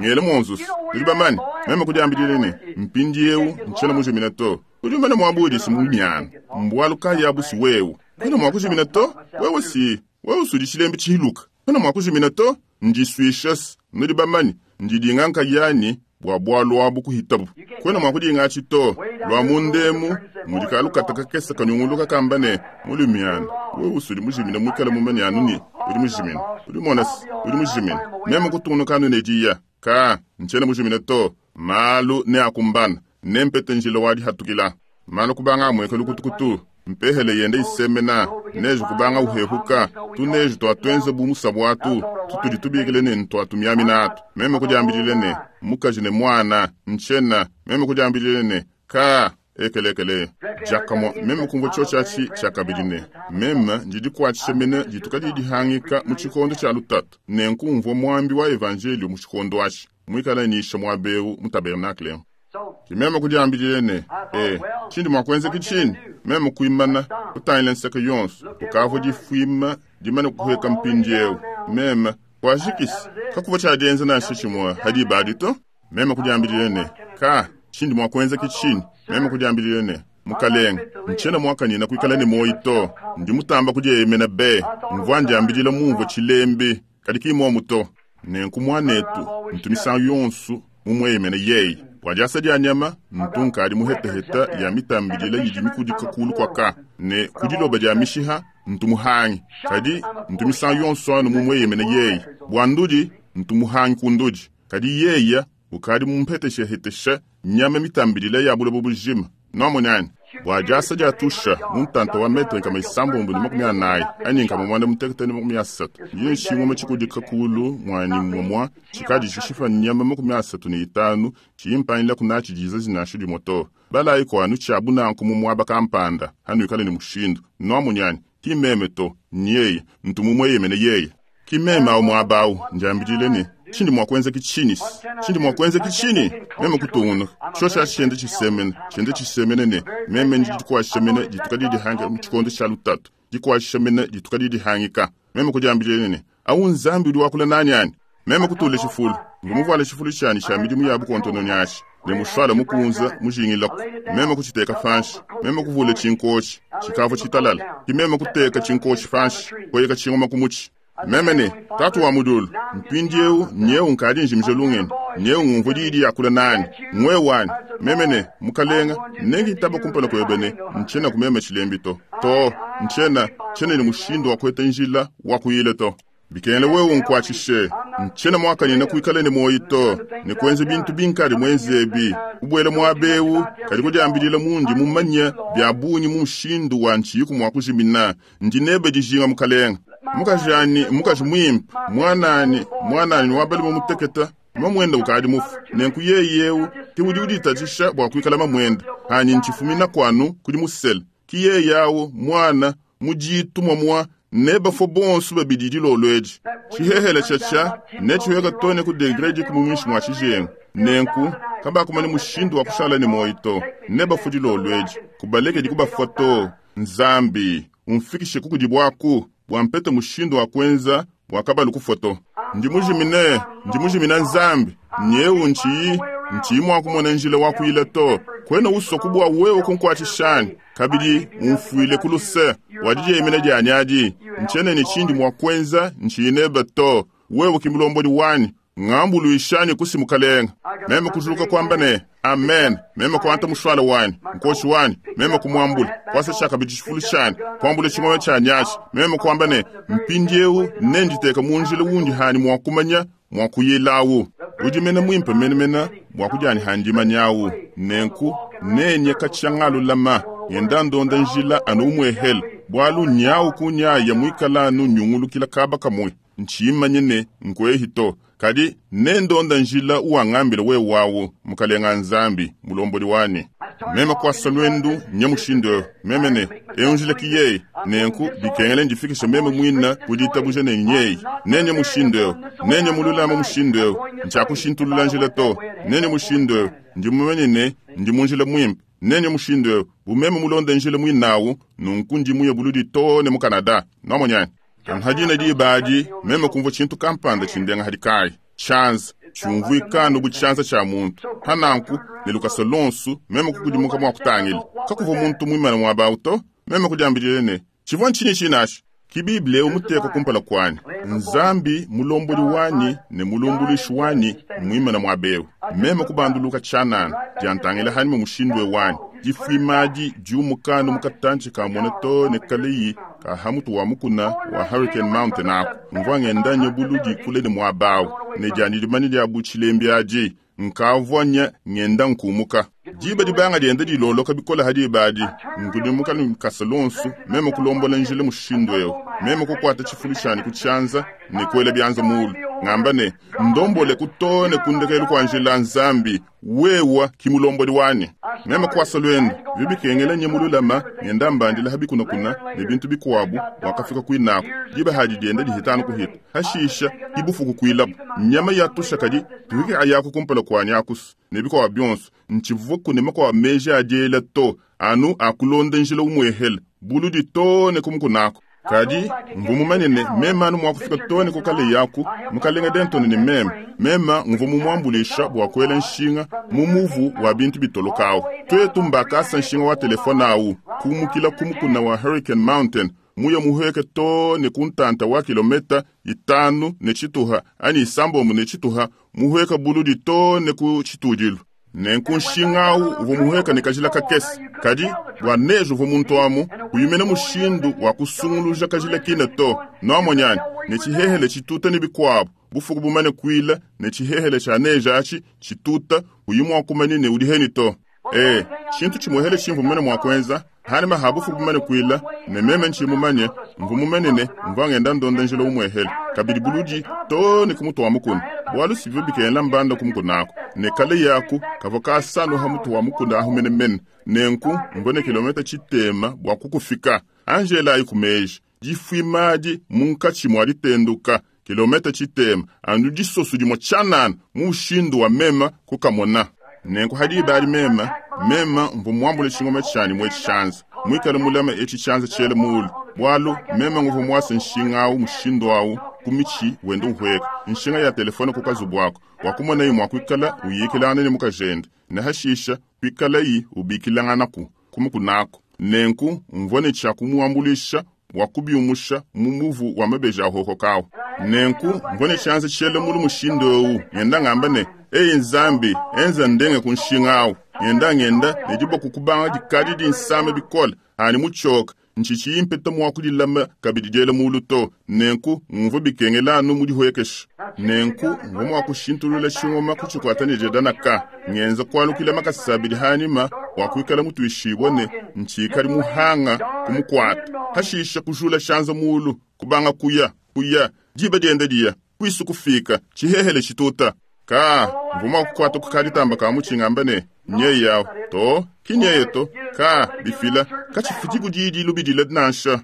ngele monzusu. Nudi bamanye, meme kudiambidile ne, mpindieu ntshiena mujimina to. Udi umane muabudi si munyana. Mbualu kayi abu si wewe. Kwena mua kujimina to? Wewe si, wewe usudi tshilembi tshihiluka. Kwena mua kujimina to? Ndisuishas, nudi bamanye, ndidinga nkayani bua bualu abu kuhitabu. Kwena mua kudinga atshi to. Lua mundemu, mudi kalukata kakese kanyunguluka kamba ne, mulumiana. Wewe usudi mujimina muikale mumanye anu ne, udi mujimina. Udi mona si, udi mujimina. Meme kutungunuka anu ne diya. Ka, ntshiena mujimina to. Malu ne akumbana. Nempete njila wa dihatukila. Malu kubanga amweka lukutukutu. Mpehele yende isemena neji kubanga uhehuka tuneji twatwenze bu musabwatu tutudi tubikile ne ntwatumiaminatu meme kudiambilile ne mukaji ne mwana nchena meme kudiambilile ne ka ekelekele jakamo meme kumva cho chachi chakabidi ne meme ndidikwatshisha mene dituka didihangika mu tshikondo tshia lutatu nenkumvua mwambi wa evanjelio mu tshikondo atshi mwikala nisha mwabeu mu tabernakle kimeme kudiambilile ne e tshindi mwa kuenza kitshini meme kuimana kutangila nseke yonso kukavua difuima dimane kuheka mpindiewu meme kwajikisi kakuva tshiadienza nansha tshimue hadi badi to meme kudiambilile ne ka tshindi mwa kuenza kitshini meme kudiambilile ne mukalenga ntshiena muakanyina kuikala ne moyi to ndi mutamba kudieyemena be mvua ndiambilile mumvua tshilembi kadi kimomu to nenku muanetu ntumisangu yonsu mumueyemene yeyi bua diasa dia nyama ntu nkadi muhetaheta ya mitambidila yidi mikudika kulu kwaka ne kudiloba dia mishiha ntu muhangi kadi ntu misangu yonso anu mumueyemene yeyi bua ndudi ntu muhangi ku ndudi kadi yeya ukadi mumpeteshehetesha nyama mitambidila ya buloba bujima nomonani bua diasa dia tusha mu ntanta wa metre nkama isambombo ne makumi anayi anyi nkama mwanda mutekete ne makumi asatu ndiyo nshingoma tshikudika kulu mwani mwamwa tshikadi tshishipa nyama makumi asatu ne itanu tshiyimpangila kunatshi diza zinashu dimue to balayi kwanu tshiabu nanku mu muaba kampanda hanu ikale ne mushindu nomunyani ki meme to nyeye ntu mumueyemene yeye ki meme awu muaba awu ndiambidile ne tshindi mua kuenza kitshini tshindi mua kuenza kitshini meme kutungunuka tsho tsha tshiende tshisemene tshiende tshisemene ne meme ndi dikuashamene dituka didihangika mu tshikondo tshia lutatu dikuashamene dituka didihangika meme kudiambilile ne awu nzambi udi wakula nani ani meme kutula tshifulu ngumuvuala tshifulu tshianyi tshia midimu ya bukontono nyashi ne mushwala mukunza mujingilako meme kuchiteka fanshi meme kuvula tshinkoshi tshikavua tshitalala ki meme kuteka tshinkoshi fanshi koyeka tshingoma kumutshi meme ne tatu wa mudulu mpindiewu nyewu nkadi njimije lungeni nyewu ngumvua didi yakula nani ngwe wani meme ne mukalenga nengitaba kumpala kwebe ne ntshiena kumeme tshilembi to to ntshiena tshiena ne mushindu wa kueta njila wa kuyila to bikengela wewe nkuatshishe ntshiena muakanyina kuikala ne moyi to ne kuenza bintu binkadi muenzebi kubwela muabewu kadi kudiambilila mundi mumanya bia bungi mu mushindu wa ntshiyiku mua kujimina ndi nebe dijinga mukalenga mukajani mukaji mwimpe mwanani mwanani wabalima muteketa mamwenda ukadi mufu nenku yeyewu ke udi uditatshisha bua kuikala mamwenda hanyi ntshifumina kwanu kudi musele ki yeyawu mwana muditu mwamwa ne bafo bonso babidi dilolo edi tshihehele tshatsha ne tshiweka to ne ku degre dikumi muinshi mua tshijengu nenku kabakumanya mushindu wa kushala ne moyi to ne bafo dilolo edi kubalekedi kubafua to nzambi umfikishe kukudibuaku bua mpete mushindu wa kuenza bua kabalu kufua to ndi mujimine ndi mujimina nzambi nyewu ntshiyi ntshiyi mua kumona njila wa kuyila to kwena usoku bua wewe kunkuatshishani kabidi umfuile ku luse wadidieyemena dianyi adi ntshiena ne tshindi mua kuenza ntshiyi nebe to wewe ki mulombodi wanyi ngambuluishani kusi mukalenga meme kujuluka kwamba ne amen meme kuanta mushwala wanyi nkoshi wanyi meme kumuambula kwasa tshakabidi tshifulu tshanyi kuambula tshingoma tshanyi atshi meme kuamba ne mpindiewu nenditeka mu njila wundi hani mua kumanya mua kuyilawu udi mene muimpe menemene bua kudiani handimanyawu nenku nenye katshiangalulama ngenda ndonda njila anu umuehela bualu nyawu kunyaya muikala anu nyungulukila kaba kamue ntshimanye ne nkuehi to kadi nendonda njila uwangambila wewe wawu mukalenga nzambi mulombodi wanyi meme kuasa lwendu nye mushindu ewu meme ne ewu njila ki yeyi nenku bikengele ndifikishe meme mwina kuditabuja ne nyeyi nenye mushindu ewu nenye mululama mushindu ewu ntshiakushintulula njila to nenye mushindu ewu ndi mumanye ne ndi mu njila muimpe nenye mushindu ewu bumeme mulonde njila muinawu nunku ndi muye buludi to ne mu Canada nomonyani kanhadina diba adi meme kumvua tshintu kampanda tshindenga hadi kayi tshianza tshiumvuikanu bu tshianza tshia muntu hananku ne lukasa lonsu meme kukudimuka mua kutangila kakuvua muntu muimane muaba awu to meme kudiambilile ne tshivua ntshinyi tshinatshi ki bibile ewu muteka kumpala kuanyi nzambi mulombodi wanyi ne mulumbuluishi wanyi muimane muaba ewu meme kubanduluka tshianana diantangila hanima mushindu ewu wanyi difuimadi diumukanu mukatantshi kamona to ne kaleyi ka hamutu wa mukuna wa Hurricane Mountain ako mvua ngenda nye buludi kule ne muaba awu ne dianyi dimanya dia bu tshilembi adi Nkavua nya ngenda nkumuka. Diba dibanga dienda diloloka bikole ha diba adi, nkudimuka ne lukasa luonso, meme kulombola njila mushindu eu. Meme kukuata tshifulu tshianyi ku tshianza ne kuela bianza mulu. Ngamba ne, ndombole ku too ne ku ndekelu kua njila Nzambi, wewa ki mulombodi wanyi. Meme kuasa luende, bivua bikengela nye mululama, ngenda mbandila ha bikunakuna ne bintu bikuabu, wakafika kuinaku. Diba hadi dienda dihita kuhita. Hashisha, ki bufuku kuilabu. Nyama ya tusha kadi, tuhike ayaku kumpala kuanyi akusu. Ne bikuabu bionso, ntshivua kunema kua meji a diela to, anu akulonda njila umwehele, buludi to ne kumukunako. Kadi, mvua mumanye ne meme anu mua kufika to ne ku kale yaku, mukalenga Denton ne meme, meme mvua mumuambulisha bua kuela nshinga mu muvu wa bintu bitolokawu. Twetu mbakasa nshinga wa telefone awu, kumukila ku mukuna wa Hurricane Mountain, muya muheke to ne ku ntanta wa kilometa itanu ne tshituha, anyi isambombo ne tshituha, muheka buludi to ne ku tshitudilu. Nenku nshinga awu uvua muheka ne kajila kakese, kadi bua neje uvua muntu amu, kuyumena mushindu wa kusunguluja kajila kine to. Nuamonyani, ne tshihehele tshituta ne bikuabu, bufuku bumane kuila ne tshihehele tshia neje atshi tshituta, uyi mua kumanya ne udi heni to. E, tshintu tshimuhele tshimvua mumane mua kuenza, hanima ha bufuku bumane kuila, ne meme ntshi mumanye, mvua mumanye ne mvua ngenda ndonda njila umuehele, kabidi buludi to ne ku mutu wa mukuna. Bualu sivyo bikengela mbanda ku mukuna ako. Ne kale yaku, kavua kasanu ha mutu wa mukuna ahu menemene. Nenku, mvua ne kilometa tshitema bua kukufika. Angela ayi ku meji, difuimadi munkatshi mua ditenduka, kilometa tshitema, anu disoso dimue tshianana mu mushindu wa mema kukamona. Nenku hadi bali mema, mema mvua muambule tshingoma tshianyi mwe tshianza, muikale mulama etshi tshianza tshiele mulu. Bualu mema nguvua muase nshinga awu mushindu awu ku mitshi wenda uhweka, nshinga ya telefone ku kazubu ako, bua kumonayi mua kuikala uyikilangana ne mukajende, ne hashisha kuikalayi ubikilanganaku kumukunako. Nenku mvua ne tshia kumuambulisha bua kubiumusha mu muvu wa mabeji a hohokawu. Nenku mvua ne tshianza tshiele mulu mushindu ewu, ngenda ngamba ne, Eyi Nzambi, enza ndenge ku nshinga awu. Ngenda ngenda ne diboko kubanga dikadi dinsame bikole, ani mutshioka, ntshitshi impeta mua kudilama kabidi diela mulu to. Nenku ngumvua bikengela anu mudihwekesha. Nenku mvua mua kushintulula tshingoma kutshikuata ne diadanaka, ngenza kualukila makasa abidi hanyima bua kuikala mutuishibue ne ntshikadi muhanga kumukuata. Hashisha kujula tshianza mulu, kubanga kuya, kuya, diba dienda diya, kuisu kufika, tshihehele tshituta. Ka, mvua mua kukuata ku kaditamba ka mutshingamba ne, nye yawu, to, ki nyeye to, ka, bifila, katshifidi didi lubidila nansha.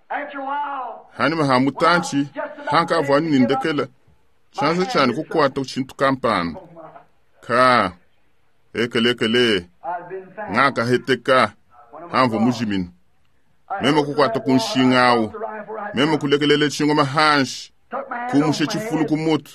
After a while, Hanima ha mutantshi, hanka avua anu nindekela, tshianza tshianyi kukuata tshintu kampanda. Ka, ekelekele, I'd been found. ngakaheteka, hamvua mujimina. Meme kukuata ku nshinga awu, meme kulekelela tshingoma hanshi, kumusha tshifulu ku mutu.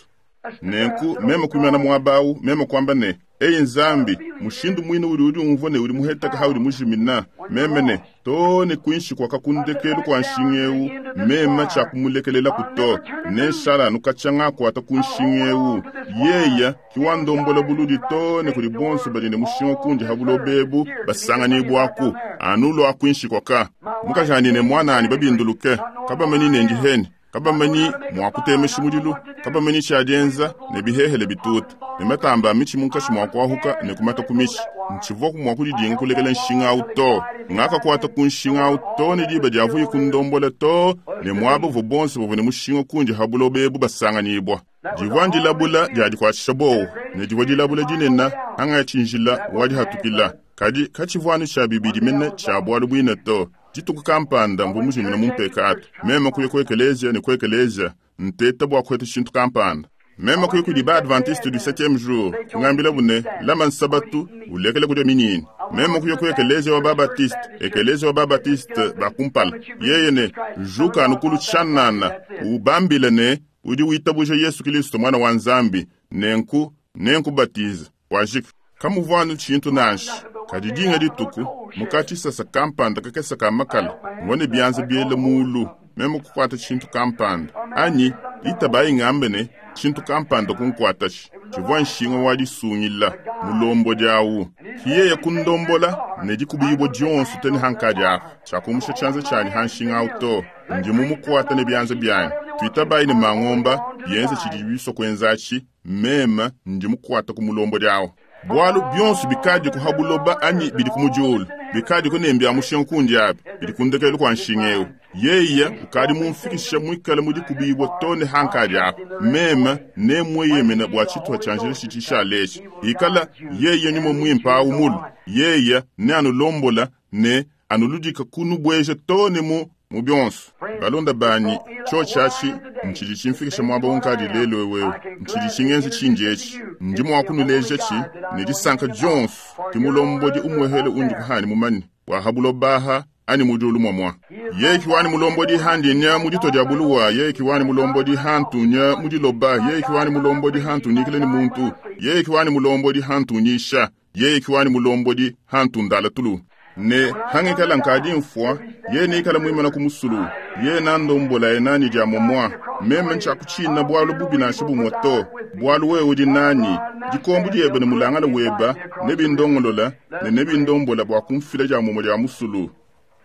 Nenku meme kuimana muaba awu, meme kuamba ne, Eyi Nzambi, mushindu muine udi udi umvua ne udi muheteka ha udi mujimina, meme ne, to ne kuinshi kwa kakundekelu kwa nshinga ewu, meme tshia ku to, ne nshala anu katshia ngakuata ku nshinga ewu. Yeya ki wandombola buludi to ne kudi bonso badi ne mushinga kundi ha buloba ebu basanganibwaku, anu lua kuinshi kwaka. Mukajani ne mwanani babinduluke, kabamanyi ne ndiheni, kabamanyi mua kutemesha mudilu, kabamanyi tshiadienza ne bihehele bituta, ne matamba a mitshi munkatshi mua kuahuka ne kumata ku mitshi. Ntshivua mua kudidinga kulekela nshinga awu to. Ngakakuata ku nshinga awu to ne diba diavuye kundombola to, ne muaba uvua bonso bavua ne mushinga kundi ha buloba ebu basanganyibwa. Divua ndilabula dia dikuatshisha bowu, ne divua dilabula dinene angatshi njila wa dihatukila. Kadi katshivua anu tshia bibidi mene tshia bualu buine to. Dituku kampanda mvua mujimina mu mpekatu. Meme kuya ku ekelezia ne ku ekelezia, nteta bua kuheta tshintu kampanda. Meme kuya kudi ba Adventiste du septième jour, kungambilabu ne, lama nsabatu, ulekele kudia minyinyi. Meme kuya ku ekelezia wa ba Baptiste, ekelezia wa ba Baptiste ba kumpala. Yeye ne, juka anu kulu tshianana, ubambile ne, udi witabuja Yesu Kristo mwana wa Nzambi, nenku, nenku batiza, wajika. Kamuvua anu tshintu nansha. Kadi dinga dituku, mukatshi sasa kampanda kakesa ka makala, mvua ne bianza biele mulu, meme kukuata tshintu kampanda. Anyi, itabayi ngambe ne, tshintu kampanda kunkuatashi. Tshivua nshinga wa disungila, mulombodi awu. Kiyeye kundombola, ne dikubibua dionso tene hankadi apa. Tshiakumusha tshianza tshianyi ha nshinga awu to. Ndi mumukuata ne bianza bianyi. Tuitabayi ne mangomba, bienze tshidi bisua kuenzatshi, Meme ndi mukuata ku mulombodi awu. Bwalu byonso bikadi ku habuloba anyi bidi ku mudiulu. Bikadi ku nembe ya mushinga kundi abi. Bidi kundekelu kwa nshinga ewu. Yeye ukadi mumfikisha mwikale mudi kubibwa tone hankadi apa. Meme ne mweyemena bwa chitwa cha njira chitisha leshi. Ikala yeye nyuma mwimpa awu mulu. Yeye ne anulombola ne anuludika kunubweja tone mu mu byonso. Balonda banyi chochachi nchidi chimfikisha mwaba unkadi lelo wewe. Nchidi chingenzi chinjechi. Ndi mwakunuleja chi ne disanka jonso timulombodi umwehele undi kuhani mumani wa habulobaha ani mujulu mwamwa. Ye kiwani mulombodi handi nya mudito dia buluwa. Ye kiwani mulombodi hantu nya mudiloba. Ye kiwani mulombodi hantu nyikile ni muntu. Ye kiwani mulombodi hantu nyisha. Ye kiwani mulombodi hantu ndala tulu. Ne hangikala nkadi mfwa ye nikala mwimana kumusulu. Ye nandombola enani dia momwa. Meme ncha kuchina bwalu bubi na shibu moto. Bwalu we udi nani. Dikombu diebe ne mulangala weba. Nebi ndongolola ne nebi ndombola bwa kumfila dia momo dia musulu.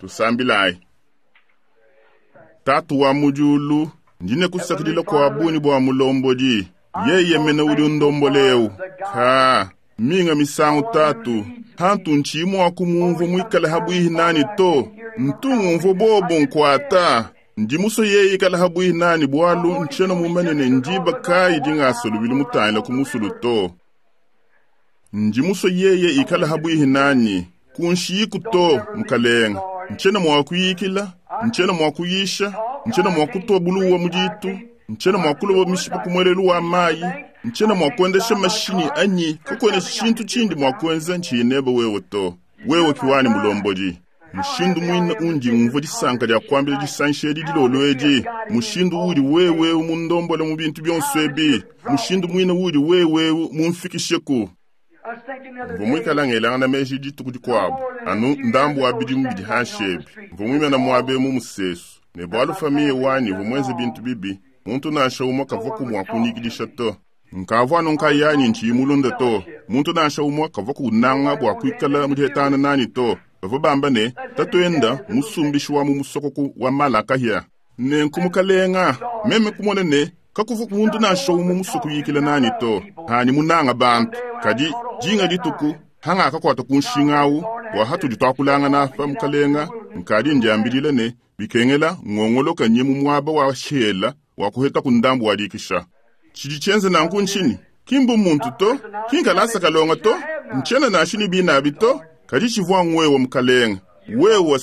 Tusambilai. Tatu wa mujulu ndine kusakidila kwa buni bwa mulombodi. Yeye mene udi ndomboleu. Ka minga misangu tatu. Hantu nchimu akumumvu mwikala habwihi nani to. Ntungu mvu bobo nkwata. Ndimuso yeye ikala habwihi nani bwalu ncheno mumenene ndiba kai dingasolo mutayila kumusulu to. Ndimuso yeye ikala habwihi nani. Kunshiku to mukalenga. Ncheno mwakuyikila, ncheno mwakuyisha, ncheno mwakutoa buluwa mujitu, ncheno mwakuloba mishipa kumwelelu wa mayi, ncheno mwakuendesha mashini anyi, kukwene shintu chindi mwakwenza nchineba wewe to. Wewe kiwani mulombodi. Mushindu mwina undi umva disanka lya kwambila disansheli dilolweji. Mushindu uli wewe mundombola mu bintu byonso ebi. Mushindu mwina uli wewe mumfikisheku. Vumwikala ngelanga na meji dituku dikwabo. Anu ndambu wa bidimu bidi hashebe. Vumwimena mwabe mu musesu. Ne bwalu famiye wani vumwenze bintu bibi. Muntu nasha umwa kavoku mwakunyikidisha to. Nkavwa nonka yanyi nchiyimulunda to. Muntu nasha umwa kavoku unanga bwa kwikala mudihetana nani to. Bava ne tatuenda musumbishi wa mu musokoku wa malaka hia. Ne nkumukalenga meme kumona ne kakuvu muntu nasha umwa musoku yikila nani to. Hani munanga bantu. Kadi jinga dituku hanga akakwata kunshingawu wa hatu ditwakulanga nafa mukalenga nkadi ndiambilile ne bikengela ngongoloka nye mu mwaba wa shela wa kuheta kundambu wadikisha. Chidi chenze nanku nchini kimbu muntu to kinkalasa kalonga to nchena nashini binabi to kadi chivwa ngwewe mukalenga wewe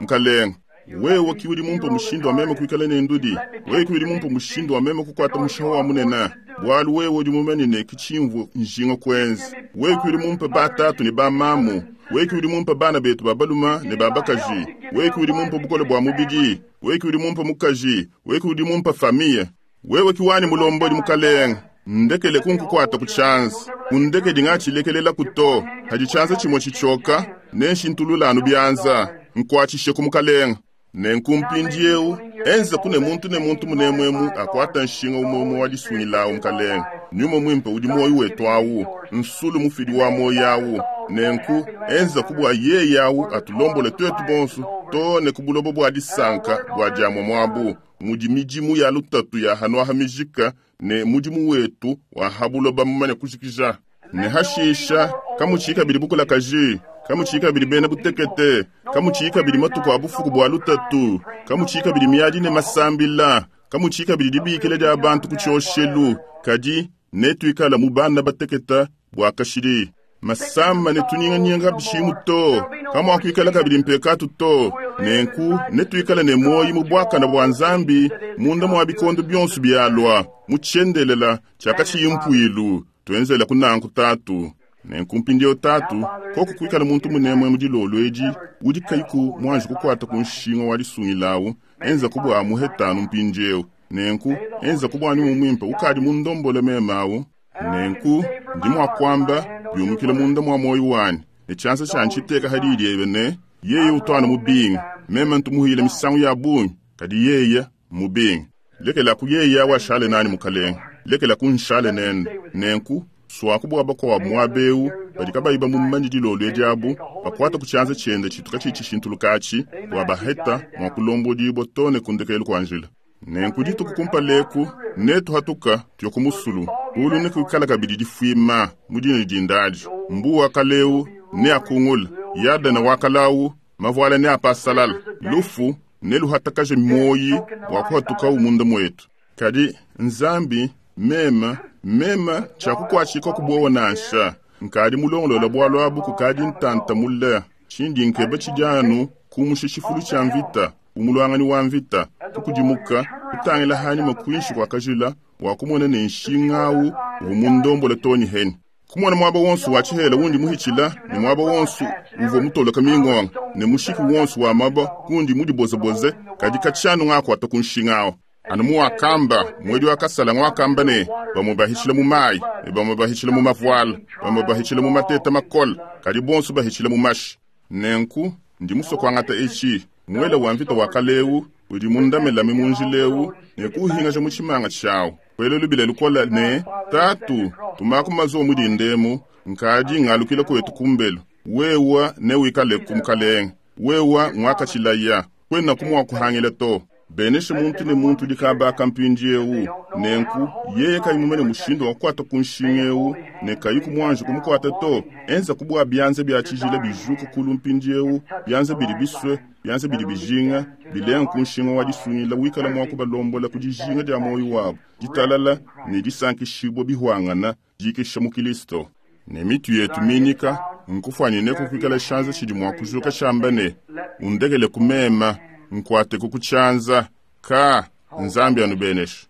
mukalenga wewe kiwili mumpo mushindo wa meme kuikala ne ndudi wewe kiwili mumpo mushindo wa meme kukwata mushaho wa munena bwalu wewe udi mumenene kichimvu njinga kwenzi wewe kiwili mumpo batatu ne bamamu wewe kiwili mumpo bana betu babaluma ne babakaji wewe kiwili mumpo bukole bwa mubidi wewe kiwili mumpo mukaji wewe kiwili mumpo familia wewe kiwani mulombodi mukalenga ndekele kunkukwata kuchanza undeke dingachilekelela kuto hajichanza chimwe chichoka nenshintululanu byanza nkwachishe kumukalenga nenkumpindieu enza kune muntu ne muntu munemwemu akwata nshinga umwemu wa disungilawu mukalenga nyuma mwimpe udi moyo wetu awu nsulu mufidi wa moyo awu nenku enza kubwa yeye awu atulombole twetu bonso to ne kubulobo bwa disanka bwa diamwa mwabu mudi midimu ya lutatu ya hanwaha mijika ne mudimu wetu wa habuloba mumane kushikisha ne hashisha kamuchika bili bukula kaji kamuchika bili bena butekete kamuchika bili matuku abufuku bwa lutatu kamuchika bili miadi ne masambila kamuchika bili dibikile dia bantu kuchoshelu kadi netuikala mu bana bateketa bwa kashiri masamba netunyinganyinga bishimu to kamwakuikala kabili mpekatu to nenku netuikala ne moyi mu bwakana bwa nzambi munda mwa bikondo byonso byalwa muchendelela chakachiyimpuilu twenzela kunanku tatu nenku mpindieu tatu koko kuikala muntu munemwe mudilolo edi udi kaiku mwanji kukwata ku nshinga wa disungilawu enza kubwa muhetanu mpindieu nenku enza kubwani mumwimpe ukadi mundombole memawu nenku ndi mwakwamba byumukile munda mwa moyo wani echansa chanchiteka hadidi ebe ne yeye utwana mubinga meme ntumuhile misangu ya bungi kadi yeye mubinga lekela ku yeye awashale nani mukalenga lekela kunshale nene nenku swakubwa bakowa mwabeu badi kabayi bamumanyi dilolo ediabu bakwata kuchanza chende chituka chichishintulukachi bwa baheta mwakulombodibwa tone kundekelu kwa njila nenku dituku kumpaleku netu hatuka tuyokumusulu Kulu nekuikala kabidi difuima mu dina dindadi. Mbu wa kaleu neakungula, Yadene wa kalawu mavuala neapasalala. Lufu neluhatakaje moyi wa kuhatuka munda mwetu. Kadi Nzambi mema mema tshiakukuatshika kubowa nansha. Nkadi mulongolola bwalu abu kukadi ntanta mule. Tshindi nkeba tshidianu kumusha tshifulu tshia mvita, umulwangani wa mvita, kukudimuka, kutangila hanyuma kuinshi kwa kajila, wa kumona ne nshingawu uvu mundombola toni heni. Kumona mwaba wonsu wa tshihela wundi muhitshila, ne mwaba wonsu uvua mutoloka mingonga, ne mushiki wonsu wa maba kundi mudibozaboze, kadi katshianu ngakwata ku nshingawu. Anu muwakamba, mwedi wakasala ngwakamba ne, bamwe bahitshila mu mayi, ne bamwe bahitshila mu mavuala, bamwe bahitshila mu mateta makola, kadi bonso bahitshila mu mashi. Nenku, ndi musue kuangata etshi, mwela wa mvita wa kaleu, udi mundamelame mu njilewu, ne kuuhingaja mu tshimanga tshiawu. Kwela lubila lukola ne, tatu, tumaku mazuwa mu dindemu, nkadi ngalukila kwetu kumbelu. Wewa ne wikaleku mukalenge, wewa ngwakatshilaya, kwena kumwakuhangila to. Beneshe muntu ne muntu dikabaka mpindiewu. Nenku, yeye kayi mumane mushindu wa kukwata ku nshinga ewu, ne kayi kumwanje kumukwata to. Enza kubwa byanza bya tshijila bijuka kulu mpindiewu, byanza bidi biswe, byanza bidi bijinga, bilenga ku nshinga wa disungila wikala mwa kubalombola ku dijinga dia moyo wabo, ditalala ne disankishibwa bihwangana dikisha mu Kristo. Ne mitu yetu minyika, nkufwanyine kukwikala shanza tshidi mwa kujuka shamba ne, undekele kumema, nkwate kukuchanza ka Nzambi anubenesha.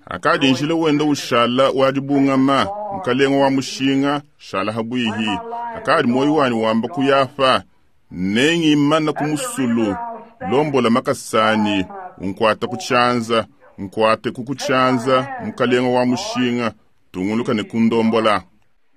Akadi njila wenda ushala wadibungama mukalenga wa mushinga shala habwihi. Akadi moyo wani wamba kuyafa nengimana kumusulu lombola makasani unkwata kuchanza nkwate kukuchanza mukalenga wa mushinga tunguluka ne kundombola.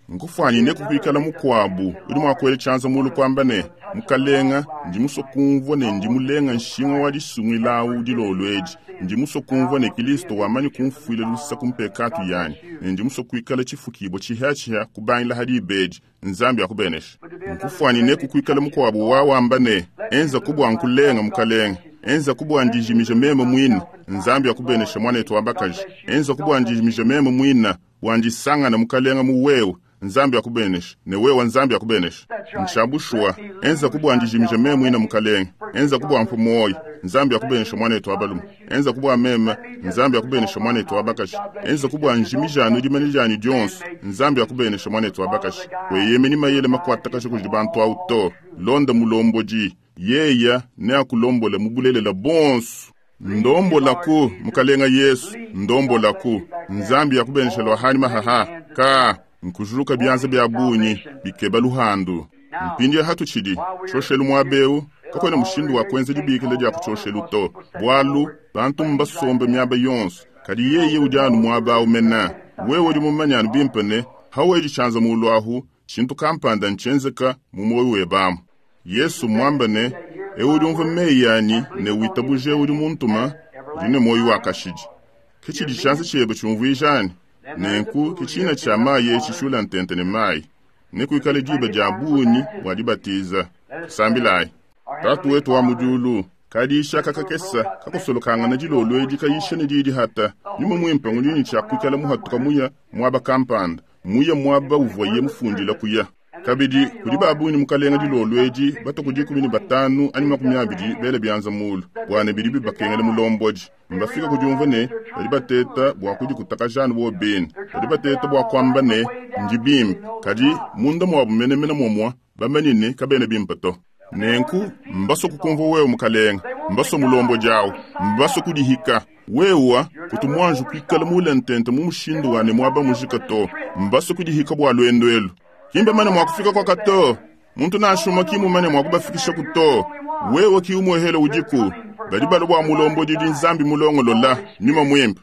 Nkufwanyine kukwikala mukwabu udi mwakwele chanza mulu kwamba ne mukalenga ndi musue kumvua ne ndi mulenga nshinga wa disungilawu dilolweji ndi musue kumvua ne Kristo wamanyi kumfuila lusa kumpekatu yanyi ne ndi musue kuikala tshifukibwa tshihatshiha kubangila hadi ibedi Nzambi akubenesha. Nkufwanyine kukwikala mukwabu wawamba ne enza kubwa nkulenga mukalenga enza kubwa ndijimija meme mwina Nzambi akubenesha mwanetu wambakaji enza kubwa ndijimija meme mwina wandisangana mukalenga muwewe Nzambi akubenesha ne wewe Nzambi akubenesha. Nshabushwa enza kubwa ndijimija meme mwina mukalenga enza kubwa mpumoyo Nzambi akubenesha mwanetu abalume enza kubwa mema Nzambi akubenesha mwanetu abakashi enza kubwa njimijano dimanijani dionso Nzambi akubenesha mwanetu abakashi weyemeni mayele makwata kasha kudi bantu auto londa mulomboji yeya ne akulombola mubulelela bonso ndombolaku mukalenga Yesu ndombolaku Nzambi akubenesha lwahani mahaha ka nkujuluka byanza bya bunyi bikeba luhandu mpindi ya hatu tshidi tshoshelu mwabeu kakwena mushindu wa kwenza dibikila dia kutshoshelu to bwalu bantu mbasombe myaba yonso kadi yeye udianu mwaba umena wewe udi mumanyanu bimpene hawedi tshanza mulwahu tshintu kampanda ntshenzeka mu moyo webamu Yesu mwambane ewe udi umva meyi yanyi ne witabuje udi muntuma udi ne moyo wa kashidi kitshidi tshanza tshebe tshiumvuijani nenku kitshina tsha mayi etshishula ntente ne mayi nekuikale diba dia bunyi bua dibatiza sambilayi tatu wetu wa mudiulu kadisha kakakesa kakusolokangana dilolo edi kayisha ne didi hata nyuma mwimpe ngudini tsha kuikala muhatuka muya mwaba kampanda muya mwaba uvoye mufundila kuya kabidi kudi babunyi mukalenga dilolo edi batuku dikumi ne batanu anyi makumi abidi bele byanza mulu bwane bidi bibakengela mulombodi mbafika kudiumva ne badi bateta bua kudikutakajana bo bene badi bateta bua kuamba ne ndi bimpe kadi munda muabu menemene momua bamanyine kabene bimpe to nenku mbaso kukumva wewe mukalenga mbaso mulombodi awu mbaso kudihika wewa kutumwanju kuikala mule ntente mu mushindu wane mwaba mujika to mbaso kudihika bua lwendo elu kimbe mane mwakufika kwa kato muntu nashuma kimumane mwakubafikisha kuto wewe kiumwehele udiku badi balo bua mulombodi di Nzambi mulongolola nyuma mwimpe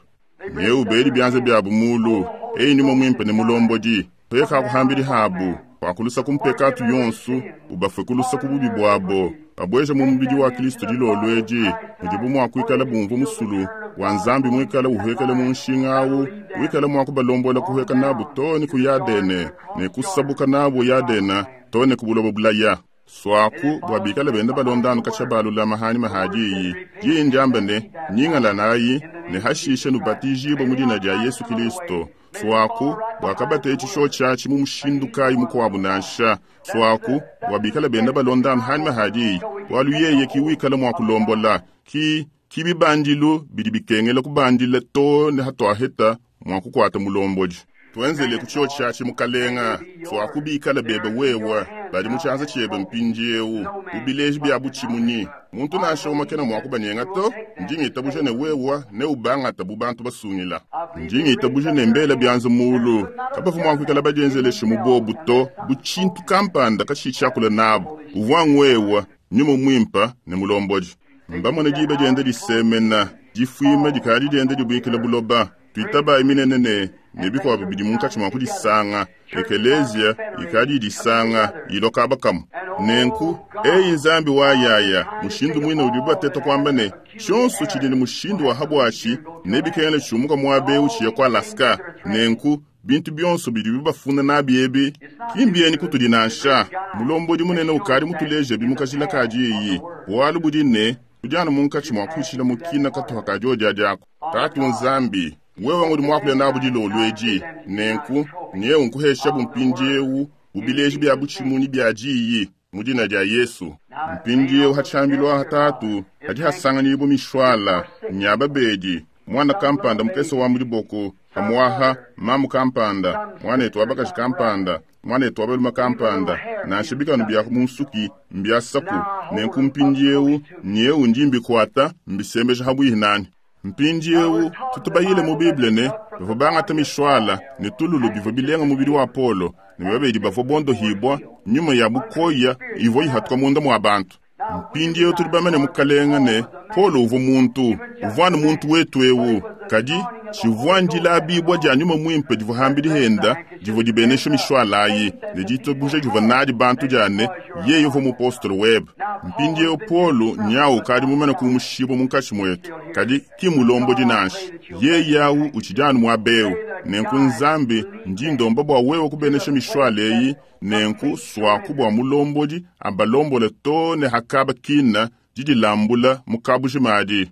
neu beli byanza byabu mulu eyi nyuma mwimpe ne mulombodi peka kuhambili habu kwakulusa kumpekatu yonsu ubafwe kulusa kububi bwabo babweja mu mubidi wa Kristo dilolo edi mudibu mwakuikala bumvu musulu wa Nzambi mwikala uhekele mu nshinga awu wikala mwakubalombola kuheka nabu to ne kuyadene ne kusabuka nabu yadena to ne kubulobo bulaya Swaku bua bikale benda balondanu katsha balulama hanyima ha diyi diyi ndiamba ne nyingala nayi ne hashishe nubatijibwe mu dina dia Yesu Kristo. Swaku bua kabateci tshatshi mu mushindu kayi mukuabu nansha. Swaku bua bikale benda balondanu hanyima ha diyi bualu yeye ki wikala mua kulombola ki ki bibandilu bidi bikengela kubandila to ne hatuaheta mua kukuata mulombodi. Tuenzele ku tshatshi mukalenga swaku bikale bebe wewe badi mu tshianza tshiebe mpindiewu ubileji bia butshimunyi muntu nansha umwe kena mua kubanyenga to. Ndi ngitabuja ne wewe ne ubangata bu bantu basungila. Ndi ngitabuja ne mbela bianza mulu kabavu mua kuikala badienzeleshe mu bobu to bu tshintu kampanda katshitshiakula nabu uvua ngwewa nyuma mwimpa ne mulombodi. Mbamone diba diende disemena difuima dikadi diende dibuikila buloba twitabayi minene ne ne bikuabu bidi munkatshi mua kudisanga ekelezia ikadi idisanga ilokaba kamu. Nenku eyi Nzambi wa yaya mushindu mwine udi bateta kwamba ne tshionso tshidi ne mushindu wa habwashi ne bikengela tshiumuka muabe utshiya kwa Alaska. Nenku bintu bionso bidi bibafuna nabi ebi kimbieni kutudi nansha mulombodi munene ukadi mutuleje bimukajila kadi iyi bualu budi ne tudiana munkatshi mua kuitshila mukina katuha kadi odia diako. Tatu Nzambi wewe ngudi muakule nabu dilolo edi nenku nyewu nkuhesha bumpindiewu bubileji bia butshimunyi bia diyi mu dina dia Yesu. Mpindiewu hatshambilwa hatatu hadi hasanganyibu mishwala nyaba bedi mwana kampanda mukese wa mudiboko hamwaha mamu kampanda mwanetu wabakaji kampanda mwanetu wabaluma kampanda nansha bikanu bya munsuki mbyasaku nenku mpindiewu nyewu ndi mbikwata mbisembeja habwihi nani. Mpindiewu tutubayile mu Bible ne bavua bangata mishwala ne tululu bivua bilenga mubili wa Polo ne babedi bavua bondohibwa nyuma ya bukoya ivua ihatuka munda mua bantu. Mpindiewu tudi bamane mukalenga ne Polo uvua muntu uvua ne muntu wetu ewu kadi tshivua ndilabibwa dia nyuma mwimpe divua hambili henda divua dibenesha mishwala ayi ne ditabuja divua nadi bantu diane yeye uvua mupostolo webe. Mpindiewu Polo nyawu kadi mumane kumushiba munkatshi mwetu kadi ki mulombodi nansha yeye awu utshidi muabewu. Nenku Nzambi ndi ndomba bua wewe kubenesha mishwala eyi nenku swaku bua mulombodi abalombole to ne hakaba kina didilambula mukabuji madi.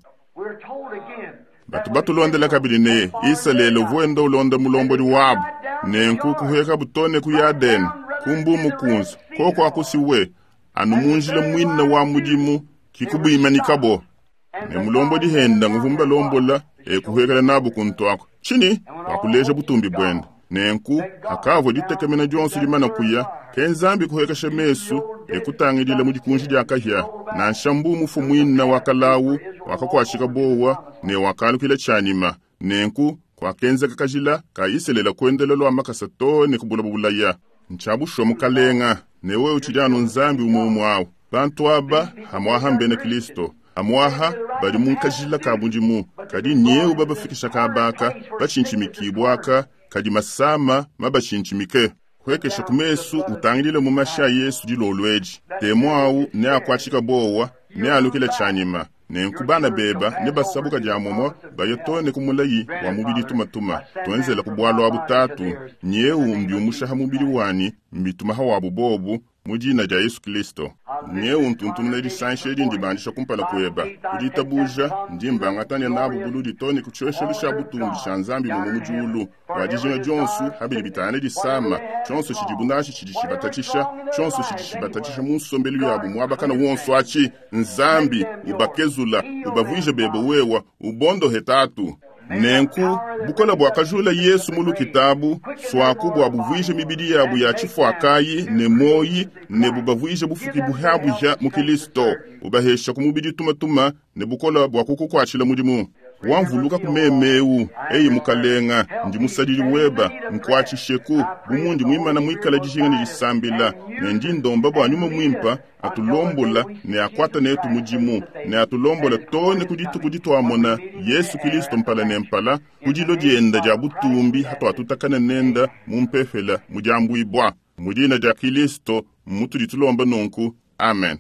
Batu batulondela kabidi ne Isalele uvuenda ulonda mulombodi wabu nenku kuheka butone ku Yadene kumbu mukunzu koko akusiwe anu munjila mwina wa mudimu kikubuimanikabo ne mulombodi henda nguvumba lombola ekuhekela nabu kuntwako chini wakuleja butumbi bwenda. Nenku akavua ditekemena dionso dimana kuya ke Nzambi kuhekesha mesu ekutangidila mu dikunji dia kahia nansha mbu mufu mwina wa kalawu wakakwashika bowa ne wakalukila tshanima. Nenku kwakenzeka kajila ka Iselela kuendela lwa makasa to ne kubula bulaya ntshabusho mukalenga ne wewe utshidi anu Nzambi umwe umwe awu. Bantu aba hamwaha mbene Kristo amwaha bali munkajila ka bundimu kadi nyewu babafikisha kabaka bachinchimikibwaka kadi masama mabachinchimike kwekesha kumesu utangilile mu masha Yesu dilolweji temo awu ne akwachika bowa ne alukile chanyima nenku bana beba ne basabuka dia momo bayotone kumulayi wa mubili tumatuma twenzela kubwalwa butatu nyewu mbyumushaha mubili wani mbitumaha wabu bobu mu dina dia Yesu Kristo. Nyewu ntuntumuna disansha edi ndibandisha kumpala kweba kuditabuja ndi mbangatanya nabu buludi tone kutshoshelu sha butumbi sha Nzambi mu mujulu wa dijinga dionsu habili bitane disama tshonso tshidi nashi tshidi tshibatatshisha tshonso tshidi tshibatatshisha mu nsombelu yabu muabakana wonso achi Nzambi ubakezula ubavuije bebe wewa ubondo hetatu. Nenku bukola bwakajula Yesu mulu kitabu swaku bwa buvuije mibili yabu ya chifwakayi ne moyi ne bubavuije bufuki buhabuja mu Kristo ubahesha ku mubili tumatuma ne bukola bwa kukukwachila mudimu wamvuluka kumemeu eyi mukalenga ndi musadili weba nkwachisheku bumundi mwimana mwikala dijinga ne disambila ne ndi ndomba bwa nyuma mwimpa atulombola ne akwata netu mudimu ne atulombola tone kudituku ditwamona Yesu Kristo mpala ne mpala kudilo dienda dia butumbi hatwatutakana nenda mumpefela mudiambuibwa mudina dia Kristo mutudi tulomba nunku amen.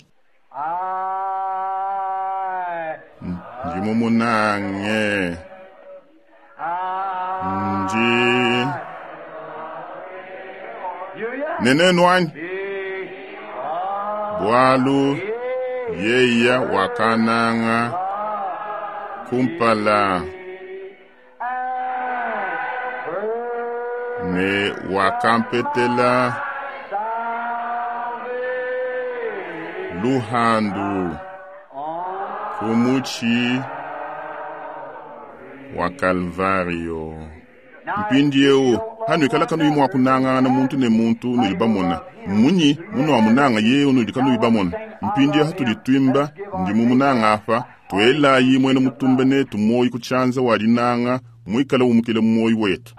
Ndi mumunange ndi nenenu anyi Bwalu yeya wakananga kumpala ne wakampetela luhandu kumuchi wa Kalvario. Mpindieu hanuikala kanuyi mua kunangana muntu ne muntu nudi bamona munyi munuamunanga yeye unudi kanuyi bamona. Mpindieu hatudi twimba ndi mumunanga apa twelayi mwene mutumbe netu moyi kutshanza wa dinanga muikala umukile mumoyi wetu.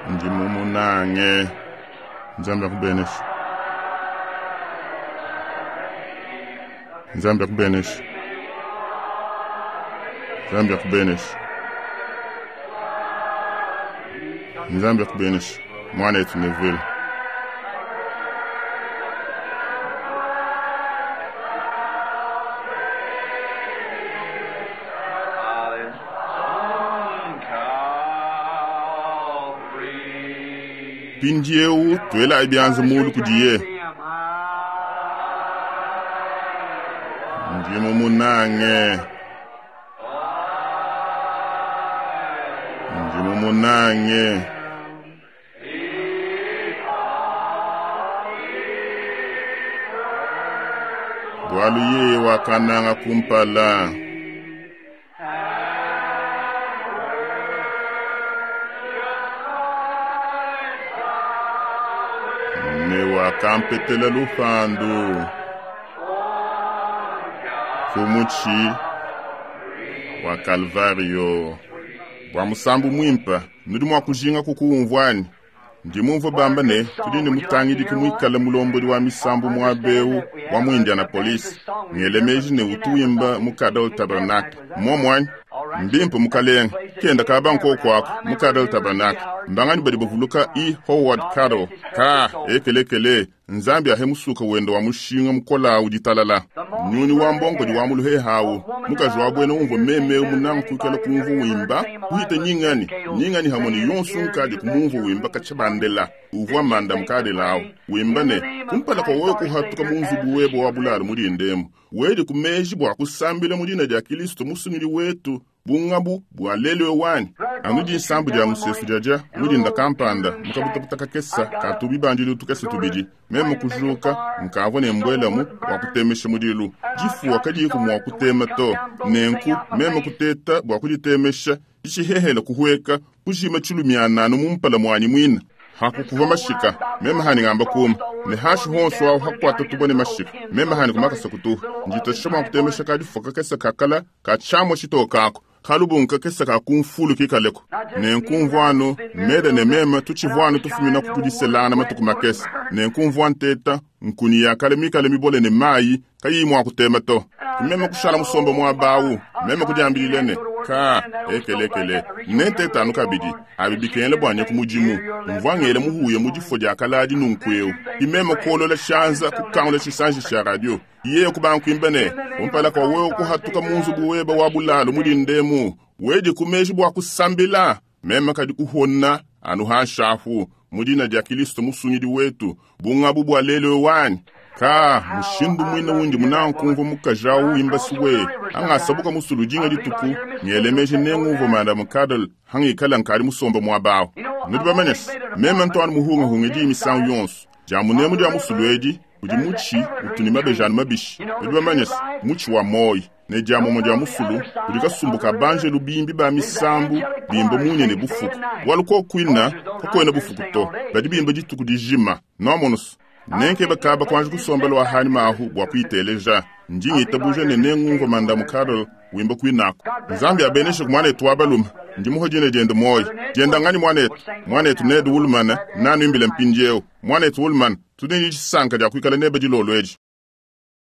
Ndi mumunange Nzambi akubenesha. Nzambi akubenesha. Nzambi akubenesha. Nzambi akubenesha. Mwanetu Neville. Mpindieu twelayi byanza mulu kudiye. Ndi mumunange. Ndi mumunange. Bwalu yeye wakananga kumpala. Ne wakampetela lupandu kumuchi wa Kalvario. Bwa musambu mwimpa nudi mwa kujinga kukuumvwani. Ndi mumvua bamba ne tudi ne mutangidi muikale mulombodi wa misambu mwabeu wa mu Indianapolis. Ngelemeji ne utuimba mu Cadle Tabernacle. Momwani mbimpe mukalenga kenda kaba nkokwako mu Cadle Tabernacle. Mbangani badi bavuluka E. Howard Cadle ka ekelekele Nzambi ahe musuka wenda wa mushinga mukola uditalala. Nyuni wa mbongo di wa muluhe hawu mukaji wa bwena umva meme munanga kuikala kumva wimba kuhita nyingani nyingani hamoni yonsu nkadi kumumva wimba kachabandela uvwa manda mukadelawo wimba ne kumpala kwa wewe kuhatuka munzubu webo wa bulalo muli ndemo wedi kumeji bwa kusambila mulina lya Kristo musungili wetu bungabu bwa lelewe wani anu dinsambu dia musesu jaja mulinda kampanda mukabutabuta kakesa katubi bandilu tukese tubidi meme kujuka nkavua ne mbwelamu wa kutemesha mudilu difuwa kadiku mua kutema to nenku meme kuteta bua kuditemesha dishihehela kuhueka kujima tshilumiananu mumpala muanyi muina hakukuva mashika meme hani ngamba kuma ne hashi honso awo hakukwata tubone mashika meme hani kumakasa kutuha njitosha mua kutemesha kadifuwa kakesa kakala kachamwa tshitokako kalubunka kesa kakumfulu kikaleko nenkumvwano meda ne meme tutshivwano tufumina kukudiselana matuku makesa nenkumvwa nteta nkuni yakale mikale mibole ne mayi kayi mua kutema to kumeme kushala musomba mwabawu meme kudiambilile ne ka ekelekele nentetanu kabidi abi bikengele bwanye ku mudimu mvwangele muhuye mu difo dia kaladi nunkueu imeme kolola shanza kukangula tshisanji tsha radio iye kubankuimba ne kumpala kwa wewe kuhatuka munzubu weba wa bulalo mulindemu wedi kumeji bwa kusambila meme kadi kuhona anu hanshafu mudina dia Kristo musungidi wetu bungabu bwa lelewe wani ka mushindu mwine wundi munankumva mukajawu wimba siwe angasabuka musulujinga dituku ngelemeje nenguvo madam Cadle hangikala nkali musomba mwabawo nudi bamanyasa meme ntwana muhungahunga di misangu yonso jamunemu dia musulu edi udi mutshi utuni mabejanu mabishi nudi bamanyasa mutshi wa moyi ne diamomo dia musulu udi kasumbuka banje lubimbi ba misambu bimba munye ne bufuku bwalu kokwina kokwena bufuku to badi bimba dituku dijima nomonoso nenke bakaba kwanje kusombela wa hani mahu bwa kuiteleja ndingitabuja ne nengumva mandamu Carol wimba kwinako Nzambi abeneshe kumwanetu wabaluma ndi muhojine diende moyi dienda ngani mwanetu mwanetu Ned Woolman nanu imbile mpindieu mwanetu Woolman tudi ni disanka dia kuikala nebe dilolo edi.